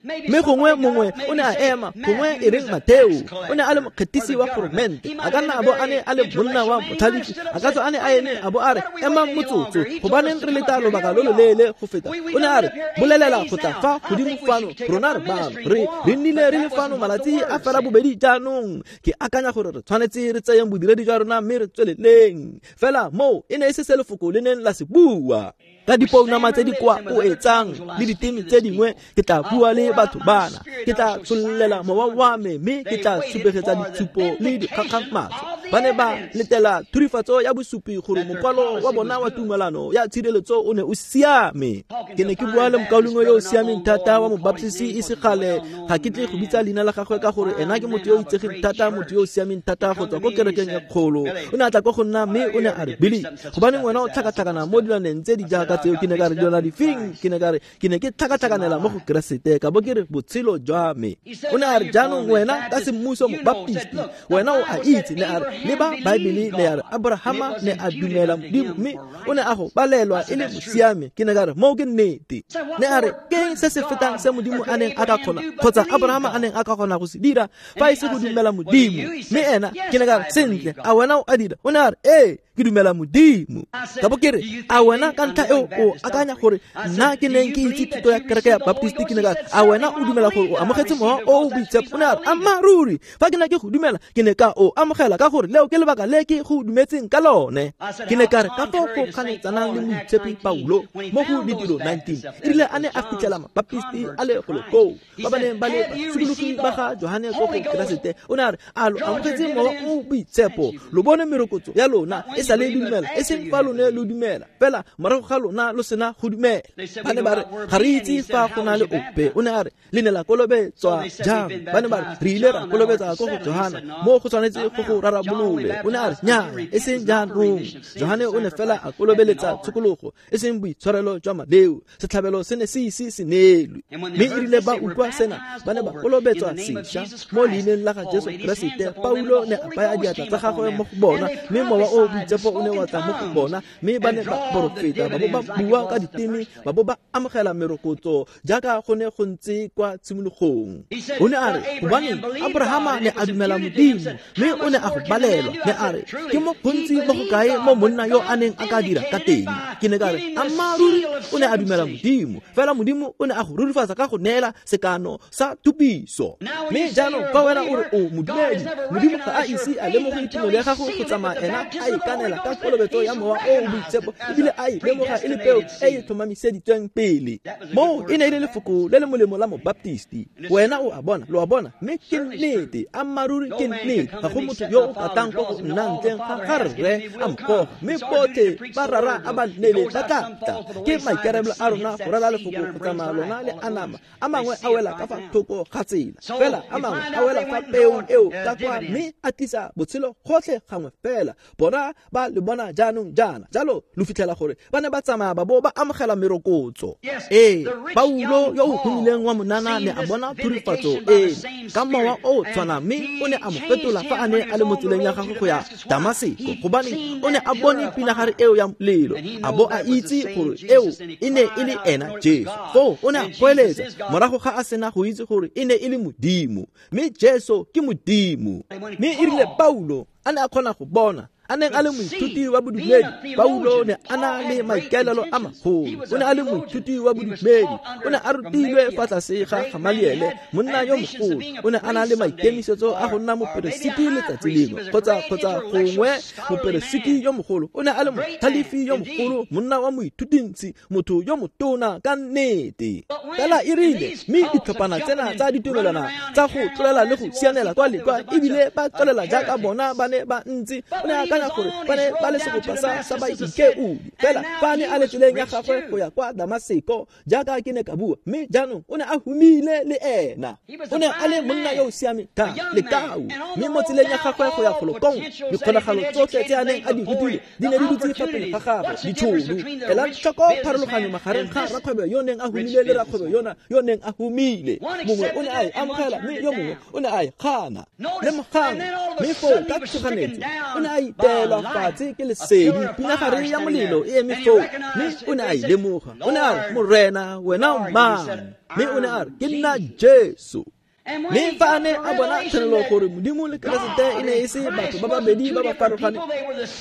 mme gongwe mongwe o ne a ema, gongwe e reng Mateo o ne a le mokgethisi wa goromente, a ka nna a bo a ne a le monna wa motlhalefi, a ka tswa a ne a eme a bo a re, emang motsotso, gobaneng re leta lobaka lo lo leele go feta? O ne a re bolelela go tla fa godimo fano, rona re bano, re re nnile re le fano malatsi a fela bobedi jaanong, ke akanya gore re tshwanetse re tseyeng bodiredi jwa rona mme re tsweleleng. Fela moo e ne e se se lefoko le neng la se bua. Ka dipounama tse di kwa koetsang le diteme tse dingwe ke tla bua le batho bana, ke tla tshololela mowa wa me, mme ke tla supegetsa ditshupo le dikgakgamatso. Ba ne ba letela thurifatso ya bosupi gore mokwalo wa bona wa tumalano ya tshireletso o ne o siame. Ke ne ke bua le mokaulengwe yo o siameng thata wa mobaptisi e se kgale, ga ke tle go bitsa leina la gagwe ka gore ena ke motho yo o itsegeng thata, motho yo o siameng thata go tswa ko kerekeng e kgolo. O ne a tla ko go nna mme o ne a re, Billy, gobaneng wena o tlhakatlhakana mo dilwaneng tse di jaaka tseo? Ke ne ka re, dilwana difeng? Ke ne ka re, ke ne ke tlhakatlhakanela mo go Keresete, ka bo ke re botshelo jwa me. O ne a re, jaanong wena ka semmuso mobaptisti, wena o a itse, ne a re, le ba Baebele ne ya re Abrahama ne a dumela Modimo, mme o ne a go balelwa e le mosiame. Ke ne ka re, moo ke nnete. Ne a re, ke se se fetang se Modimo a neng a ka kgona kgotsa Abrahama a neng a ka kgona go se dira fa e se go dumela Modimo. Mme ena ke ne ka re, sentle, a wena o a dira? O ne a re, ee, ke dumela Modimo. Ka bo ke re, a wena ka ntlha eo o akanya gore nna ke neng ke itse thuto ya kereke ya Baptist? Ke ne ka re, a wena o dumela gore o amogetse mowa o o boitshepo? O ne a re, ammaaruri, fa ke ne ke go dumela ke ne ka o amogela, ka gore leo ke lebaka le ke go dumetseng ka lone. Ke ne ka re, ka foo go kganetsanang le moitshepi Paulo mo go Ditiro nineteen, e rile a ne a fitlhela Mabaptisti a le golo koo ba ba neng ba le basokologi ba ga Johane ko go Keresete, o ne a re, a lo amogetse mowa o boitshepo? Lo bone merokotso ya lona e sa le dumela, e seng fa lone lo dumela, fela morago ga lona lo sena go dumela. Ba ne ba re, ga re itse fa go na le ope. O ne a re, le ne la kolobetswa jang? Ba ne ba re, re ile ra kolobetsa ko go Johana, mo go tshwanetse go go rarabolole. O ne a re, nnyaa, e seng jaanong. Johane o ne fela a kolobeletsa tshokologo, e seng boitshwarelo jwa maleo. Setlhabelo se ne se ise se neelwe. Mme e rile ba utlwa sena, ba ne ba kolobetswa sešwa mo leineng la ga Jesu Keresete. Paulo ne a baya diatla tsa gagwe mo go bona, mme mowa o boitshepo o ne wa tla mo go bona, mme ba ne ba porofeta, ba bo ba bua ka diteme, ba bo ba amogela merokotso jaaka go ne go ntse kwa tshimologong. O ne a re, gobaneng Abrahama ne a dumela Modimo, mme o ne a go balelwa. Ne a re, ke mo gontsi mo go kae mo monna yo a neng a ka dira ka teng? Ke ne ka re, ammaaruri o ne a dumela Modimo, fela Modimo o ne a go rurifatsa ka go neela sekano sa thupiso. Mme jaanong fa wena o re o modumedi, Modimo ga a ise a lemoge tumelo ya gago go tsamaya ena a ikanela ka kolobetso ya mowa o o boitshepo, ebile a e lemoga e le peo e e tlhomamiseditsweng pele. Moo e ne e le lefoko le le molemo la mobaptisti. Wena o a bona, lo a bona, mme ke nnete, ammaaruri ke nnete. Ga go motho yo o katang ko go nna ntleng ga ga Rre a mpogo, mme botlhe ba rara a ba nnele ba tla tla. Ke maikarabelo a rona go rala lefoko go tsamaya lona le anama. A mangwe a wela ka fa thoko ga tsela, fela a mangwe a wela fa peong eo ka kwa, mme a tlisa botshelo gotlhe gangwe fela. Bona ba le bona jaanong jaana. Jalo lo fitlhela gore ba ne ba tsamaya ba bo ba amogela merokotso. Ee, Paulo yo o humileng wa monana ne a bona thurifatso e ka mowa o tshwana, mme o ne a mo fetola fa a ne a le mo tseleng ya gagwe go ya Damaseko, gobane o ne a bone pinagare eo ya molelo, a bo a itse gore eo e ne e le ena Jesu. Foo o ne a goeletsa morago ga a sena go itse gore e ne e le Modimo, mme Jesu ke Modimo. Mme e rile Paulo a ne a kgona go bona, a neng a le moithuti wa bodumedi, Paulo ne a na le maikaelelo a magolo. O ne a le moithuti wa bodumedi, o ne a rutilwe fa tlase ga Gamaliele, monna yo mogolo. O ne a na le maikemisetso a go nna moperesiti letsatsi lengwe, kgotsa kgotsa gongwe moperesiti yo mogolo. O ne a le motlhalefi yo mogolo, monna wa moithutintsi, motho yo motona ka nnete. Fela e rile mme ditlhophana tsena tsa ditumelwana tsa go tlolela le go sianela kwa le kwa, ebile ba tswelela jaaka bona ba ne ba ntse. O ne a akanya gore ba ne ba le segopa sa sa baikeodi. Fela fa a ne a le tseleng ya gagwe go ya kwa Damaseko, jaaka ke ne ka bua, mme jaanong o ne a humile le ena. O ne a le monna yo o siameng thata, lekau. Mme mo tseleng ya gagwe go ya golokong, dikgonagalo tsotlhe tse a neng a di rutile di ne di dutse fa pele ga gagwe, ditšhono. Ela tlhoko pharologanyo magareng ga rakgwebo yo neng a humile le rakgwebo yona yo neng a humile. Mongwe o ne a e amogela, mme yo mongwe o ne a e gana. Lemogang, mme foo ka tshoganyetso o ne a iteelwa fatshe ke lesedi, pinagare ya molelo e eme foo, mme o ne a e lemoga. O ne a re, Morena, wena o mang? Mme o ne a re, ke nna Jesu. Mme fa a ne a bona tshenolo gore Modimo le Keresete e ne e se batho ba babedi ba ba farologaneng,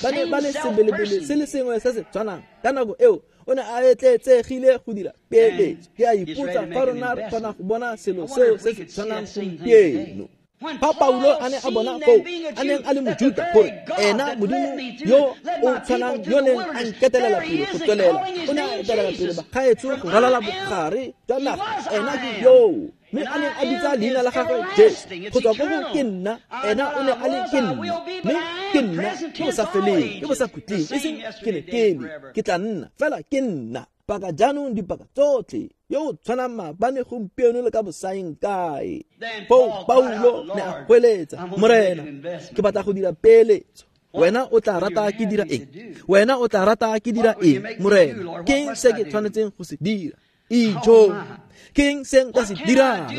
ba ne ba le sebelebele se le sengwe se se tshwanang, ka nako eo o ne a etletsegile go dira peeletso. Ke a ipotsa fa rona re kgona go bona selo seo se se tshwanang gompieno. Fa Paulo a ne a bona foo, a neng a le Mojuta, gore ena Modimo yo o tshwanang yo neng a nketelela pele go tswelela, o ne a etelela pele bagaetsho go ralala bogare jwa naga, ena ke yoo. Mme a neng a bitsa leina la gagwe Jesu, go tswa ko go ke nna, ena o ne a le ke nna, mme ke nna ke bo sa feleng, ke bo sa khutleng, e seng ke ne ke le, ke tla nna, fela ke nna. Paka jaanong dipaka tsotlhe, yo o tshwanang maabane gompieno le ka bosaeng kae. Foo Paulo ne a goeletsa, Morena, ke batla go dira peeletso. Wena o tla rata ke dira eng? Wena o tla rata ke dira eng, Morena? Ke eng se ke tshwanetseng go se dira? Ijo, ke eng se nka se dirang?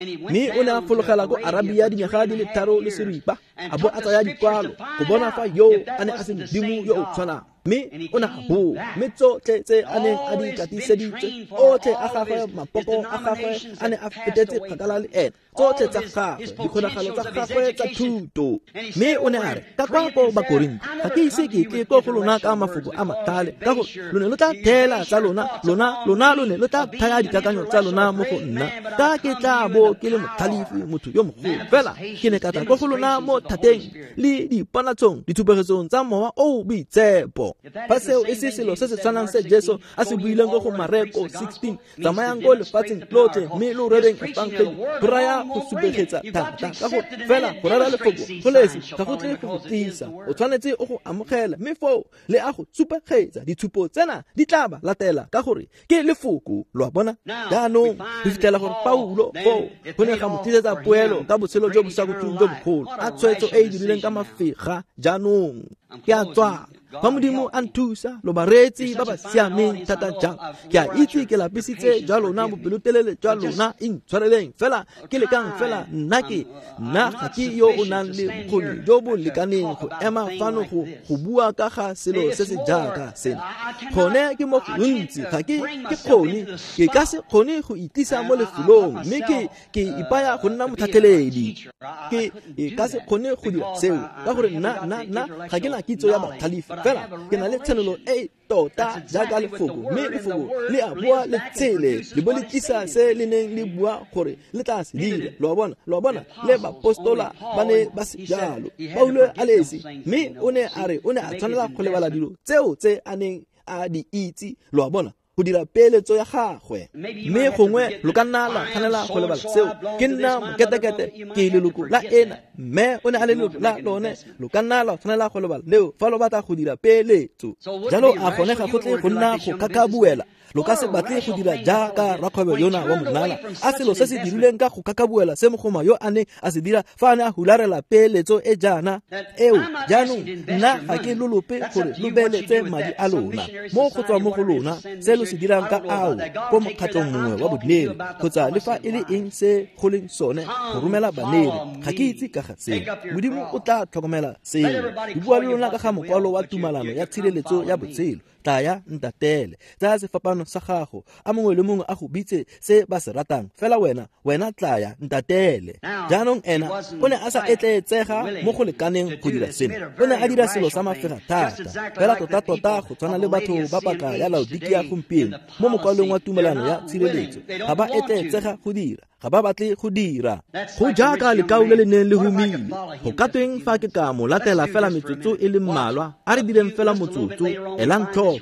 Mme o ne a fologela ko Arabia dinyaga di le tharo le seripa, a bo a tsaya dikwalo go bona fa yo a ne a se Modimo yo o tshwanang. Mme o ne a boa, mme tsotlhe tse a neng a di katiseditse, otlhe a gagwe, mapoko a gagwe a ne a fetetse kgakala le ena, tsotlhe tsa gagwe, dikgonagalo tsa gagwe tsa thuto. Mme o ne a re, ka kwa ko Bakorinthe, ga ke ise ke tle ko go lona ka mafoko a matlhale, ka gore lo ne lo tla theela tsa lona, lona lona lo ne lo tla thaya dikakanyo tsa lona mo go nna, ka ke tla bo ke le motlhalefi, motho yo mogolo. Fela ke ne ka tla ko go lona mo thateng le diponatshong, ditshupegetsong tsa mowa o o boitshepo. Fa seo e se selo se se tshwanang se Jesu a se buileng ko go Mareko sixteen, tsamayang ko lefatsheng lotlhe mme lo rereng efangeli, go raya go supegetsa thata, ka gore fela go rera lefoko go lesi ga go tle go go tlisa, o tshwanetse o go amogela, mme foo le a go supegetsa. Ditshupo tsena di tla ba latela ka gore ke lefoko, lo a bona. Jaanong re fitlhela gore Paulo foo go ne ga mo tlisetsa poelo ka botshelo jo bo sa khutleng jo bogolo, a tshwetso e e dirileng ka mafega. Jaanong ke a tswala. Fa Modimo a nthusa, lo bareetsi ba ba siameng thata jang. Ke a itse ke lapisitse jwa lona, bopelotelele jwa lona, intshwareleng fela ke lekang fela. Nna ke nna ga ke yo o nang le bokgoni jo bo lekaneng go ema fano go go bua ka ga selo se se jaaka sena. Gone ke mo gontsi, ga ke ke kgone, ke ka se kgone go itlisa mo lefelong, mme ke ke ipaya go nna motlhatlheledi. Ke e ka se kgone go dira seo ka gore nna nna nna ga ke na kitso ya batlhalefi, fela ke na le tshenolo e tota jaaka lefoko, mme lefoko le a boa le tshele le bo le tlisa se le neng le bua gore le tla se dira. Lo a bona, lo a bona, le bapostola ba ne ba se jalo, Paulo a le esi, mme o ne a re o ne a tshwanela go lebala dilo tseo tse a neng a di itse, lo a bona, go dira peeletso ya gagwe. Mme gongwe lo ka nna la tshwanela go lebala seo. Ke nna moketekete, ke leloko la ena, Mme o ne a le leloko la lone, lo ka nna la tshwanela go lebala leo fa lo batla go dira peeletso. Jalo a gone ga go tle go nna go kakabuela. Lo ka se batle go dira jaaka rakgwebo yona wa monana, a selo se se dirileng ka go kakabuela se mogoma yo a neng a se dira fa a ne a hularela peeletso e jaana eo. Jaanong nna ga ke lo lope gore lo beeletse madi a lona mo go tswa mo go lona se lo se dirang ka ao ko mokgatlong mongwe wa bodumedi kgotsa le fa e le eng se go leng sone go romela baneri. Ga ke itse ka ga seo. Modimo o tla tlhokomela seo. Ke bua le lona ka ga mokwalo wa tumalano ya tshireletso ya botshelo. Tlaya ntatele, tsaya sefapano sa gago, a mongwe le mongwe a go bitse se ba se ratang, fela wena, wena tlaya ntatele. Jaanong ena o ne a sa etleetsega mo go lekaneng go dira seno. O ne a dira selo sa mafega thata, fela tota-tota go tshwana le batho ba paka ya Laodikia gompieno mo mokwalong wa tumelano ya tshireletso. Ga ba etleetsega go dira, ga ba batle go dira. Go jaaka lekau le le neng le humile. Go ka tweng fa ke ka mo latela fela metsotso e le mmalwa? A re direng fela motsotso, elang tlhoko,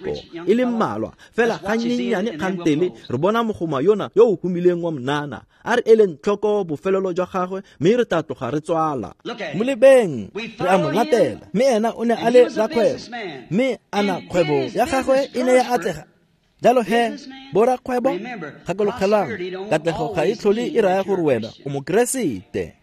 e le mmalwa fela gannyenyane kgantele re bona mogoma yona yo o humileng wa monana. A re eleng tlhoko bofelelo jwa gagwe, mme re tla tloga re tswala. Mo lebeng, re a mo latela, mme ena o ne a le rakgwebo, mme ana kgwebo ya gagwe e ne ya atlega. Jalo he, borakgwebo, gakologelang, katlego ga e tlhole e raya gore wena o mokeresete.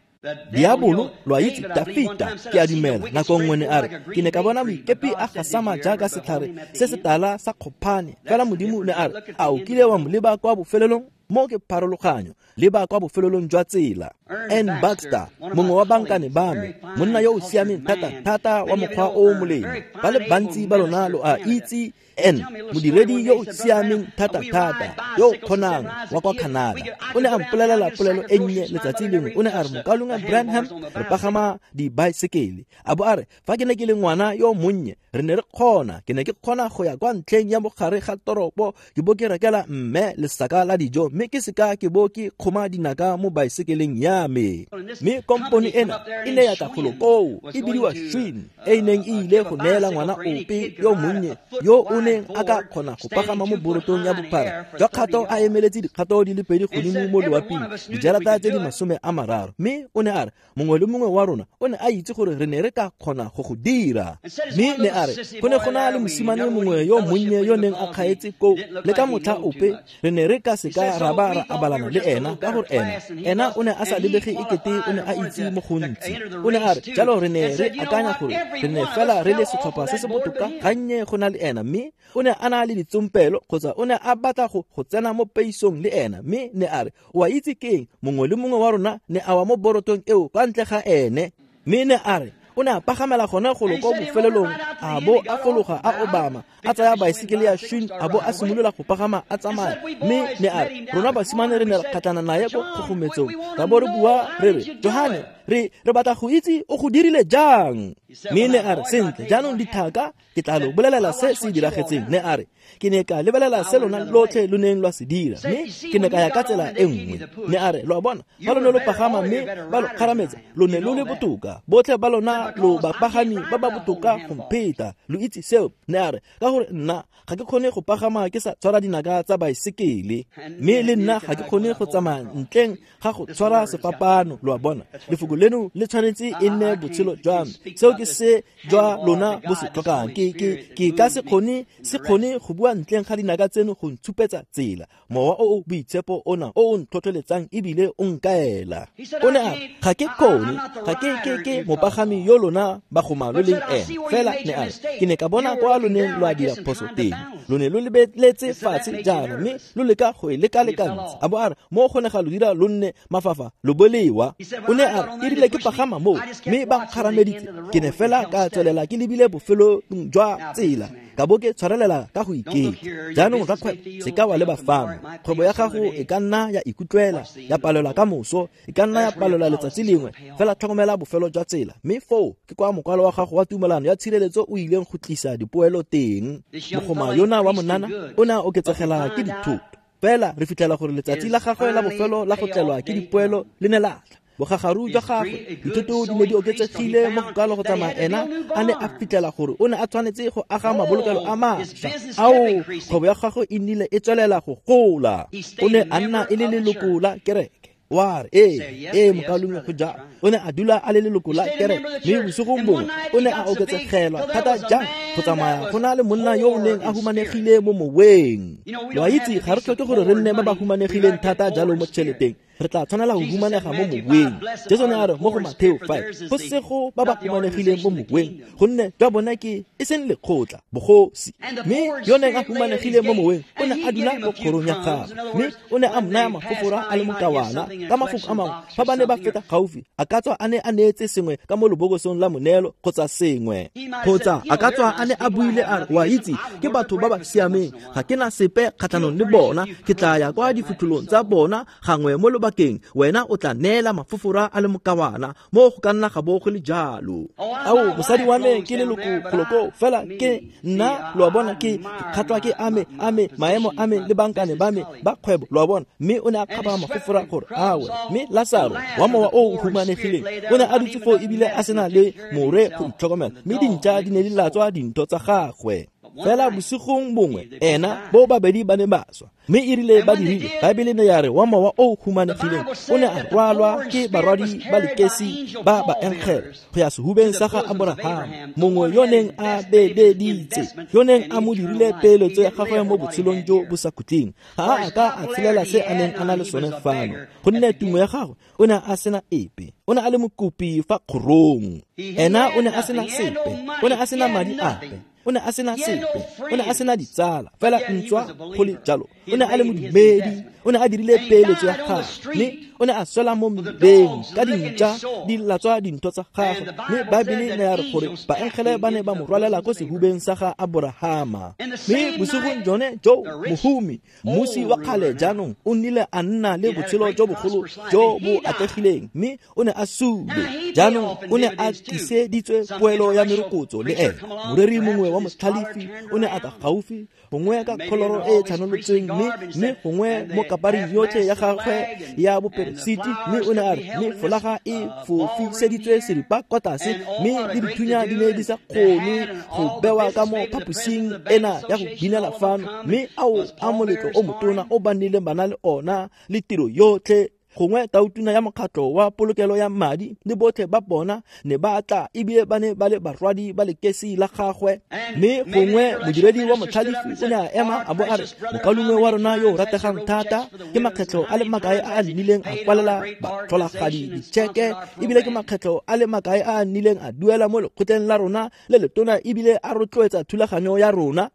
Diabolo, lo a itse, Dafita, ke a dumela, nako nngwe ne a re, ke ne ka bona moikepi a gasama jaaka setlhare se se tala sa kgophane. Fela Modimo ne a re, a o kile wa mo leba kwa bofelelong? Mo ke pharologanyo, leba kwa bofelelong jwa tsela. N. Baxter, mongwe wa bankane ba me, monna yo o siameng thata-thata wa mokgwa o o molemo. Ba le bantsi ba lona lo a itse N, modiredi yo o siameng thata-thata, yo o kgonang wa kwa Canada. O ne a mpolelela polelo e nnye letsatsi lengwe. O ne a re, mokaulengwe Branham, re pagama dibaesekele. A bo a re, fa ke ne ke le ngwana yo monnye, re ne re kgona, ke ne ke kgona go ya kwa ntlheng ya mogare ga toropo, ke bo ke rekela mme lesaka la dijo, mme ke seka ke bo ke kgoma dinaka mo baesekeleng ya me. Mme kompone ena e ne ya tla golo koo, e bidiwa Schwinn, e e neng e ile go neela ngwana ope yo monnye yo o neng a ka kgona go pagama mo borotong ya bophara jwa kgato a emeletse dikgato di le pedi godimo mo loaping, dijarata tse di masome a mararo. Mme o ne a re, mongwe le mongwe wa rona o ne a itse gore re ne re ka kgona go go dira. Mme ne a re, go ne go na le mosimane mongwe yo monnye yo neng a kgaetse koo, le ka motlha ope re ne re ka seka ra ba ra abalana le ena, ka gore ena ena o ne a sa lebege ekete o ne a itse mo gontsi. O ne a re, jalo re ne re akanya gore re ne fela re le setlhopha se se botoka gannye go na le ena. Mme o ne a na le ditsompelo, kgotsa o ne a batla go go tsena mo peisong le ena. Mme ne a re, o a itse keng, mongwe le mongwe wa rona ne a wa mo borotong eo kwa ntle ga ene. Mme ne a re, o ne a pagamela gone golo ko bofelelong, a bo a fologa a obama, a tsaya baesekele ya Schwinn, a bo a simolola go pagama a tsamaya. Mme ne a re, rona basimane re ne re kgatlhana naye ko kgogometsong, ra bo re bua re re, Johane, re re batla go itse o go dirile jang. Mme ne a re, sentle, jaanong dithaka, ke tla lo bolelela se se diragetseng. Ne a re, ke ne ka lebelela se lona lotlhe lo neng lwa se dira, mme ke ne ka ya ka tsela e nngwe. Ne a re, lo a bona, fa lo ne lo pagama mme ba lo kgarametsa, lo ne lo le botoka, botlhe ba lona lo bapagami ba ba botoka go mpheta, lo itse seo. Ne a re, ka gore nna ga ke kgone go pagama ke sa tshwara dinaka tsa baesekele, mme le nna ga ke kgone go tsamaya ntleng ga go tshwara sefapano. Lo a bona, lefoko leno le tshwanetse e nne botshelo jwa me. Seo ke se jwa lona bo se tlhokang. Ke ke ke ka se kgone se kgone go bua ntleng ga dinaka tseno go ntshupetsa tsela. Mowa o o boitshepo ona o o ntlhotlheletsang ebile o nkaela. O ne a re, ga ke kgone, ga ke ke ke mopagami yo lona bagoma lo leng ena. Fela ne a re, ke ne ka bona kwa lo neng lwa dira phoso teng, lo ne lo lebeletse fatshe jaana, mme lo leka go e leka-lekantsha. A bo a re, mo go ne ga lo dira lo nne mafafa, lo bolewa. O ne a re, e rile ke pagama moo, mme ba nkgarameditse, ke ne fela ka tswelela ke lebile bofelong jwa tsela, ka bo ke tshwarelela ka go iketla. Jaanong rakgwebo, se ka wa leba fano. Kgwebo ya gago e ka nna ya ikutlwela, ya palelwa ka moso, e ka nna ya palelwa letsatsi lengwe, fela tlhokomela bofelo jwa tsela. Mme foo ke kwa mokwalo wa gago wa tumelano ya tshireletso o ileng go tlisa dipoelo teng. Mogoma yona wa monana o ne a oketsegela ke dithoto. Fela re fitlhela gore letsatsi la gagwe la bofelo la go tlelwa ke dipoelo le ne la tla. Bogagaru jwa gagwe, dithoto di ne di oketsegile mo go kalo go tsamaya ena a ne a fitlhela gore o ne a tshwanetse go aga mabolokelo a mašwa. Ao, kgwebo ya gagwe e nnile e tswelela go gola. O ne a nna e le leloko la kereke. Wa re ee ee mokaulengwe go jalo. O ne a dula a le leloko la kereke, mme bosigong bongwe o ne a oketsegelwa thata jang go tsamaya go na le monna yo o neng a humanegile mo moweng. Lo a itse ga re tlhoke gore re nne ba ba humanegileng thata jalo mo tšheleteng, re tla tshwanela go humanega mo moweng. Jesu ne a re mo go Mateo five, go sego ba ba humanegileng mo moweng, gonne jwa bona ke e seng lekgotla bogosi. Mme yo neng a humanegile mo moweng o ne a dula mo kgorong ya gagwe, mme o ne a mo naya mafofora a le mokawana. Ka mafoko a mangwe, fa ba ne ba feta gaufi, a ka tswa a ne a neetse sengwe ka mo lebokosong la moneelo kgotsa sengwe, kgotsa a ka tswa a ne a buile a re, wa itse ke batho ba ba siameng, ga ke na sepe kgatlhanong le bona, ke tla ya kwa difitlholong tsa bona gangwe mo lobakeng, wena o tla neela mafofora a le mokawana. Mo go ka nna ga bo go le jalo. Ao, mosadi wa me ke leloko goloko, fela ke nna, lo a bona, ke kgatlwa ke ame ame maemo ame le bankane ba me ba kgwebo, lo a bona. Mme o ne a kgaba mafofora gore awe. Mme Lasaro wa mowa o humanegileng o ne a dutse foo ebile a sena le more go itlhokomela, mme dintša di ne di latswa dintho tsa gagwe. Fela bosigong bongwe ena bo babedi ba ne ba swa, mme e rile ba dirile, Baebele ne ya re wa mowa o humanegileng o ne a rwalwa ke barwadi ba lekesi ba baengele go ya sehubeng sa ga Aborahama, mongwe yo neng a bededitse, yo neng a mo dirile peeletso ya gagwe mo botshelong jo bo sa khutleng. Ga a a ka a tshelela se a neng a na le sone fano, gonne tumo ya gagwe o ne a sena epe. O ne a le mokopi fa kgorong, ena o ne a sena sepe, o ne a sena madi ape, o ne a sena sepe, o ne a sena ditsala, fela ntswa go le jalo o ne a le modumedi, o ne a dirile peeletso ya gagwe, mme o ne a swela mo mmileng ka dintša di latswa dintho tsa gagwe. Mme Baebele ne ya re gore baengele ba ne ba mo rwalela ko sehubeng sa ga Aborahama. Mme bosigong jone jo mohumi, mmusi wa kgale jaanong, o nnile a nna le botshelo jo bogolo jo bo atlegileng, mme o ne a sule. Jaanong o ne a tliseditswe poelo ya merokotso le ene. Moreri mongwe wa motlhalefi o ne a tla gaufi, gongwe ka kholoro e e tlhanolotsweng, mme mme gongwe mo kaparing yotlhe ya gagwe ya boperesiti, mme o ne a re, mme folaga e fofiseditswe seripa kwa tlase, mme le dithunya di ne di sa kgone go bewa ka mo phaposing ena ya go binela fano, mme ao a moletlo o motona o ba nnileng ba na le ona le tiro yotlhe. Gongwe tautuna ya mokgatlho wa polokelo ya madi le botlhe ba bona ne ba tla, ebile ba ne ba le barwadi ba lekesi la gagwe. Mme gongwe modiredi wa motlhalefi o ne a ema a bo a re, mokaulengwe wa rona yo o rategang thata, ke makgetlho a le makae a a nnileng a kwalela batlholagadi ditšheke, ebile ke makgetlho a le makae a a nnileng a duela mo lekgotleng la rona le letona, ebile a rotloetsa thulaganyo ya rona.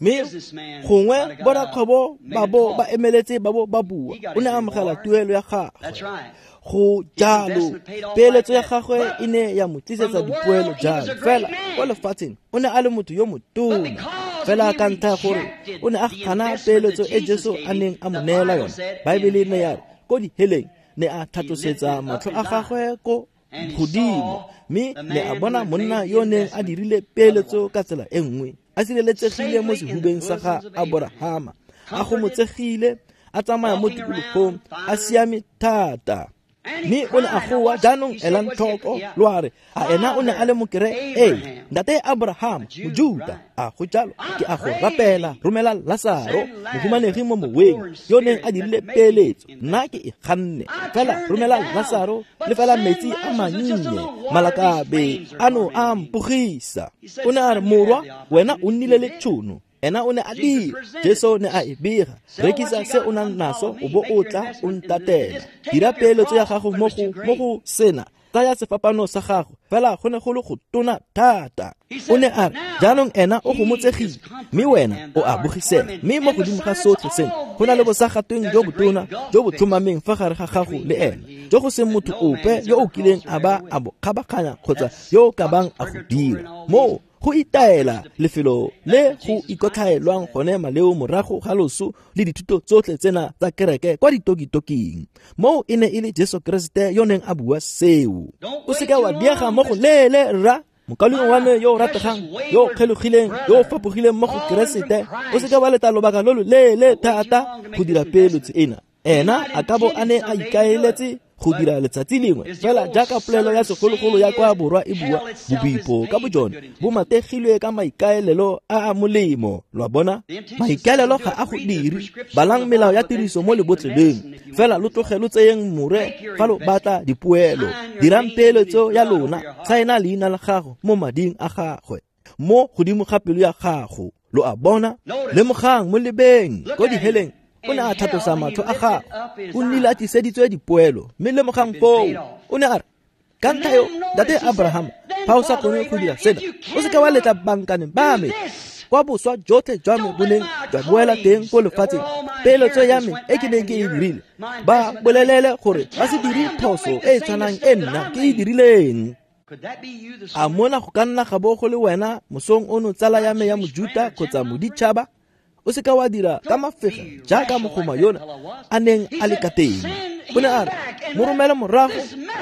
Mme gongwe borakgwebo ba bo ba emeletse ba bo ba bua, o ne a amogela tuelo ya gagwe. Go jalo, peeletso ya gagwe e ne ya mo tlisetsa dipoelo jalo. Fela kwa lefatsheng o ne a le motho yo motona, fela ka ntlha ya gore o ne a gana peeletso e Jesu a neng a mo neela yone. Baebele ne ya re ko diheleng ne a tlhatlosetsa matlho a gagwe ko godimo, mme ne a bona monna yo neng a dirile peeletso ka tsela e nngwe, a sireletsegile mo sehubeng sa ga Aborahama, a gomotsegile, a tsamaya mo tikologong, a siame thata. Mme o ne a goa, jaanong elang tlhoko, lo a re, a ena o ne a le mokere? Ee, ntate Abraham, Mojuta, a go jalo, ke a go rapela, romela Lasaro, mohumanegi mo moweng, yo neng a dirile peeletso, nna ke e ganne. Fela romela Lasaro, le fela metsi a mannye, malakabe ano a mpogisa. O ne a re, morwa, wena o nnile le tšhono. Ena o ne a dira, Jesu ne a e bega, rekisa se o nang naso o bo o tla o ntatela. Dira peeletso ya gago mo go mo go sena, tsaya sefapano sa gago, fela go ne go le go tona thata. O ne a re, jaanong ena o gomotsegile, mme wena o a bogisega. Mme mo godimo ga sotlhe seno, go na le bosagatweng jo botona jo bo tlhomameng fa gare ga gago le ena, jo go seng motho ope yo o kileng a ba a bo kgabaganya kgotsa yo o ka bang a go dira. Moo go itaela lefelo le go ikotlhaelwang gone maleo morago ga loso le dithuto tsotlhe tsena tsa kereke kwa ditokitoking. Moo e ne e le Jesu Keresete yo neng a bua seo. O seke wa diega mo go leele rra, mokaulengwe wa me yo o rategang, yo o kgelogileng, yo o fapogileng mo go Keresete, o seke wa leta lobaka lo lo leele thata go dira peeletso ena. Ena a ka bo a ne a ikaeletse go dira letsatsi lengwe fela jaaka polelo ya segologolo ya kwa borwa e bua, bobipo ka bojone bo mategilwe ka maikaelelo a a molemo. Lo a bona, maikaelelo ga a go dire. Balang melao ya tiriso mo lebotleleng, fela lo tloge lo tseyeng more fa lo batla dipoelo. Dirang peeletso ya lona, saena leina la gago mo mading a gagwe, mo godimo ga pelo ya gago. Lo a bona, lemogang mo lebeng ko diheleng o ne a tlhatlosa matlho a gagwe, o nnile a tliseditswe dipoelo. Mme lemogang foo, o ne a re, ka ntlha eo, ntate Abraham, fa o sa kgone go dira sena, o seka wa letla bankane ba me kwa boswa jotlhe jwa me bo neng jwa boela teng ko lefatsheng, peeletso ya me e ke neng ke e dirile, ba bolelele gore ba se dire phoso e e tshwanang e nna ke e dirileng. A mona go ka nna ga bo go le wena mosong ono, tsala ya me ya Mojuta kgotsa moditšhaba? O seka wa dira ka mafega jaaka mogoma yona a neng a le ka teng. O ne a re, mo romele morago,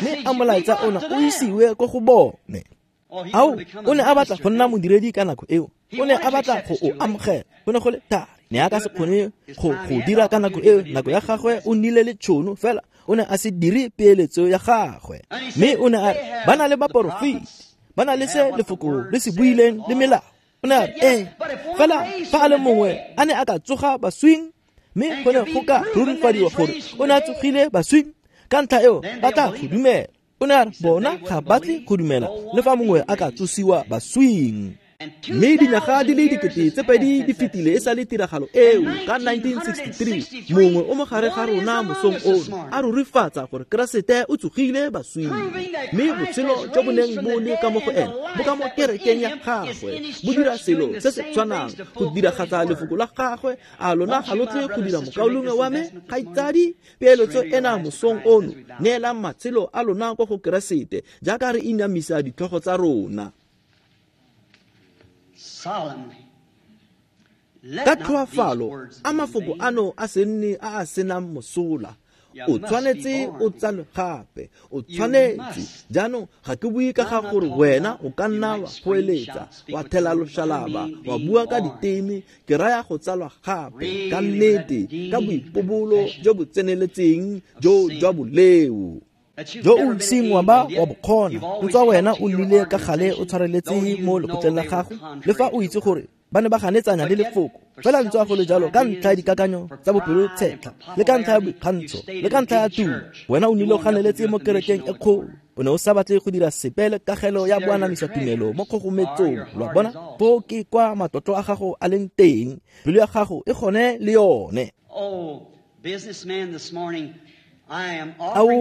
mme a molaetsa ona o isiwe ko go bone. Ao, o ne a batla go nna modiredi ka nako eo, o ne a batla go o amogela. Go ne go le thari, ne a ka se kgone go go dira ka nako eo. Nako ya gagwe o nnile le tšhono, fela o ne a se dire peeletso ya gagwe. Mme o ne a re, ba na le baporofeti, ba na le se lefoko le se buileng le melao. O ne a re, ee, fela fa a le mongwe a ne a ka tsoga baswing, mme go ne go ka rurifadiwa gore o ne a tsogile baswing, ka ntlha eo ba tla go dumela. O ne a re, bona ga batle go dumela le fa mongwe a ka tsosiwa baswing. Mme dinyaga di le dikete tse pedi di fetile e sa le tiragalo eo ka nineteen sixty-three, mongwe o mo gare ga rona mosong ono a rurifatsa gore Keresete o tsogile baswing, mme botshelo jo bo neng bo le ka mo go ene bo ka mo kerekeng ya gagwe, bo dira selo se se tshwanang go diragatsa lefoko la gagwe. A lona ga lo tle go dira, mokaulengwe wa me, kgaitsadi, peeletso ena mosong ono? Neelang matshelo a lona kwa go Keresete jaaka re inamisa ditlhogo tsa rona. Ka tlhoafalo, a mafoko ano a se nne a a senang mosola. O tshwanetse o tsalwe gape, o tshwanetse. Jaanong ga ke bue ka ga gore wena o ka nna wa goeletsa, wa thela loshalaba, wa bua ka diteme. Ke raya go tsalwa gape ka nnete, ka boipobolo jo bo tseneletseng jo jwa boleo jo o iseng wa ba wa bokgona. Ntswa wena o nnile ka gale o tshwareletse mo lekgotleng la gago, le fa o itse gore ba ne ba ganetsanya le lefoko, fela ntswa go le jalo, ka ntlha ya dikakanyo tsa bopelotshetlha, le ka ntlha ya boikgantsho, le ka ntlha ya tumo, wena o nnile o ganeletse mo kerekeng e kgolo. O ne o sa batle go dira sepe le kagelo ya boanamisa tumelo mo kgogometsong. Lo a bona, foo ke kwa matlotlo a gago a leng teng, pelo ya gago e gone le yone. Ao,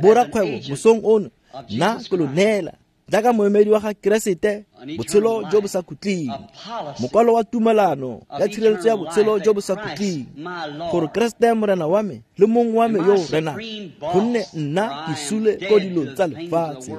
borakgwebo, mosong ono, nna ke lo neela jaaka moemedi wa ga Keresete botshelo jo bo sa khutleng, mokwalo wa tumelano ya tshireletso ya botshelo jo bo sa khutleng, gore Keresete Morena wa me le mong wa me yo o renang, gonne nna ke sule ko dilong tsa lefatshe,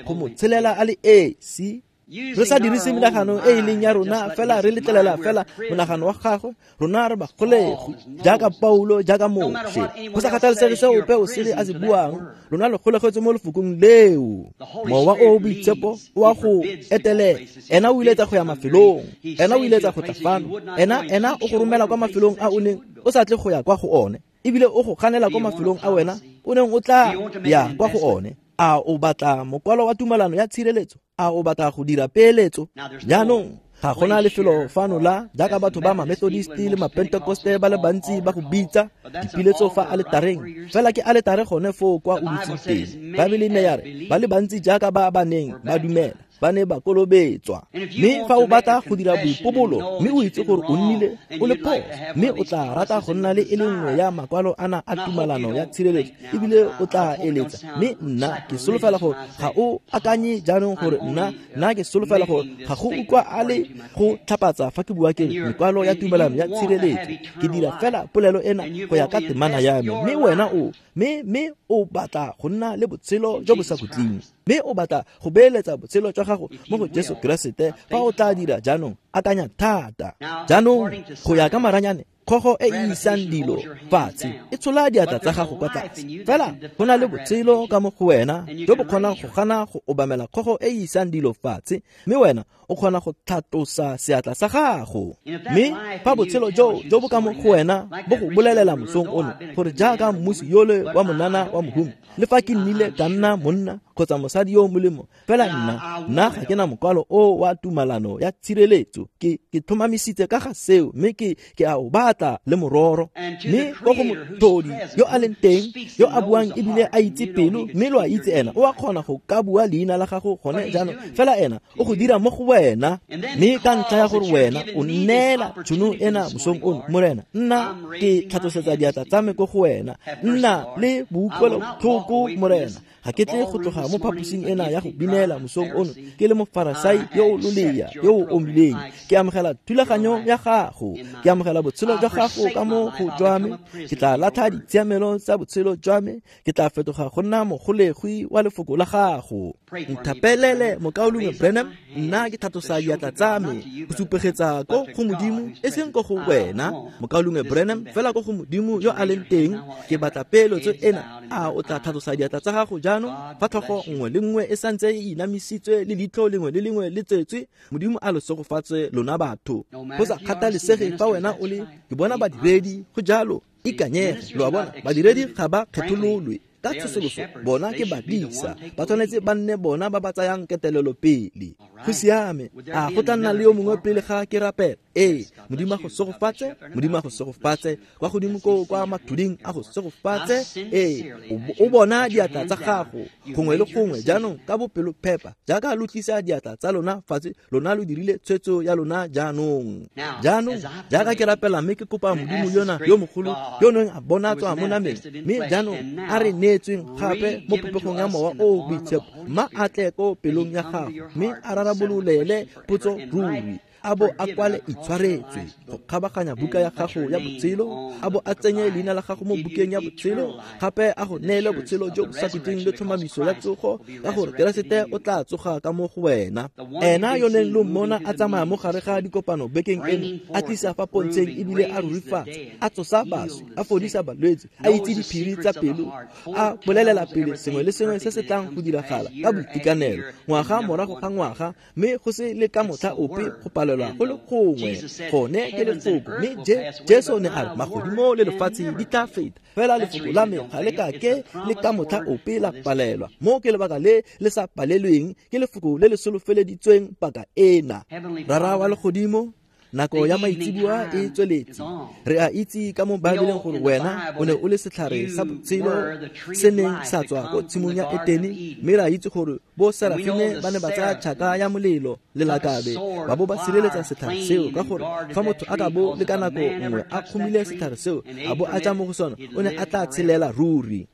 go mo tshelela a le esi. Re sa dirise menagano e e leng ya rona, fela re letlelela fela monagano wa gagwe. Rona re bagolegi jaaka Paulo, jaaka Moshe. Go sa kgathalesege se ope o sele a se buang, lona lo golegetswe mo lefokong leo. Mowa o o boitshepo o a go etelela. Ena o iletsa go ya mafelong, ena o iletsa go tla fano, ena ena o go romela kwa mafelong a o neng o sa tle go ya kwa go one, ebile o go ganela kwa mafelong a wena o neng o tla ya kwa go one. A o batla mokwalo wa tumelano ya tshireletso? A o batla go dira peeletso? Jaanong ga gona lefelo fano la jaaka batho ba ma-Methodist le ma-Pentecoste ba le bantsi ba go bitsa dipiletso fa aletareng, fela ke aletare gone foo kwa o dutseng teng. Baebele ne ya re ba le bantsi jaaka ba ba neng ba dumela ba ne ba kolobetswa. Mme fa o batla go dira boipobolo, mme o itse gore o nnile o le phoso, mme o tla rata go nna le e le nngwe ya makwalo ana a tumelano ya tshireletso, ebile o tla eletsa. Mme nna ke solofela gore ga o akanye jaanong gore nna nna ke solofela gore ga go utlwa a le go tlhapatsa fa ke bua ke mekwalo ya tumelano ya tshireletso. Ke dira fela polelo ena go ya ka temana ya me. Mme wena o mme mme o batla go nna le botshelo jo bo sa khutleng, mme o batla go beeletsa botshelo jwa gago mo go Jesu Keresete. Fa o tla dira jaanong, akanya thata. Jaanong go ya ka maranyane, Kgogo e e isang dilo fatshe e tshola diatla tsa gago kwa tlase. Fela go na le botshelo ka mo go wena jo bo kgonang go gana go obamela kgogo e e isang dilo fatshe, mme wena o kgona go tlhatlosa seatla sa gago. Mme fa botshelo jo jo bo ka mo go wena bo go bolelela mosong ono gore jaaka mmusi yole wa monana wa mohumi, le fa ke nnile ka nna monna kgotsa mosadi yo o molemo, fela nna nna ga ke na mokwalo o wa tumalano ya tshireletso. Ke ke tlhomamisitse ka ga seo, mme ke ke a o batla le mororo. Mme ko go mothodi yo a leng teng, yo a buang ebile a itse pelo, mme lo a itse ena o a kgona go ka bua leina la gago gone jaanong, fela ena o go dira mo go wena. Mme ka ntlha ya gore wena o nneela tšhono ena mosong ono, Morena, nna ke tlhatlosetsa diatla tsa me ko go wena. Nna le boutlwelobotlhoko, Morena. Ga ke tle go tloga mo phaposing ena ya go binela mosong ono ke le mofarasai yo o lolea yo o omileng. Ke amogela thulaganyo ya gago, ke amogela botshelo jwa gago ka mo go jwa me. Ke tla latlha ditshiamelo tsa botshelo jwa me, ke tla fetoga go nna mogolegwi wa lefoko la gago. Nthapelele, mokaulengwe Branham, nna ke tlhatlosa diatla tsa me go supegetsa ko go Modimo, e seng ko go wena, mokaulengwe Branham, fela ko go Modimo yo a leng teng. Ke batla peeletso ena. A o tla tlhatlosa diatla tsa gago jaanong fa tlhogo nngwe le nngwe e santse e inamisitswe le leitlho lengwe le lengwe le tsetswe? Modimo a lo segofatse lona batho. Go sa kgathalesege fa wena o le, ke bona badiredi, go jalo, ikanyege. Lo a bona, badiredi ga ba kgethololwe ka tsosoloso, bona ke badisa, ba tshwanetse ba nne bona ba ba tsayang ketelelo pele. Go siame. A go tla nna le yo mongwe pele ga ke rapela? Ee, Modimo a go segofatse, Modimo a go segofatse, kwa godimo ko kwa mathuding a go segofatse. Ee, o bona diatla tsa gago gongwe le gongwe jaanong ka bopelophepa, jaaka lo tlisa diatla tsa lona fatshe, lona lo dirile tshwetso ya lona jaanong. Jaanong jaaka ke rapela mme ke kopa Modimo yona yo mogolo yo neng a bonatswa mo nameng, mme jaanong a re neetsweng gape mo popegong ya Mowa o o Boitshepo, mma a tle ko pelong ya gago mme a rarabololele potso ruri, a bo a kwale itshwaretswe go kgabaganya buka ya gago ya botshelo, a bo a tsenye leina la gago mo bukeng ya botshelo, gape a go neele botshelo jo bo sa khutleng le tlhomamiso ya tsogo, ka gore Keresete o tla tsoga ka mo go wena. Ena yo neng lo mmona a tsamaya mo gare ga dikopano bekeng eno, a tlisa fa pontsheng ebile a rurifatsa, a tsosa baswi, a fodisa balwetse, a itse diphiri tsa pelo, a bolelela pele sengwe le sengwe se se tlang go diragala ka boitekanelo ngwaga morago ga ngwaga, mme go se le ka motlha ope go palelwa go le gongwe. Gone ke lefoko. Mme Jesu ne a re magodimo le lefatshe di tla feta, fela lefoko la me ga le ka ke le ka motlha ope la palelwa. Mo ke lebaka le le sa palelweng, ke lefoko le le solofeleditsweng paka ena. Rara wa legodimo, nako ya maitseboa e tsweletse. Re a itse ka mo Baebeleng gore wena o ne o le setlhare sa botshelo se neng sa tswa ko tshimong ya Etene, mme re a itse gore bo Serafine ba ne ba tsaya tšhaka ya molelo le lakabe ba bo ba sireletsa setlhare seo, ka gore fa motho a ka bo le ka nako nngwe a kgomile setlhare seo a bo a ja mo go sona, o ne a tla tshelela ruri.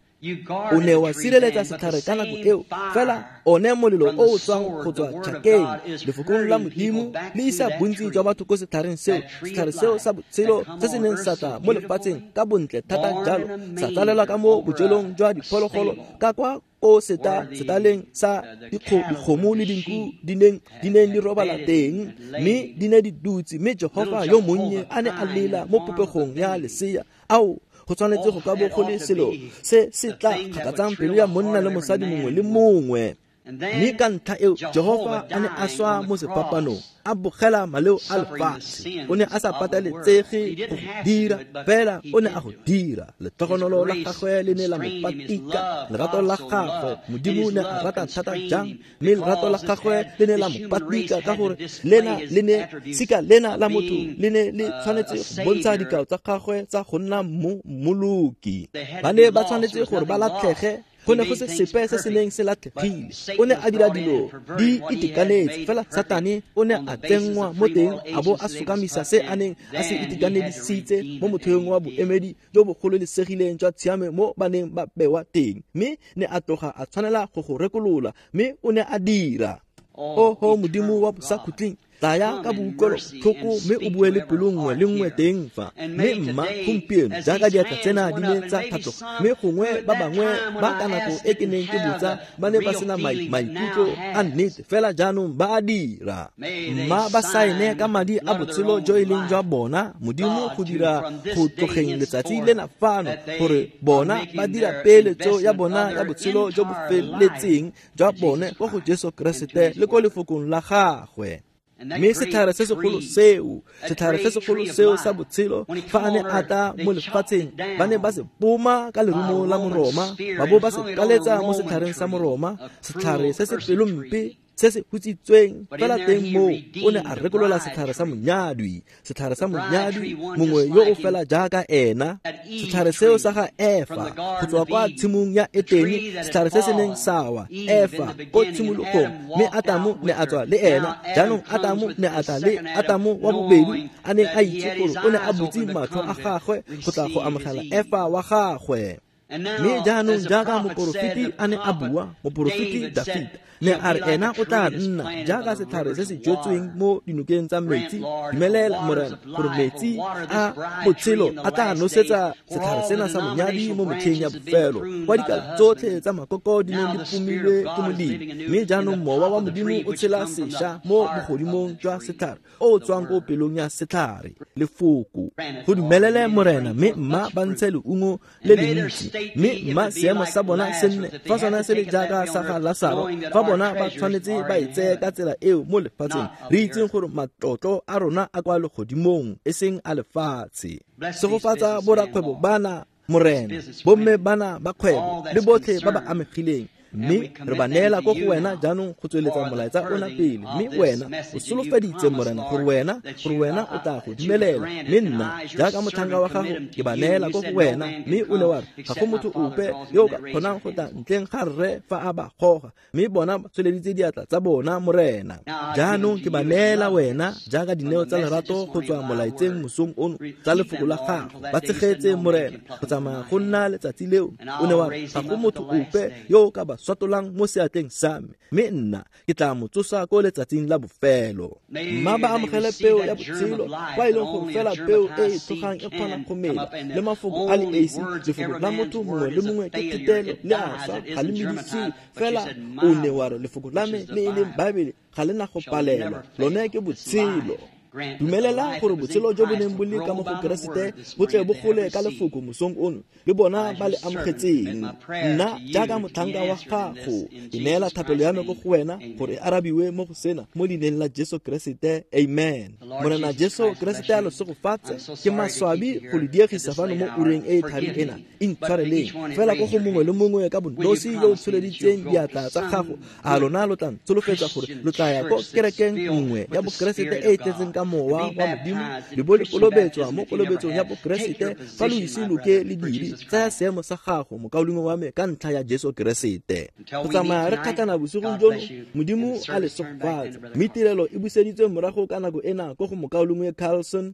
O ne wa sireletsa setlhare ka nako eo, fela one molelo o o tswang go tswa tšhakeng lefokong la Modimo le isa bontsi jwa batho ko setlhareng seo, setlhare seo sa botshelo se se neng sa tla mo lefatsheng ka bontle thata jalo, sa tsalelwa ka mo bojelong jwa diphologolo ka kwa ko seta setaleng sa dikgomo le dinku di neng di neng di robala teng, mme di ne di dutse. Mme Jehofa yo monnye a ne a lela mo popegong ya lesea. Ao, go tshwanetse go ka bo go le selo se se tla kgakatsang pelo ya monna le mosadi mongwe le mongwe. Mme ka ntlha eo Jehofa a ne a swa mo sefapanong, a bogela maleo a lefatshe. O ne a sa pateletsege go dira, fela o ne a go dira. Letlhogonolo la gagwe le ne la mo patika, lerato la gagwe Modimo ne a rata thata jang, mme lerato la gagwe le ne la mo patika, ka gore lena le ne sika lena la motho le ne le tshwanetse go bontsha dikao tsa gagwe tsa go nna mmoloki. Ba ne ba tshwanetse gore ba latlhege, go ne go se sepe se se neng se latlhegile. O ne a dira dilo di itekanetse, fela Satane o ne a tsenngwa mo teng a bo a sokamisa se a neng a se itekanedisitse mo motheong wa boemedi jo bo gololesegileng jwa tshiamo mo ba neng ba bewa teng, mme ne a tloga a tshwanela go go rekolola, mme o ne a dira. Oho Modimo wa bosakhutleng, Tlaya ka boutlwelobotlhoko mme o bue le pelo nngwe le nngwe teng fa. Mme mma gompieno jaaka diatla tsena di ne tsa tlhatloga, mme gongwe ba bangwe ba ka nako e ke neng ke botsa ba ne ba sena maikutlo a nnete, fela jaanong ba a dira. Mma ba saene ka madi a botshelo jo e leng jwa bona, Modimo go dira go tlogeng letsatsi lena fano gore bona ba dira peeletso ya bona ya botshelo jo bo feletseng jwa bone ko go Jesu Keresete le ko lefokong la gagwe. Mme setlhare se segolo seo, setlhare se segolo seo sa botshelo, fa a ne a tla mo lefatsheng, ba ne ba se poma ka lerumo la Moroma, ba bo ba se kaletsa mo setlhareng sa Moroma, setlhare se se pelompe se se hutsitsweng. Fela teng moo o ne a rekolola setlhare sa monyadwi, setlhare sa monyadwi mongwe yo o fela jaaka ena, setlhare seo sa ga Efa go tswa kwa tshimong ya Etene, setlhare se se neng sa wa Efa ko tshimologong, mme Atamo ne a tswa le ena. Jaanong Atamo ne a tla le Atamo wa bobedi, a neng a itse gore o ne a butse matlho a gagwe go tla go amogela Efa wa gagwe. Mme jaanong jaaka moporofeti a ne a bua, moporofeti Dafita ne a re ena o tla nna jaaka setlhare se se jetsweng mo dinokeng tsa metsi. Dumelela Morena gore metsi a botshelo a tla nosetsa setlhare sena sa monyadi mo metlheng ya bofelo, kwa dikala tsotlhe tsa makoko di neng di pomilwe ke Modimo. Mme jaanong mowa wa Modimo o tshela sešwa mo bogodimong jwa setlhare o o tswang ko pelong ya setlhare, lefoko. Go dumelele Morena, mme mma ba ntshe leungo le le ntsi, mme mma seemo sa bona se nne fa sona se le jaaka sa ga Lasaro, fa bona ba tshwanetse ba e tseye ka tsela eo mo lefatsheng, re itseng gore matlotlo a rona a kwa legodimong e seng a lefatshe. Segofatsa borakgwebo bana Morena, bomme bana ba kgwebo le botlhe ba ba amegileng, mme re ba neela ko go wena jaanong go tsweletsa molaetsa ona pele. Mme wena o solofeditse Morena gore wena gore wena o tla go dumelela, mme nna jaaka motlhanka wa gago ke ba neela ko go wena. Mme o ne wa re ga go motho ope yo o ka kgonang go tla ntleng ga rre fa a ba goga, mme bona ba tsweleditse diatla tsa bona Morena. Jaanong ke ba neela wena jaaka dineo tsa lerato go tswa molaetseng mosong ono tsa lefoko la gago. Ba tshegetse Morena go tsamaya go nna letsatsi leo. O ne wa re ga go motho ope yo o ka ba swatolang mo seatleng sa me, mme nna ke tla mo tsosa ko letsatsing la bofelo. Mma ba amogele peo ya botshelo, kwa e leng gore fela peo e e tlogang e kgona go mela, le mafoko a le esi, lefoko la motho mongwe le mongwe ke thetelo le a swa, ga le medisiwe. Fela o ne wa re lefoko la me le e leng Baebele ga le na go palelwa, lone ke botshelo. Dumelela gore botshelo jo bo neng bo le ka mo go Keresete bo tle bo gole ka lefoko mosong ono le bona ba le amogetseng. Nna jaaka motlhanka wa gago ke neela thapelo ya me ko go wena gore e arabiwe mo go sena mo leineng la Jesu Keresete, amen. Morena Jesu Keresete a lo segofatse. Ke maswabi go le diegisa fano mo ureng e e thari ena, intshwareleng fela ko go mongwe le mongwe ka bonosi yo o tsholeditseng diatla tsa gago. A lona lo tla ntsholofetsa gore lo tla ya ko kerekeng nngwe ya Bokeresete e e tletseng ka mowa wa Modimo, le bo le kolobetswa mo kolobetsong ya Bokeresete. Fa lo ise lo ke le dire, tsaya seemo sa gago mokaulengwe wa me ka ntlha ya Jesu Keresete. Go tsamaya re kgatlhana bosigong jono, Modimo a le segofatse. Mme tirelo e buseditswe morago ka nako ena ko go mokaulengwe Carlson.